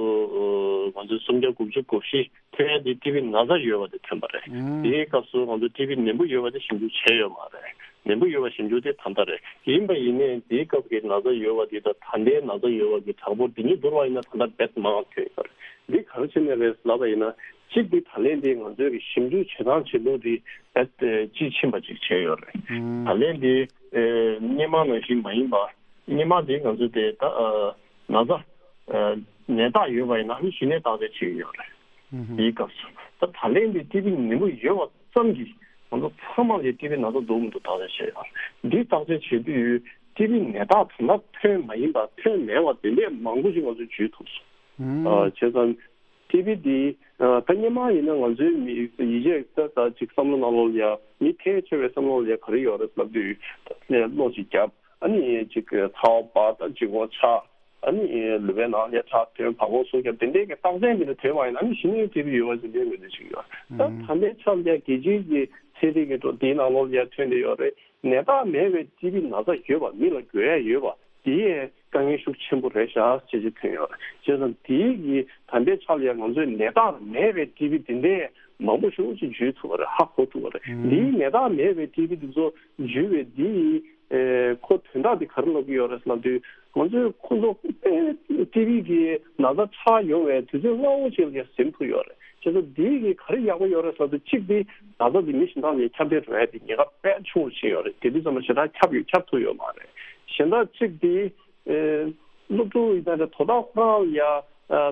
ཨ་ང་ཚོས་སུམ་བརྒྱ་དགུ་བཅུ་གོ་བཞི་ ཐོན་ཡ་དེ་ཊི་བི་ན་ཚ་ཡོད་པ་དེ་ཐོན་པ་རེད། ཨང་། དེའི་སྐབས་སུ་ང་ཚོ་ཊི་བི་ནད་འབུ་ཡོད་པ་དེ་ཞིབ་འཇུག་བྱས་ཡོད་མ་རེད། ནད་འབུ་ཡོད་པ་ཞིབ་འཇུག་དེ་ད་ལྟ་རེད། ཡིན་པ་ཡིན་ནའི་དེའི་སྐབས་ཀྱི་ན་ཚ་ཡོད་པ་དེ་དང་ད་ལྟའི་ན་ཚ་ཡོད་པ་གི་གྲངས་འབོར་དེ་གཉིས་བསྡུར་བ་ཡིན་ན་ད་ལྟ་རྦད་མང་བ་ཐོན་ཡོད་རེད། འདི་ག་རེ་བྱས་ནས་རེད་ལབ་པ་ཡིན་ན། གཅིག་འདི་ད་ལན་འདི་ང་ཚོའི་གི་ཞིབ་འཇུག་བྱེད་སྟངས་བྱེད་ལུགས་འདི་རྦད་དེ་དཔྱིས་ཕྱིན་པ་ཅིག་བྱས་ཡོད་རེད། ཨང་། ད་ལན་འདི་ཨེ་སྔོན་མ་ནང་བཞིན་མ་ཡིན་པ། སྔོན་མ་འདི་ང་ཚོས་དེ་ད་ཨ་ན་ཚ་ཨ་ནད་རྟགས་ཡོད་པ་ཡིན་ན་ཨ་ནི་གཞི་ནས་བརྟག་དཔྱད་བྱེད་ཀྱི་ཡོད་རེད། ཨང་། དེའི་སྐབས་སུ་ད་ད་ལན་འདི་ཊི་བི་ནད་འབུ་ཡོད་པ་ཙམ་གྱིས་ང་ཚོ་ཚང་མ་ལ་ཊི་བི་ན་ཚ་འདུག་མི་འདུག་བརྟག་དཔྱད་བྱས་ཡོད་རེད། འདི་བརྟག་དཔྱད་བྱེད་དུས་ཊི་བི་ནད་རྟགས་ད་ལྟ་ཐོན་མ་ཡིན་པ་ཐོན་མེད་པ་དེ་འདྲས་མང་པོ་ཞིག་ང་ཚོས་བརྗོད་ཐུབ་སོང་། ཨང་། ཨ་བྱས་ཙང་། ཊི་བི་འདི་ཨ་ད་སྔོན་མ་ཡིན་ན་ང་ཚོའི་མི་ཡིད་ཆེས་ད་ད་ཅིག་བསམ་བློ་ནང་ལོགས་ལ་ཡ་མི་ཕལ་ཆེ་བའི་བསམ་བློ་ལ་ཡ་ག་རེ་ཡོད་རེད་ལབ་དུས་ད་གློ་ཞིག་བརྒྱབ། ཨ་ནི་ཅིག་ཚ་བ་འབར། ད་འཇིགས་སྐྲག་ཆགས། ཨ་ནི་ལུས་པའི་ནང་ལ་ཡ་ཁྲག་ཐོན། བ་གོག་ཟུག་བརྒྱབ། དེ་འདྲའི་གི་རྟགས་མཚན་དེ་འདྲ་ཐོན་པ་ཡིན་ན་ཨ་ནི་གཞི་ནས་ཊི་བི་ཡོད་པ་ཅིག་འདྲའི་ངོས་འཛིན་བྱེད་ཀྱི་ཡོད། ད་ད་ལྟའི་ཆར་ལ་ཡ་རྒྱལ་སྤྱིའི་གི་ཚན་རིག་གི་འགྲོ་དེའི་ནང་ལོགས་ལ་ཡ་ཐོན་བསྡད་ཡོད་རེད། ནད་རྟགས་མེད་པའི་ཊི་བི་ན་ཚ་ཡོད་པ། མི་ལ་འགོས་ཡ་ཡོད་པ་དེ་ཡས་དཀའ་ངལ་ཤུགས་ཆེན་པོ་རེད་ཤག་ཅེས་ཅིག་ཐོན་ཡོད་རེད། བྱས་ཙང་དེའི་གི་ད་ལྟའི་ཆ་ལ་ཡང་ང་ཚོས་ནད་རྟགས་མེད་པའི་ཊི་བི་དེ་འདྲའི་མང་པོ་ཞིག་ཅིག་བརྗོད་ཐུབ་པ་རེད། ཧ་གོ་ཐུབ་པ་རེད། ཨང་། འདིའི་ནད་རྟགས་མེད་པའི་ཊི་བི་དེ་ཚོ་བརྗོད་པའི་འདིའི་ཨེ་ཁོ་དོན་དག་དེ་ག་རེ་ལབ་ཀྱི་ཡོད་རེད་ལབ་དུས། ང་ཚོས་ཁོ་ཚོ་ཊི་བི་གི་ན་ཚ་ཆགས་ཡོང་བའི་དུས་ཚོད་སྔ་བོ་ཅིག་ལ་ཟིན་ཐུབ་ཡོད་རེད། བྱས་ཙང་འདི་གི་ག་རེ་ཡག་པོ་ཡོད་རེད་ཟེར་དུས། གཅིག་དེ་ན་ཚ་དེ་མི་གཞན་དག་ལ་ཁྱབ་གདལ་འགྲོ་ཡ་དེ་ཉེན་ཁ་དཔེ་ཆུང་བ་ཞིག་ཡོད་རེད། དེ་དུས་ཙམ་ལ་ཞེ་དྲག་ཁྱབ་ཡོད་ཁྱབ་ཐུབ་ཡོད་མ་རེད། གཞན་དག་གཅིག་དེ་ཨེ་སློབ་ཕྲུག་ཡིན་ན་རེད། དོ་བདག་ཁོ་རང་ལ་ཡ་ཨ་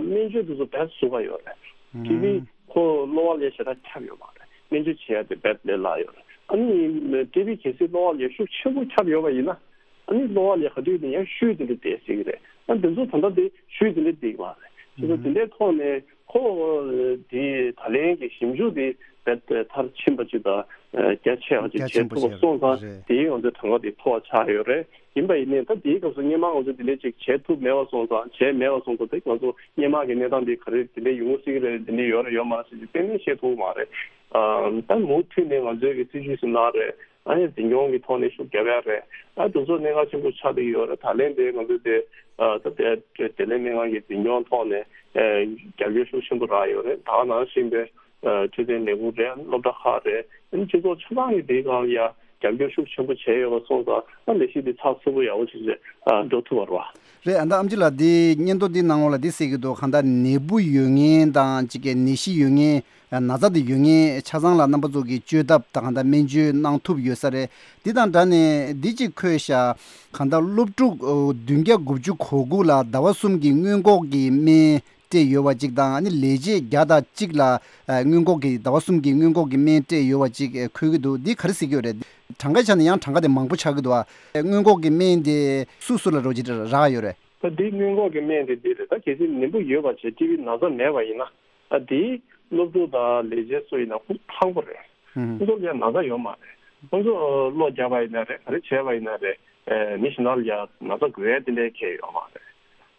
སྨན་བཅོས་དེ་ཚོ་རྦད་བཟོ་ག་ཡོད་རེད། ཨང་། ཊི་བི་ཁོ་གློ་བ་ལ་ཞེ་དྲག་ཁྱབ་ཡོད་མ་རེད། སྨན་བཅོས་བྱེད་ཡ་དེ་རྦད་ལས་སླ་ཡོད་རེད། ཨ་ནི་ཊི་བི་གལ་སྲིད་གློ་བ་ལ་ཤུགས་ཆེན་པོ་ཁྱབ་ཡོད་པ་ཡིན་ན། ཨ་ནི་གློ་བ་ལ་ག་དུས་ནས་ཡང་ཤུལ་དེ་འདྲ་བསྡད་སྲིད་ཀྱི་རེད། ཨ་འདི་ཚོ་ད་ལྟ་དེ་ཤུལ་དེ་འདྲ་བསྡད་ཀྱི་མ་རེད། བྱས་ཙང་དེ་འདྲའི་ཐོག་ནས་ཁོ་དེ་ད་ལན་གྱི་ཞིབ་འཇུག་དེ་རྦད་དེ་མཐར་ཕྱིན་པ་ཅིག་དང་། ཨ་རྒྱ་ཆེ་བ་ཅིག་རྒྱ་ཆེན་པོ་བྱས་ཐུབ་པ་བྱས་སོང་ཙང་། རེད། དེའི་ང་ཚོའི་གྲངས་ཀ་དེ་མཐོ་བ་ཆགས་ཡོད་རེད། ཡིན་པ་ཡིན་ནའི་ད་དེའི་སྐབས་སུ་སྔོན་མ་ང་ཚོས་དེ་འདྲ་ཅིག་བྱས་ཐུབ་མེད་པ་སོང་ཙང་། བྱས་མེད་པ་སོང་ཙང་དེ་ང་ཚོ་སྔོན་མ་གི་གནས་སྟངས་དེ་ག་རེ་དེ་འདྲ་ཡོང་སྲིད་ཀྱི་རེད། དེ་འདྲ་ཡོད་རེད་ཡོད་མ་རེད་ཟེར་གྱི་གཏན་ནས་བཤད་ཐུབ་ཀྱི་མ་རེད། ཨ་ད་མུ་མཐུད་ནས་ང་ཚོའི་གི་སྲིད་ཇུས་སུ་གནང་རེད། ཨ་ནི་འཛིན་སྐྱོང་གི་ཐོག་ནས་ཤུགས་རྒྱབ་ཡ་རེད། ཨ་དེ་ཚོ་གནད་འགག་ཆེན་པོ་ཆགས་བསྡད་ཡོད་རེད། ད་ལན་དེ་ང་ཚོས་དེ་ཨ་ད་དེ་དེ་ལན་སྨན་ཁང་གི་འཛིན་སྐྱོང་ཐོག་ནས་ཨ་རྒྱབ་སྐྱོར་ཤུགས་ཆེན་པོ་རག་ཡོད་རེད། ད་ག་ནང་བཞིན་པའི་ཨ་འཕྲོད་བསྟེན་ལས་ཁུངས་རེད། སློབ་གྲྭ་ཁག་རེད། ཨ་ནི་སྤྱི་ཚོགས་ཆ་ཚང་གི་དེའི་སྒང་ལ་ཡ་རྒྱབ་སྐྱོར་ཤུགས་ཆེན་པོ་བྱས་ཡོད་པ་སོང་ཙང་། ཨ་ལས་གཞི་དེ་ཚགས་ཚུད་པོ་ཡག་པོ་ཞིག་ཨ་འགྲོ་ཐུབ་པ་རེད་བ། རེད། ཨ་ད་ཨམ་ཆི་ལགས་འདི་སྙན་ཐོ་འདི་ནང་ལོགས་ལ་འདི་གསལ་གྱི་འདུག་གང་ལྟར་ནད་འབུ་ཡོད་མཁན་དང་གཅིག་གི་ནད་གཞི་ཡོད་མཁན། ན་ཚ་དེ་ཡོད་མཁན་ཆ་ཚང་ལ་རྣམ་པ་ཚོ་གིས་བཅོས་ཐབས་དང་གང་ལྟར་སྨན་བཅོས་གནང་ཐུབ་ཡོད་ས་རེད། འདི་དང་སྦྲགས་ནས་འདི་གཅིག་འཁོད་ཤག་གང་ལྟར་སློབ་ཕྲུག་བདུན་བརྒྱ་དགུ་བཅུ་གོ་དགུ་ལ་ཟླ་བ་གསུམ་གྱི་སྔོན་འགོག་གི་སྨན་སྤྲད་ཡོད་པ་གཅིག་དང་། ཨ་ནི་ལས་བྱེད་བརྒྱ་དང་གཅིག་ལ་སྔོན་འགོག་གི་ཟླ་བ་གསུམ་གྱི་སྔོན་འགོག་གི་སྨན་སྤྲད་ཡོད་པ་གཅིག་འཁོད་ཀྱི་འདུག་འདི་ག་རེ་ཟེར་གྱི་ཡོད་རེད། གྲངས་ཀའི་ཆ་ནས་ཡང་གྲངས་ཀ་དེ་མང་པོ་ཆགས་ཀྱི་འདུག་ཨ་སྔོན་འགོག་གི་སྨན་དེ་སུ་སུ་ལ་རོགས་བྱེད་རག་ཡོད་རེད། ད་འདི་སྔོན་འགོག་གི་སྨན་དེ་འདི་རེད། ད་གལ་སྲིད་ནད་འབུ་ཡོད་པ་བྱས། ཊི་བི་ན་ཚ་མེད་པ་ཡིན་ན། ཨ་དེ་སློབ་ཕྲུག་དང་ལས་བྱེད་སུ་ཡིན་ན་ཁོ་ཚོ་ཐང་པོ་རེད། ཁོ་ཚོ་ལ་ན་ཚ་ཡོད་མ་རེད། ཁོ་ཚོ་གློ་བརྒྱབ་པ་ཡིན་ན་རེད། ག་རེ་བྱས་པ་ཡིན་ན་རེད། ཨེ་མི་གཞན་དག་ལ་ཡ་ན་ཚ་འགོས་ཡ་དེ་འདྲའི་གལ་ཡོད་མ་རེད།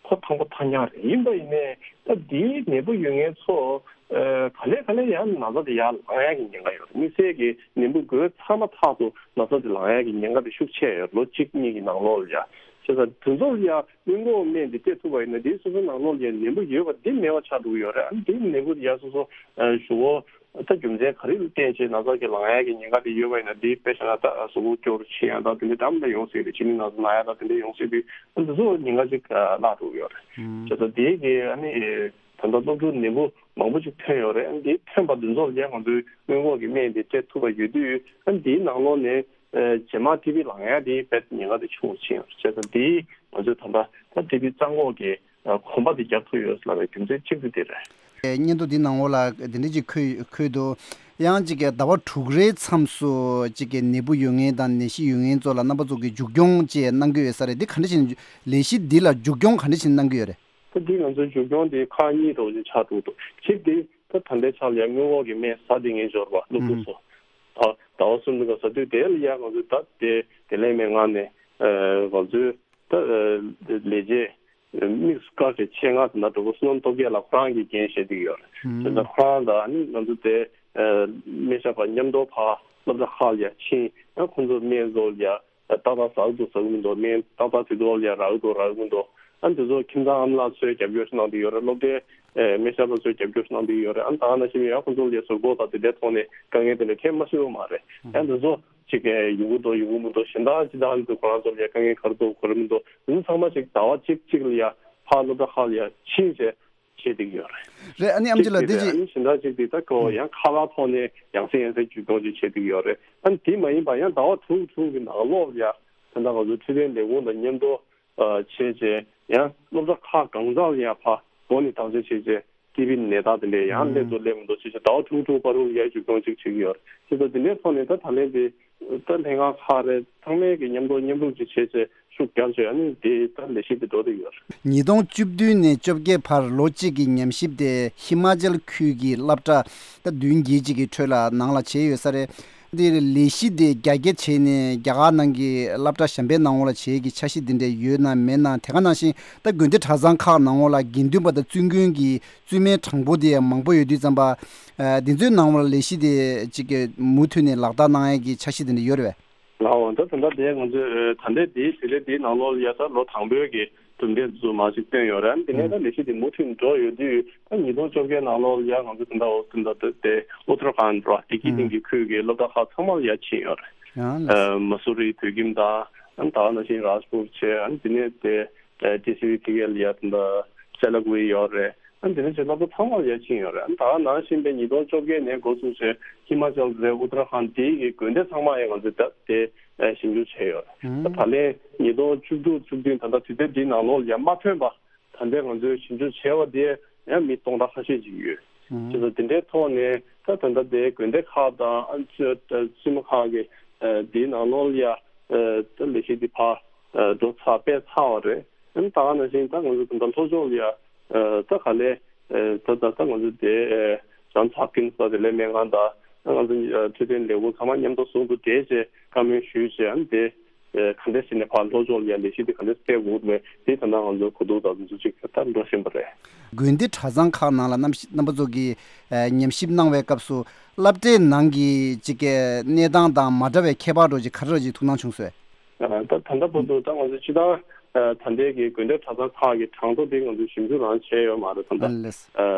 ཁོ་ཐང་པོ་ཐང་རྐྱང་རེད། ཡིན་པ་ཡིན་ནའི་ད་འདིའི་ནད་འབུ་ཡོད་མཁན་ཚོ་ཨེ་ག་ལེ་ག་ལེ་ཡང་ན་ཚ་དེ་ཡར་ལངས་ཡ་གི་ཉེན་ཁ་ཡོད་རེད། དམིགས་བསལ་གྱི་ནད་འབུ་འགོས་ཚར་མ་ཐག་ཏུ་ན་ཚ་དེ་ལངས་ཡ་གི་ཉེན་ཁ་དེ་ཤུགས་ཆེ་ཡོད་རེད། ལོ་གཅིག་གཉིས་ཀྱི་ནང་ལོགས་ལ་ཡ། བྱས་ཙང་དེ་ཚོ་ལ་ཡ་སྔོན་འགོག་སྨན་དེ་སྤྲད་ཐུབ་པ་ཡིན་ན། དེ་སོ་སོའི་ནང་ལོགས་ལ་ཡ་ནད་འབུ་ཡོད་པ་དེ་མེད་པ་ཆགས་འགྲོ་གི་ཡོད་རེད། ཨ་ནི་དེ་ནད་འབུ་དེ་ཡ་སོ་སོ་ཨེ་གཞུག་གུ་ད་རྒྱུ་མཚན་ག་རེ་ལ་བརྟེན་བྱས་ན་ཚ་གི་ལངས་ཡ་གི་ཉེན་ཁ་དེ་ཡོད་པ་ཡིན་ན། དེ་དཔེ་བཞག་ན་ད་གཟུགས་པོ་སྐྱོ་རུ་ཕྱིན་ཡ་དང་དེ་འདྲ་འདྲ་མི་འདྲ་ཡོང་སྲིད་རེད། གཅིན་སྙི་ན་ཚ་ན་ཡ་དང་དེ་འདྲ་ཡོང་སྲིད་དུས། ཨ་འདི་ཚོ་ཉེན་ཁ་ཅིག་ཨ་བརླག་འགྲོ་གི་ཡོད་རེད། ཨང་། བྱས་ཙང་དེ་གི་ཨ་ནི་ད་ལྟ་སློབ་ཕྲུག་ནད་འབུ་མང་པོ་ཅིག་ཐོན་ཡོད་རེད། ཨ་ནི་དེ་ཐོན་པ་འདི་ཚོ་ལ་ཡ་ང་ཚོའི་སྔོན་འགོག་གི་སྨན་དེ་སྤྲད་ཐུབ་པ་ཡོད་དུས། ཨ་ནི་དེའི་ནང་ལོགས་ནས་ཨ་རྗེས་མ་ཊི་བི་ལངས་ཡ་དེ་དཔེ་ཉེན་ཁ་དེ་ཆུང་རུ་ཕྱིན་ཡོད་རེད། བྱས་ཙང་དེ་ང་ཚོས་ད་ལྟ་ད་ཊི་བི་རྩ་འགོག་གི་གོམ་པ་འདི་རྒྱག་ཐུབ་ཡོད་ལབ་པའི་རྒྱུ་མཚན་གཅིག་དེ་དེ་རེད། སྙན་ཐོ་འདི་ནང་ལོགས་ལ་འདི་འདྲ་ཅིག་འཁོད་འཁོད་འདུག་ཡང་ཅིག་གི་ཟླ་བ་དྲུག་རེའི་མཚམས་སུ་ཅིག་གི་ནད་འབུ་ཡོད་མཁན་དང་ནད་གཞི་ཡོད་མཁན་ཚོ་ལ་རྣམ་པ་ཚོ་གི་མཇུག་སྐྱོང་བཅས་གནང་གི་ཡོད་ས་རེད། འདི་ག་འདྲ་ཞིག་ལས་གཞི་འདི་ལ་མཇུག་སྐྱོང་ག་འདྲ་ཞིག་གནང་གི་ཡོད་རེད། ད་འདི་ང་ཚོའི་མཇུག་སྐྱོང་འདི་ཁག་གཉིས་འདྲ་བོ་ཅིག་ཆགས་འགྲོ་འདུག་གཅིག་འདི་ད་ད་ལྟའི་ཆར་ལ་ཡ་སྔོན་འགོག་གི་སྨན་ཟ་བསྡད་མཁན་འབྱོར་པ་སློབ་ཕྲུག་ཚོ། ད་ཟླ་བ་གསུམ་གྱི་ཟ་དུས་དེ་ལ་ཡ་ང་ཚོས་ད་དེ་དེ་ལས་མེད་ངང་ནས་ང་ཚོའི་ད་ལས་བྱེད་དམིགས་སུ་བཀར་ཏེ་ཆེད་མངགས་དེ་ན་གྲོགས་པོ་བསོད་ནམས་སྟོབས་རྒྱས་ལགས་ཁོ་རང་གིས་འགན་བཞེས་བསྡད་ཀྱི་ཡོད་རེད། བྱས་ཙང་ཁོ་རང་དང་ཨ་ནི་ང་ཚོ་དེ་སྨན་ཞབས་པ་མཉམ་དུ་ཕར་སློབ་གྲྭ་ཁག་ལ་ཡ་ཕྱིན། ཡང་ཁོང་ཚོ་སྨན་ཚོ་ལ་ཡ་ཏག་ཏག་ཟ་གི་འདུག་ཟ་གི་མི་འདུག་སྨན་ཏག་ཏག་དུས་ཐོག་ལ་ཡ་རག་གི་འདུག་རག་གི་མི་འདུག་ཨ་འདི་ཚོ་ཁྱིམ་ཚང་ཨ་མ་ལགས་ཚོས་རྒྱབ་སྐྱོར་ཞིག་གནང་བསྡད་ཡོད་རེད། སློབ་གྲྭའི་ཨེ་སྨན་ཞབས་པ་ཚོས་རྒྱབ་སྐྱོར་ཞིག་གནང་བསྡད་ཡོད་རེད། ཨ་ད་ག་ནང་བཞིན་ཡང་ཁོང་ཚོ་ལ་ཡ་ཟུར་ཕོགས་དང་དེ་འདྲའི་ཐོག་ནས་དཀའ་ངལ་དེ་འདྲ་འཕྲད་མ་སོང་བ་མ་རེད། ཨ་འདི་ཚོ་ཅིག་གི་ཡོང་གི་འདུག་ཡོང་གི་མི་འདུག་གཞན་དག་ཅི་དང་འདུག་ཁོ་རང་ཚོ་ལ་ཡ་དཀའ་ངལ་ག་རེ་འདུག་ག་རེ་མི་འདུག་འདི་ཚོ་ཚང་མ་ཅིག་ཟླ་བ་གཅིག་གཅིག་ལ་ཡ་ཕར་སློབ་གྲྭ་ཁག་ལ་ཡ་ཕྱིན་བྱས་བྱེད་བསྡད་ཀྱི་ཡོད་རེད། རེད། ཨ་ནི་ཨམ་ཅི་ལགས་འདི་ཅིག་ཨ་ནི་གཞན་དག་ཅིག་འདི་ད་ཁོ་ཡང་ཁ་པར་ཐོག་ནས་ཡང་སེ་ཡང་སེ་བརྒྱུད་གཏོང་ཅིག་བྱེད་བསྡད་ཀྱི་ཡོད་རེད། ཨ་ནི་དེ་མ་ཡིན་པ་ཡང་ཟླ་བ་དྲུག་དྲུག་གི་ནང་ལོགས་ལ་ཡ་ད་ལྟ་ང་ཚོ་འཕྲོད་བསྟེན་ལས་ཁུངས་དང་མཉམ་དུ་ཨ་བྱས་བྱས་ཡང་སློབ་གྲྭ་ཁག་གང་ཟག་ལ་ཡང་ཕར་སྒོ་ནས་བརྟག་དཔྱད་བྱས་བྱས་ཊི་བི་ནད་རྟགས་དེ་འདྲ་ཡང་སླེབས་འདུག་སླེབས་མི་འདུག་ཅེས་བྱས་ཟླ་བ་དྲུག་དྲུག་བར་དུ་ཡར་མཇུག་སྐྱོང་ཅིག་བྱེད་ཀྱི་ཡོད་རེད། བྱས་ཙང་དེ་འདྲའི་ཐོག་ནས་ད་ད་ལན་དེ་ད་ལྷན་ཁང་ཁག་རེད། ཚང་མས་ཀྱི་མཉམ་དུ་མཉམ་རུབ་ཅིག་བྱས་བྱས་ཤུགས་རྒྱག་བྱས་ཨ་ནི་དེ་ད་ལས་གཞི་དེ་འགྲོ་བསྡད་ཡོད་རེད། ཉིས་སྟོང་བཅུ་བདུན་ནས་བཅོ་བརྒྱད་བར་ལོ་གཅིག་གི་ཉམས་ཞིབ་དེ་ཧི་མ་ཅལ་ཁུལ་གྱི་སློབ་གྲྭ་ད་བདུན་བརྒྱད་ཅིག་གི་ཁྲོད་ལ་ནང་ལ་བྱས་ཡོད་ས་རེད། འདིར་ལས་གཞི་དེ་རྒྱ་སྐྱེད་བྱས་ནས་རྒྱ་གར་ནང་གི་སློབ་གྲྭ་གཞན་པའི་ནང་ལོགས་ལ་བྱེད་ཀྱི་འཆར་གཞི་འདི་འདྲ་ཡོད་ན་མེད་ན། དེ་ག་ནང་བཞིན་ད་དགོན་སྡེ་གྲྭ་ཚང་ཁག་ནང་ལོགས་ལ་དགེ་འདུན་པ་དང་བཙུན་དགོན་གྱི་བཙུན་མའི་གྲངས་འབོར་དེ་ཡང་མང་པོ་ཡོད་དུས་ཙམ་པ། ཨ་འདི་ཚོའི་ནང་ལོགས་ལ་ལས་གཞི་དེ་གཅིག་གི་མུ་མཐུད་ནས་ལག་བསྟར་གནང་ཡས་ཀྱི་འཆར་གཞི་དེ་འདྲ་ཡོད་རེད་པས། ལགས་འོང་། ད་ད་ལྟ་དེ་ང་ཚོས་ད་ལྟའི་དེའི་དུས་ཚོད་དེའི་ནང་ལོགས་ལ་ཡ་ད་ལོ་དང་པོའི་གི་གྲུབ་འབྲས་ཚོ་མར་ཞིག་བཏོན་ཡོད་རེད། དེ་ནས་ད་ལས་གཞི་དེ་མུ་མཐུད་འགྲོ་ཡོད་དུས་ད་ཉིས་སྟོང་བཅོ་བརྒྱད་ནང་ལོགས་ལ་ཡ་ང་ཚོ་ད་ལྟ་འོ་ད་ལྟ་དེ་ཨུ་ཏར་ཁཱན་ར་ཏི་ཀི་ཏིང་གི་ཁུལ་གི་སློབ་གྲྭ་ཁག་ཚང་མ་ལ་ཡ་ཕྱིན་ཡོད་རེད། ཨ་མ་སུ་རི་བོད་ཁྱིམ་དང་ད་ག་ནང་བཞིན་རཱཇ་པུར་བྱས། ཨ་དེ་ནས་དེ་ཨེ་ཊི་སི་ཝི་ཁི་ལ་ཡ་ད་ལྟ་སེ་ལ་ཀུ་ཡོད་རེད། ཨ་དེ་ནས་ཆེད་ལྷག་པ་ཚང་མར་ཡར་ཕྱིན་ཡོད་རེད། ཨ་ད་ནང་བཞིན་པའི་ཉིས་སྟོང་བཅོ་བརྒྱད་ནས་འགོ་བཙུགས་བྱས་ཧི་མ་ཅལ་རེད། ཨུ་ཏར་ཁཱན་དེའི་གི་དགོན་སྡེ་ཚང་མ་ཡང་ང་ཚོས་ད་དེ་ཞིབ་འཇུག་བྱས་ཡོད་རེད། ད་ད་ལན་ཉིས་སྟོང་བཅུ་དྲུག་བཅུ་བདུན་ད་ལྟ་དུས་ཚོད་འདིའི་ནང་ལོགས་ལ་ཡང་མ་ཐོན་པ་ད་ལྟའི་ང་ཚོས་ཞིབ་འཇུག་བྱས་པ་དེ་ཡང་མི་སྟོང་ཕྲག་ཁ་ཤས་ཅིག་ཡོད། བྱས་ཙང་དེ་འདྲའི་ཐོག་ནས་ད་ད་ལྟ་དེ་དགོན་སྡེ་ཁག་དང་ཨ་ཙི་ཙི་མ་ཁག་གི་དེའི་ནང་ལོགས་ལ་ཡང་ད་ལས་གཞི་འདི་ཕར་འགྲོ་ཚར་སྤེལ་ཚར་བ་རེད། ཨ་ནི་ད་ག་ནང་བཞིན་ད་ང་ཚོ་ད་ལྟ་ལྷོ་ཕྱོགས་ལ་ཡ་ཨ་ད་ག་ལེ་ཨ་ད་ད་ད་ང་ཚོ་དེ་ཨ་ཇོན་སི་ཧོབ་ཀིན་སི་ད་དེ་ལས་སྨན་ཁང་དང་ཨ་ང་ཚོ་ཨ་འཕྲོད་བསྟེན་ལས་ཁུངས་ཚང་མ་མཉམ་དུ་ཟུང་དུ་འབྲེལ་བྱས་བཀའ་མོལ་ཞུས་བྱས། ཨ་ནི་དེ་ཨ་ག་འདྲས་བྱས་ནས་ཕར་ལྷོ་ཕྱོགས་ལ་ཡ་ལས་གཞི་དེ་ག་འདྲས་སྤེལ་དགོས་འདུག་མེད་དེ་ད་ལྟ་ང་ཚོ་གོ་བསྡུར་དང་འཛུལ་ཞུགས་ད་འགྲོ་བཞིན་པ་རེད། དགོན་སྡེ་གྲྭ་ཚང་ཁག་ནང་ལ་རྣམ་རྣམ་པ་ཚོ་གིས་ཨ་ཉམས་ཞིབ་གནང་བའི་སྐབས་སུ་སློབ་གྲྭའི་ནང་གི་ཅིག་གི་གནས་སྟངས་དང་མ་འདྲ་བའི་ཁྱད་པར་འདྲ་ཅིག་ག་རེ་ཅིག་ཐུགས་སྣང་བྱུང་སོང་། ད་ད་ལྟ་བར་དུ་ད་ང་ཚོ་སྤྱི་བཏང་ད་ལྟའི་གི་དགོན་སྡེ་གྲྭ་ཚང་ཁག་གི་གྲངས་ཐོ་དེ་ང་ཚོས་ཞིབ་འཇུག་རང་བྱས་ཡོད་མ་རེད། ད་ལྟ་ཨ་ལས།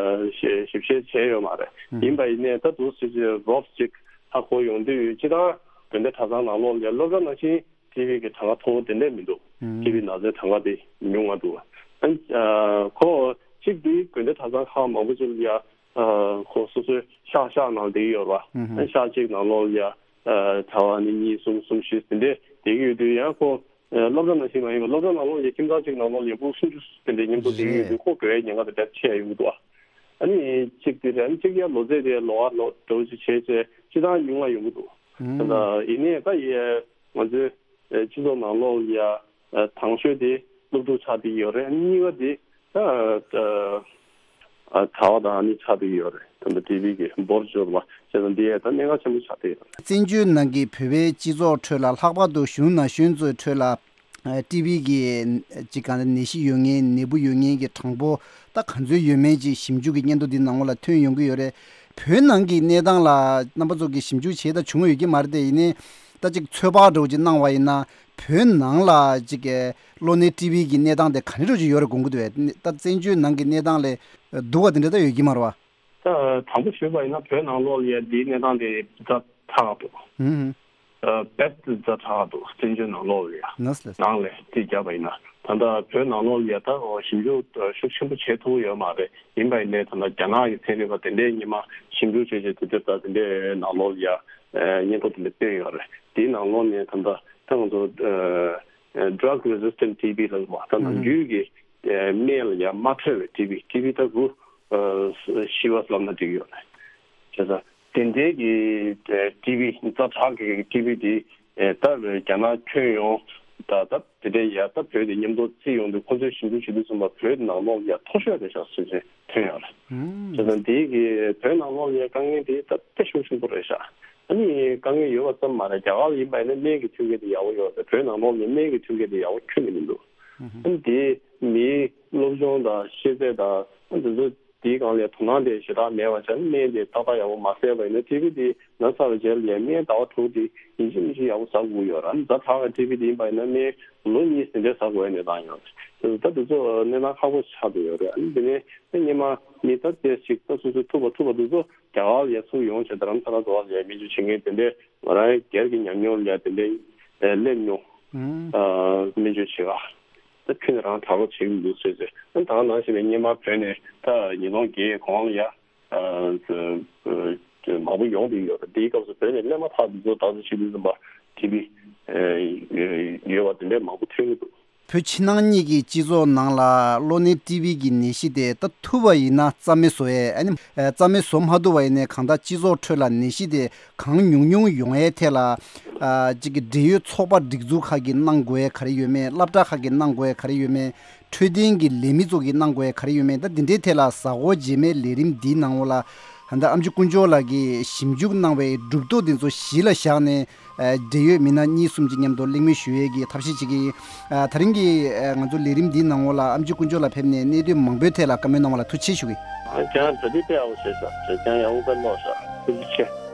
ཞིབ་ཞིབ་བྱས་བྱས་ཡོད་མ་རེད། ཡིན་པ་ཡིན་ནའི་ད་འདུག་སེ་ཅིག་རོབ་ཅིག་ཧ་གོ་ཡོང་དུས་སྤྱི་བཏང་དགོན་སྡེ་གྲྭ་ཚང་ནང་ལོགས་ལ་སློབ་གྲྭ་ནང་བཞིན་ཊི་བི་གི་གྲངས་ཀ་མཐོ་བོ་དེ་འདྲས་མི་འདུག་ཊི་བི་ན་ཚའི་གྲངས་ཀ་དེ་ཉུང་བ་འདུག་ཨ་ཁོ་གཅིག་དེ་དགོན་སྡེ་གྲྭ་ཚང་ཁག་མང་པོ་ཅིག་ལ་ཡ་ཨ་ཁོ་སོ་སོའི་ཤག་ཤག་ནང་བསྡད་ཡོད་རེད་པ། ཨ་ཤག་གཅིག་ནང་ལོགས་ལ་ཡ་ཨ་གྲྭ་པ་ནི་གཉིས་གསུམ་གསུམ་བཞི་དེ་འདྲས་བསྡད་ཀྱི་ཡོད་དུས་ཡང་ཁོ་ཨ་སློབ་གྲྭ་ནང་བཞིན་མ་ཡིན་པ་སློབ་གྲྭ་ནང་ལོགས་ལ་ཡ་ཁྱིམ་ཚང་གཅིག་ནང་ལོགས་ལ་ཡ་ཕྲུ་གུ་སུམ་ཅུ་དེ་འདྲས་མཉམ་དུ་བསྡད་ཀྱི་ཡོད་དུས་ཁོ་དགོས་ཡའི་ཉེན་ཁ་དེ་འདྲ་ཆེ་ཡ་ཡོང་གི་འདུག་ཨ་ནི་གཅིག་དེ་རེད། ཨ་ནི་གཅིག་ཡ་ལོ་ཚད་དེ་ལོ་བ་ལོ་འདྲ་བོ་ཅིག་བྱས་བྱས་སྤྱི་བཏང་ཉུང་བ་ཡོང་གི་འདུག་ད་ལྟ་ཡིན་ནའི་ད་ཡ་ང་ཚོའི་སྤྱི་ཚོགས་ནང་ལོགས་ལ་ཡ་དང་ཤོས་དེ་སློབ་ཕྲུག་ཆགས་བསྡད་ཡོད་རེད། གཉིས་པ་དེ་ད་གྲྭ་པ་དང་ཨ་ནི་ཆགས་བསྡད་ཡོད་རེད། ད་ལྟ་ཊི་བི་གི་འབོར་འབྱོར་བ་བྱས་ཙང་འདི་ཡ་ད་གནད་འགག་ཆེན་པོ་ཆགས་བསྡད་ཡོད་རེད། བཙན་བྱོལ་ནང་གི་བོད་པའི་སྤྱི་ཚོགས་ཁྲོད་ལ་ལྷག་པར་དུ་གཞོན་ནུ་ན་གཞོན་ཚོའི་ཁྲོད་ལ་ཨ་ཊི་བི་གི་ཅིག་གང་ནད་གཞི་ཡོད་མཁན་ནད་འབུ་ཡོད་མཁན་གྱི་གྲངས་འབོར་ད་ག་ཚོད་ཡོད་མེད་ཅིག་ཞིབ་འཇུག་གི་སྙན་ཐོ་འདི་ནང་ལོགས་ལ་ཐོན་ཡོང་གི་ཡོད་རེད། བོད་ནང་གི་གནས་སྟངས་ལ་རྣམ་པ་ཚོ་གིས་ཞིབ་འཇུག་བྱས་ད་བྱུང་ཡོད་ཀྱི་མ་རེད་དེ། ཡིན་ནའི་ད་ཅིག་ཚོད་དཔག་འདྲ་བོ་ཅིག་གནང་བ་ཡིན་ན་བོད་ནང་ལ་ཅིག་གི་གློ་ནད་ཊི་བི་གི་གནས་སྟངས་དེ་ག་འདྲ་བོ་ཅིག་ཡོད་རེད་དགོངས་ཀྱི་འདུག་བས། ད་བཙན་བྱོལ་ནང་གི་གནས་སྟངས་ལས་སྡུག་པ་དེ་འདྲ་ད་ཡོད་ཀྱི་མ་རེད་བ། ད་དང་པོ་ཞུས་པ་ཡིན་ན་བོད་ནང་ལོགས་ལ་ཡ་འདིའི་གནས་སྟངས་དེ་ཛ་དྲག་འདུག་ཧུམ་ཧུམ། ཨ་བེསྟ་ཛ་དྲག་འདུག་བཙན་བྱོལ་ནང་ལོགས་ལ་ཡ། ནས་ལས། ནང་ལ་རྩིས་བརྒྱབ་པ་ཡིན་ན་ད་ལྟ་བོད་ནང་ལོགས་ལ་ཡ་ད་འོ་ཞིབ་འཇུག་ཤུགས་ཆེན་པོ་བྱེད་ཐུབ་ཡོད་མ་རེད། ཡིན་པ་ཡིན་ནའི་ད་ལྟ་རྒྱ་ནག་གི་ཚན་རིག་པ་དེ་འདྲས་སྔོན་མ་ཞིབ་འཇུག་བྱས་བྱས་དུས་དེབ་དང་དེ་འདྲས་ནང་ལོགས་ལ་ཡ་སྙན་ཐོ་དེ་འདྲས་བཏོན་ཡོད་རེད། དེའི་ནང་ལོགས་ནས་ད་ལྟ་ད་ང་ཚོ་drug resistant T B ལབ་པ་ད་ནམ་རྒྱུན་གྱི་སྨན་ལ་ཡ་མ་འཕྲོད་པའི་ཊི་བི། ཊི་བི་ད་རུ་ཤི་བ་ལབ་ན་འགྲིག་ཡོད་རེད། བྱས་ཙང་དེ་འདྲའི་གི་ཊི་བི་ཛ་དྲག་གི་ཊི་བི་དེ་ད་རྒྱ་ནག་ཁྱོན་ཡོངས་ད་ད་དེ་འདྲའི་ཡ་ད་བོད་དེ་མཉམ་དུ་བརྩིས་ཡོང་དུས་ཁོ་ཚོས་ཞིབ་འཇུག་བྱེད་དུས་ཙམ་པ་བོད་ནང་ལོགས་ལ་ཡ་མཐོ་ཤོས་རེད་ཤག་ཟེར་བྱས་ཐོན་ཡོད་རེད། བྱས་ཙང་དེའི་གི་བོད་ནང་ལོགས་ལ་ཡ་དཀའ་ངལ་དེ་ད་དཔེ་ཤུགས་ཆེན་པོ་རེད་ཤག་ཨ་ནི་དཀའ་ངལ་ཡོད་པ་ཙམ་མ་རེད། རྒྱ་གར་ལ་ཡིན་པ་ཡིན་ན་སྨན་གྱི་མཐུན་རྐྱེན་དེ་ཡག་པོ་ཡོད་རེད། བོད་ནང་ལོགས་ནས་སྨན་གྱི་མཐུན་རྐྱེན་དེ་ཡག་པོ་ཁྱོན་ནས་མི་འདུག་ཨ་ནི་དེ་མིའི་སློབ་སྦྱོང་དང་ཤེས་ཚད་དང་ཨ་འདི་ཚོ་ དེའི་སྒང་ལ་དོ་སྣང་དེ་ཞེ་དྲག་མེད་པ་བྱས་ནས་སྨན་དེ་ཏག་ཏག་ཡག་པོ་མ་བཟས་པ་ཡིན་ན་ཊི་བི་དེ་ན་ཚར་བའི་རྗེས་ལ་ཡང་སྨན་ཟླ་བ་དྲུག་དེ་ཡིན་གཅིག་མིན་གཅིག་ཡག་པོ་ཟ་དགོས་ཡོད་ར། ཛ་དྲག་གི་ཊི་བི་དེ་ཡིན་པ་ཡིན་ན་སྨན་ལོ་གཉིས་དེ་འདྲ་ཟ་དགོས་ཡ་གནས་སྟངས་ཡོད་རེད། ད་དེ་ཚོ་གནས་སྟངས་ཁག་པོ་ཆགས་བསྡད་ཡོད་རེད། ཨ་ནི་དེ་ནས་ད་སྔོན་མ་མི་ད་དེ་ཞིག་ད་སོ་སོའི་ཐུག་པ་ཐུག་པ་དེ་ཚོ་རྒྱ་གར་ལ་ཡ་ཚུར་ཡོང་བྱས་རྡ་རམ་ས་ལ་འགྲོ་བ་ལ་ཡ་སྨན་བཅོས་བྱེད་མཁན་དེ་འདྲས་ང་རང་སྒེར་གྱི་ཉམས་མྱོང་ལ་ཡ་དེ་འདྲས་སླེབས་མྱོང་། ཨ་སྨན་བཅོས་བྱེད་ག་ད་ཕུད་ནས་རང་དྲག་པོ་བྱེད་ཀྱི་འདུག་ཟེར་ཟེར། ཨ་ད་ནང་བཞིན་པའི་སྔོན་མ་བོད་ནས་ད་ཉིས་སྟོང་བརྒྱད་གོང་ལ་ཡ་ཨ་མང་པོ་ཡོང་བསྡད་ཡོད་རེད། དེའི་སྐབས་སུ་བོད་ནས་སླེབས་མ་ཐག་དེ་ཚོ་ད་གཟོད་ཕྱི་དུས་ཙམ་པ་ཊི་བི་ཡོད་པ་དེ་འདྲས་མང་པོ་ཐོན་གྱི་འདུག་བོད་ཕྱི་ནང་གཉིས་ཀྱི་སྤྱི་ཚོགས་ནང་ལ་གློ་ནད་ཊི་བི་གི་ནད་གཞི་དེ་ད་ཐུབ་པ་ཡིན་ན་རྩ་མེད་བཟོ་ཡས། ཨ་ནི་རྩ་མེད་བཟོ་མ་ཐུབ་པ་ཡིན་ནའི་གང་ལྟར་སྤྱི་ཚོགས་ཁྲོད་ལ་ནད་གཞི་དེ་གང་ཉུང་ཉུང་ཡོང་ཡས་ཐད་ལ་ཨ་གཅིག་གི་འབྲེལ་ཡོད་ཚོགས་པ་སྒྲིག་འཛུགས་ཁག་གིས་གནང་དགོས་ཡས་ག་རེ་ཡོད་མེད། སློབ་གྲྭ་ཁག་གིས་གནང་དགོས་ཡས་ག་རེ་ཡོད་མེད། འཕྲོད་བསྟེན་གྱི་ལས་མི་ཚོ་གིས་གནང་དགོས་ཡས་ག་རེ་ཡོད་མེད། ད་འདི་འདྲའི་ཐད་ལ་གཟའ་འཁོར་རྗེས་མའི་ལས་རིམ་འདིའི་ནང་ལ་ད་ལྟ་ཨམ་ཆི་དཀོན་མཆོག་ལགས་ཀྱིས་ཞིབ་འཇུག་གནང་བའི་གྲུབ་ཐོབ་འདི་ཚོ་གཞི་ལ་བཞག་ནས། ཨ་འབྲེལ་ཡོད་མི་སྣ་གཉིས་གསུམ་གྱི་མཉམ་དུ་གླེང་མོལ་ཞུ་ཡས་ཀྱི་ཐབས་ཤེས་བྱེད་ཀྱི་ཡིན། ཨ་ད་རིང་གི་ཨ་ང་ཚོ་ལས་རིམ་འདིའི་ནང་ལོགས་ལ་ཨམ་ཆི་དཀོན་མཆོག་ལགས་ཕེབས་ནས་གནད་དོན་མང་པོའི་ཐད་ལ་བཀའ་མོལ་གནང་བ་ལ་ཐུགས་རྗེ་ཆེ་ཞུ་གི་ཡིན། ཨ་ཁྱེད་རང་གྲ་སྒྲིག་དཔེ་ཡག་པོ་བྱས་ཤག་ཁྱེད་རང་ཡག་པོ་དཔེ་ཀློག་ཤག་ཐུགས་རྗེ་ཆེ།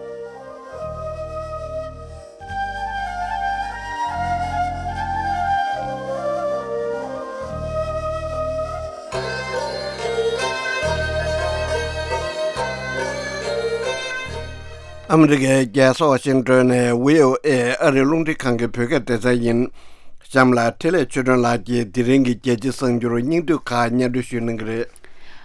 ཨ་མི་རི་ཀའི་རྒྱལ་ས་ཝ་ཤིང་ཏོན་ནས་བྷི་ཨོ་ཨེ་ཨ་རིའི་རླུང་འཕྲིན་ཁང་གི་བོད་སྐད་སྡེ་ཚན་ཡིན། གཤམ་ལ་འཕྲིན་ལས་ཆོས་སྒྲོན་ལགས་ཀྱིས་དེ་རིང་གི་རྒྱལ་སྤྱིའི་གསར་འགྱུར་སྙིང་བསྡུས་ཁག་སྙན་སྒྲོན་ཞུ་གནང་གི་རེད།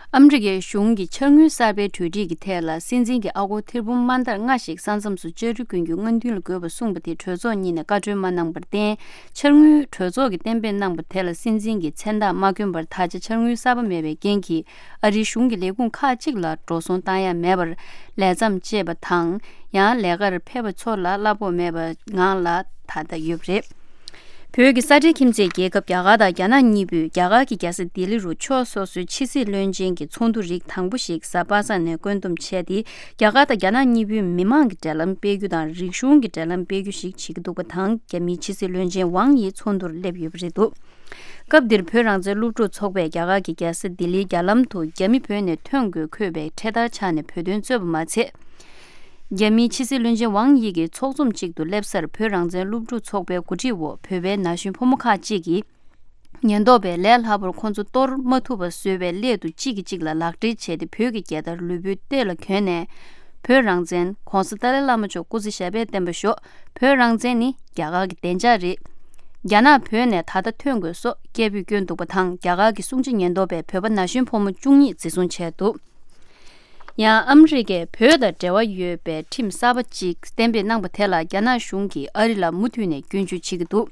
ཨ་མི་རི་ཀའི་གཞུང་གིས་འཆར་དངུལ་གསར་པའི་གྲོས་སྒྲིག་གི་ཐད་ལ་སྲིད་འཛིན་གྱི་ཨ་སྒོར་ཐེར་འབུམ་དམའ་མཐར་ལྔ་ཞིག་ས་མཚམས་སུ་བཅའ་ཁྲིམས་ཀུན་གྱི་སྔོན་ཐོན་ལ་དགོས་པ་གསུངས་པ་དེ་གྲོས་ཚོགས་གཉིས་ནས་བཀའ་འཁྲོལ་མ་གནང་བར་བརྟེན། འཆར་དངུལ་གྲོས་ཚོགས་ཀྱིས་གཏན་འབེབས་གནང་པ་དེ་ལ་སྲིད་འཛིན་གྱིས་མཚན་རྟགས་མ་བསྐྱོན་པར་ད་ཆ་འཆར་དངུལ་གསར་པ་མེད་པའི་རྐྱེན་གྱིས་ཨ་རིའི་གཞུང་གི་ལས་ཁུངས་ཁག་ཅིག་ལ་འགྲོ་སོང་བཏང་ཡ་མེད་པར་ལས་མཚམས་བཅད་པ་དང་། ཡང་ལས་ཀར་ཕེབས་པ་ཚོ་ལ་གླ་ཕོགས་མེད་པའི་ངང་ལ་ད་ལྟ་ཡོད་པ་རེད། བོད་ཀྱི་ས་ཁྲའི་ཁྱིམ་མཚེས་རྒྱལ་ཁབ་རྒྱ་གར་དང་རྒྱ་ནག་གཉིས་པོས་རྒྱ་གར་གྱི་རྒྱལ་ས་ལྡི་ལི་རུ་ཕྱོགས་སོ་སོའི་ཕྱི་སྲིད་བློན་ཆེན་གྱི་ཚོགས་འདུ་རིགས་དང་པོ་ཞིག་གཟའ་པ་སངས་ནས་བཀོད་འདོམས་བྱས་ཏེ། རྒྱ་གར་དང་རྒྱ་ནག་གཉིས་པོའི་མི་མང་གི་འབྲེལ་ལམ་སྤེལ་རྒྱུ་དང་། རིག་གཞུང་གི་འབྲེལ་ལམ་སྤེལ་རྒྱུ་ཞིག་བྱེད་ཀྱི་འདུག་པ་དང་། རྒྱ་མིའི་ཕྱི་སྲིད་བློན་ཆེན་ཝང་ཡི་ཚོགས་འདུར་སླེབས་ཡོད་པ་རེད་འདུག་སྐབས་འདིར་བོད་རང་བཙན་སློབ་ཕྲུག་ཚོགས་པས་རྒྱ་གར་གྱི་རྒྱལ་ས་ལྡི་ལིའི་རྒྱ་ལམ་དུ་རྒྱ་མི་བོད་ནས་ཐོན་དགོས་འཁོད་པའི་འཕྲེད་དར་འཕྱར་ནས་བོད་དོན་རྩོད་པ་མ་ཚད། རྒྱ་མིའི་ཕྱི་སྲིད་བློན་ཆེན་ཝང་ཡི་གིས་ཚོགས་འཛོམས་གཅིག་ཏུ་སླེབས་སར་བོད་རང་བཙན་སློབ་ཕྲུག་ཚོགས་པའི་འགོ་ཁྲིད་འོག་བོད་པའི་ན་གཞོན་ཕོ་མོ་ཁག་ཅིག་གིས། ཉེན་རྟོག་པས་ལས་སླ་པོར་ཁོང་ཚོ་གཏོར་མ་ཐུབ་པ་བཟོས་པའི་སླད་དུ་གཅིག་གིས་གཅིག་ལ་ལག་སྦྲེལ་བྱས་ཏེ། བོད་ཀྱི་རྒྱལ་དར་ལུས་པོའི་གཏེར་ལ་གྱོན་ནས། བོད་རང་བཙན། ྋགོང་ས་ཏཱ་ལའི་བླ་མ་མཆོག་སྐུ་ཚེ་ཞབས་པད་བརྟན་པར་ཤོག་བོད་རང་བཙན་ནི་རྒྱ་གར་གྱི་བདེ་འཇགས་རེད། རྒྱ་ནག་བོད་ནས་ད་ལྟ་ཐོན་དགོས་སོགས་སྐད་འབོད་བསྐྱོན་འདུག་པ་དང་། རྒྱ་གར་གྱི་སྲུང་བརྩི་ཉེན་རྟོག་པས་བོད་པ་ན་གཞོན་ཕོ་མོ་བཅུ་གཉིས་འཛིན་བཟུང་བྱས་འདུག་ཡང་ཨ་མི་རི་ཀས་བོད་དང་འབྲེལ་བ་ཡོད་པའི་ཁྲིམས་གསར་པ་ཅིག་གཏན་འབེབས་གནང་པ་དེ་ལ་རྒྱ་ནག་གཞུང་གིས་ཨ་རི་ལ་མུ་མཐུད་ནས་སྐྱོན་བརྗོད་བྱེད་ཀྱི་འདུག་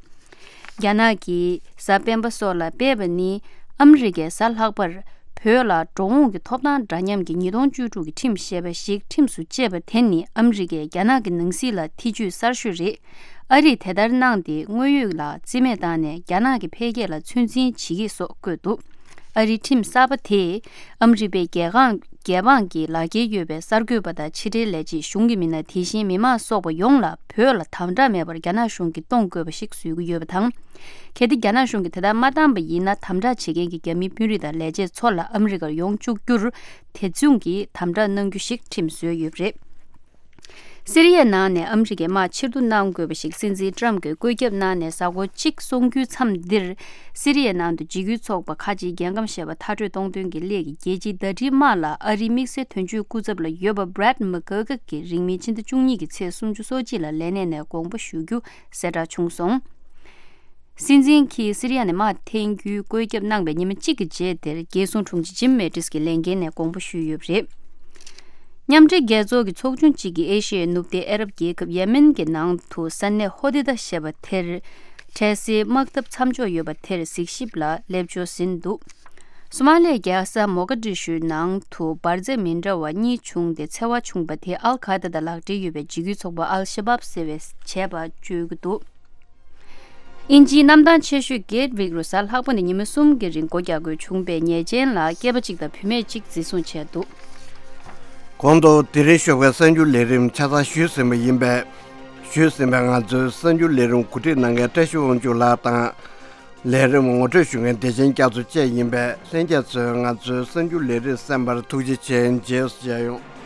རྒྱ་ནག་གིས་གཟའ་སྤེན་པ་སོགས་ལ་སྤེལ་བ་ནི། ཨ་མི་རི་ཀས་གཟའ་ལྷག་པར་བོད་ལ་འགྲོ་འོང་གི་ཐོབ་ཐང་འདྲ་མཉམ་གྱི་ཉིས་སྟོང་བཅུ་དྲུག་གི་ཁྲིམས་ཞེས་པ་ཞིག་ཁྲིམས་སུ་བཅད་པ་དེ་ནི། ཨ་མི་རི་ཀས་རྒྱ་ནག་གི་ནང་སྲིད་ལ་ཐེ་ཇུས་གསར་ཤོས་རེད། ཨ་རིས་དེ་ལྟར་གནང་སྟེ། དངོས་ཡོད་ལ་རྩིས་མེད་བཏང་ནས་རྒྱ་ནག་གི་འཕེལ་རྒྱས་ལ་ཚོད་འཛིན་བྱེད་ཀྱི་སོགས་བཀོད་འདུག་ཨ་རིའི་ཁྲིམས་གསར་པ་དེས་ཨ་མི་རི་པའི་རྒྱལ་ཁང་རྒྱལ་འབངས་ཀྱི་ལག་འཁྱེར་ཡོད་པའི་གསར་འགོད་པ་དང་ཕྱི་འབྲེལ་ལས་བྱེད། གཞུང་གི་མི་སྣ། དེ་བཞིན་མི་མང་སོགས་པ་ཡོངས་ལ་བོད་ལ་དམ་དྲག་མེད་པར་རྒྱ་ནག་གཞུང་གིས་གཏོང་དགོས་པ་ཞིག་བཟོ་གི་ཡོད་པ་དང་། གལ་ཏེ་རྒྱ་ནག་གཞུང་གིས་དེ་ལྟར་མ་བཏང་པ་ཡིན་ན། དམ་དྲག་བྱེད་མཁན་གྱི་རྒྱ་མིའི་དཔོན་རིགས་དང་ལས་བྱེད་ཚོ་ལ་ཨ་མི་རི་ཀར་ཡོང་བཅུག་རྒྱུར་དེ་མཚུངས་ཀྱི་དམ་དྲག་གནང་རྒྱུ་ཞིག་ཁྲིམས་བཟོས་ཡོད་པ་རེད། སི་རི་ཡའི་ནང་ནས་ཨ་མི་རི་ཀའི་དམག་ཕྱིར་བསྡུ་གནང་དགོས་པ་ཞིག་སྲིད་འཛིན་ཊམ་གྱིས་བཀོད་ཁྱབ་གནང་ནས་གཟའ་འཁོར་གཅིག་སོང་རྒྱུའི་མཚམས་འདིར། སི་རི་ཡའི་ནང་དུ་འཇིགས་སྐུལ་ཚོགས་པ་ཁ་ཆེའི་རྒྱལ་ཁམས་ཞེས་པ་མཐར་སྐྲོད་གཏོང་དོན་གྱི་སླད་ཀྱི་རྒྱལ་སྤྱིའི་ཟླ་སྒྲིལ་དམག་ལ་ཨ་རིའི་དམིགས་བསལ་དོན་གཅོད་སྐུ་ཚབ་ལ་ཡོད་པ་Brett McGurk གིས་རིང་མིན་ཕྱི་ཟླ་བཅུ་གཉིས་ཀྱི་ཚེས་སུམ་ཅུ་སོ་གཅིག་ལ་ལས་གནས་ནས་དགོངས་པ་ཞུ་རྒྱུ་གསལ་བསྒྲགས་བྱུང་སོང་། སྲིད་འཛིན་གྱིས་སི་རི་ཡ་ནས་དམག་འཐེན་རྒྱུའི་བཀོད་ཁྱབ་གནང་བའི་ཉི་མ་གཅིག་གི་རྗེས་དེར། རྒྱལ་སྲུང་དྲུང་ཆེ་ཇིམ་མེ་ཏིས་ཀྱིས་ལས་འགན་ནས་དགོངས་པ་ཞུས་ཡོད་པ་རེད། མཉམ་འབྲེལ་རྒྱལ་ཚོགས་ཀྱི་ཚོགས་ཆུང་གཅིག་གིས་ཨེ་ཤི་ཡའི་ནུབ་བསྟན་ཨ་རབ་རྒྱལ་ཁབ་ཡེ་མེན་གྱི་ནང་དུ་ས་གནས་ཧོ་དི་ད་ཞེས་པ་དེར། འཕྲལ་སེལ་དམག་འཐབ་མཚམས་འཇོག་ཡོད་པ་དེར་གཟིགས་ཞིབ་ལ་སླེབས་འབྱོར་ཟིན་འདུག་སོ་མ་ལིའི་རྒྱལ་ས་མོ་ག་ཌི་ཤུའི་ནང་དུ་འབར་རྫས་མི་འདྲ་བ་གཉིས་བྱུང་སྟེ། འཚེ་བ་བྱུང་པ་དེ་ཨལ་ཁ་ཡེ་ད་དང་ལག་འབྲེལ་ཡོད་པའི་འཇིགས་སྐུལ་ཚོགས་པ་ཨལ་ཤ་བབ་ཟེར་བས་བྱས་པ་བརྗོད་ཀྱི་འདུག་དབྱིན་ཇིའི་གནམ་ཐང་ཆེ་ཤོས་གེ་ཊི་ཝིག་རུ་གཟའ་ལྷག་པ་ནས་ཉི་མ་གསུམ་གྱི་རིང་སྒོ་རྒྱག་དགོས་བྱུང་བའི་ཉེས་ཅན་ལ་སྐྱེས་པ་གཅིག་དང་བུད་མེད་གཅིག་འཛིན་བཟུང་བྱས་འདུག་གོང་དུ་དེ་རིང་ཞོགས་པའི་གསར་འགྱུར་ལས་རིམ་ཆ་ཚང་ཞུས་ཟིན་པ་ཡིན་པས། ཞུས་ཟིན་པའི་ང་ཚོའི་གསར་འགྱུར་ལས་རིམ་གོ་སྒྲིག་གནང་མཁན་བཀྲ་ཤིས་དབང་ཕྱུག་ལགས་དང་། ལས་རིམ་ངོ་སྤྲོད་ཞུ་མཁན་བདེ་ཆེན་རྒྱ་མཚོ་བཅས་ཡིན་པས། ལྷན་རྒྱས་ཚོས་ང་ཚོའི་གསར་འགྱུར་ལས་རིམ་གསན་པར་ཐུགས་རྗེ་ཆེ། རྗེས་སུ་མཇལ་ཡོང་།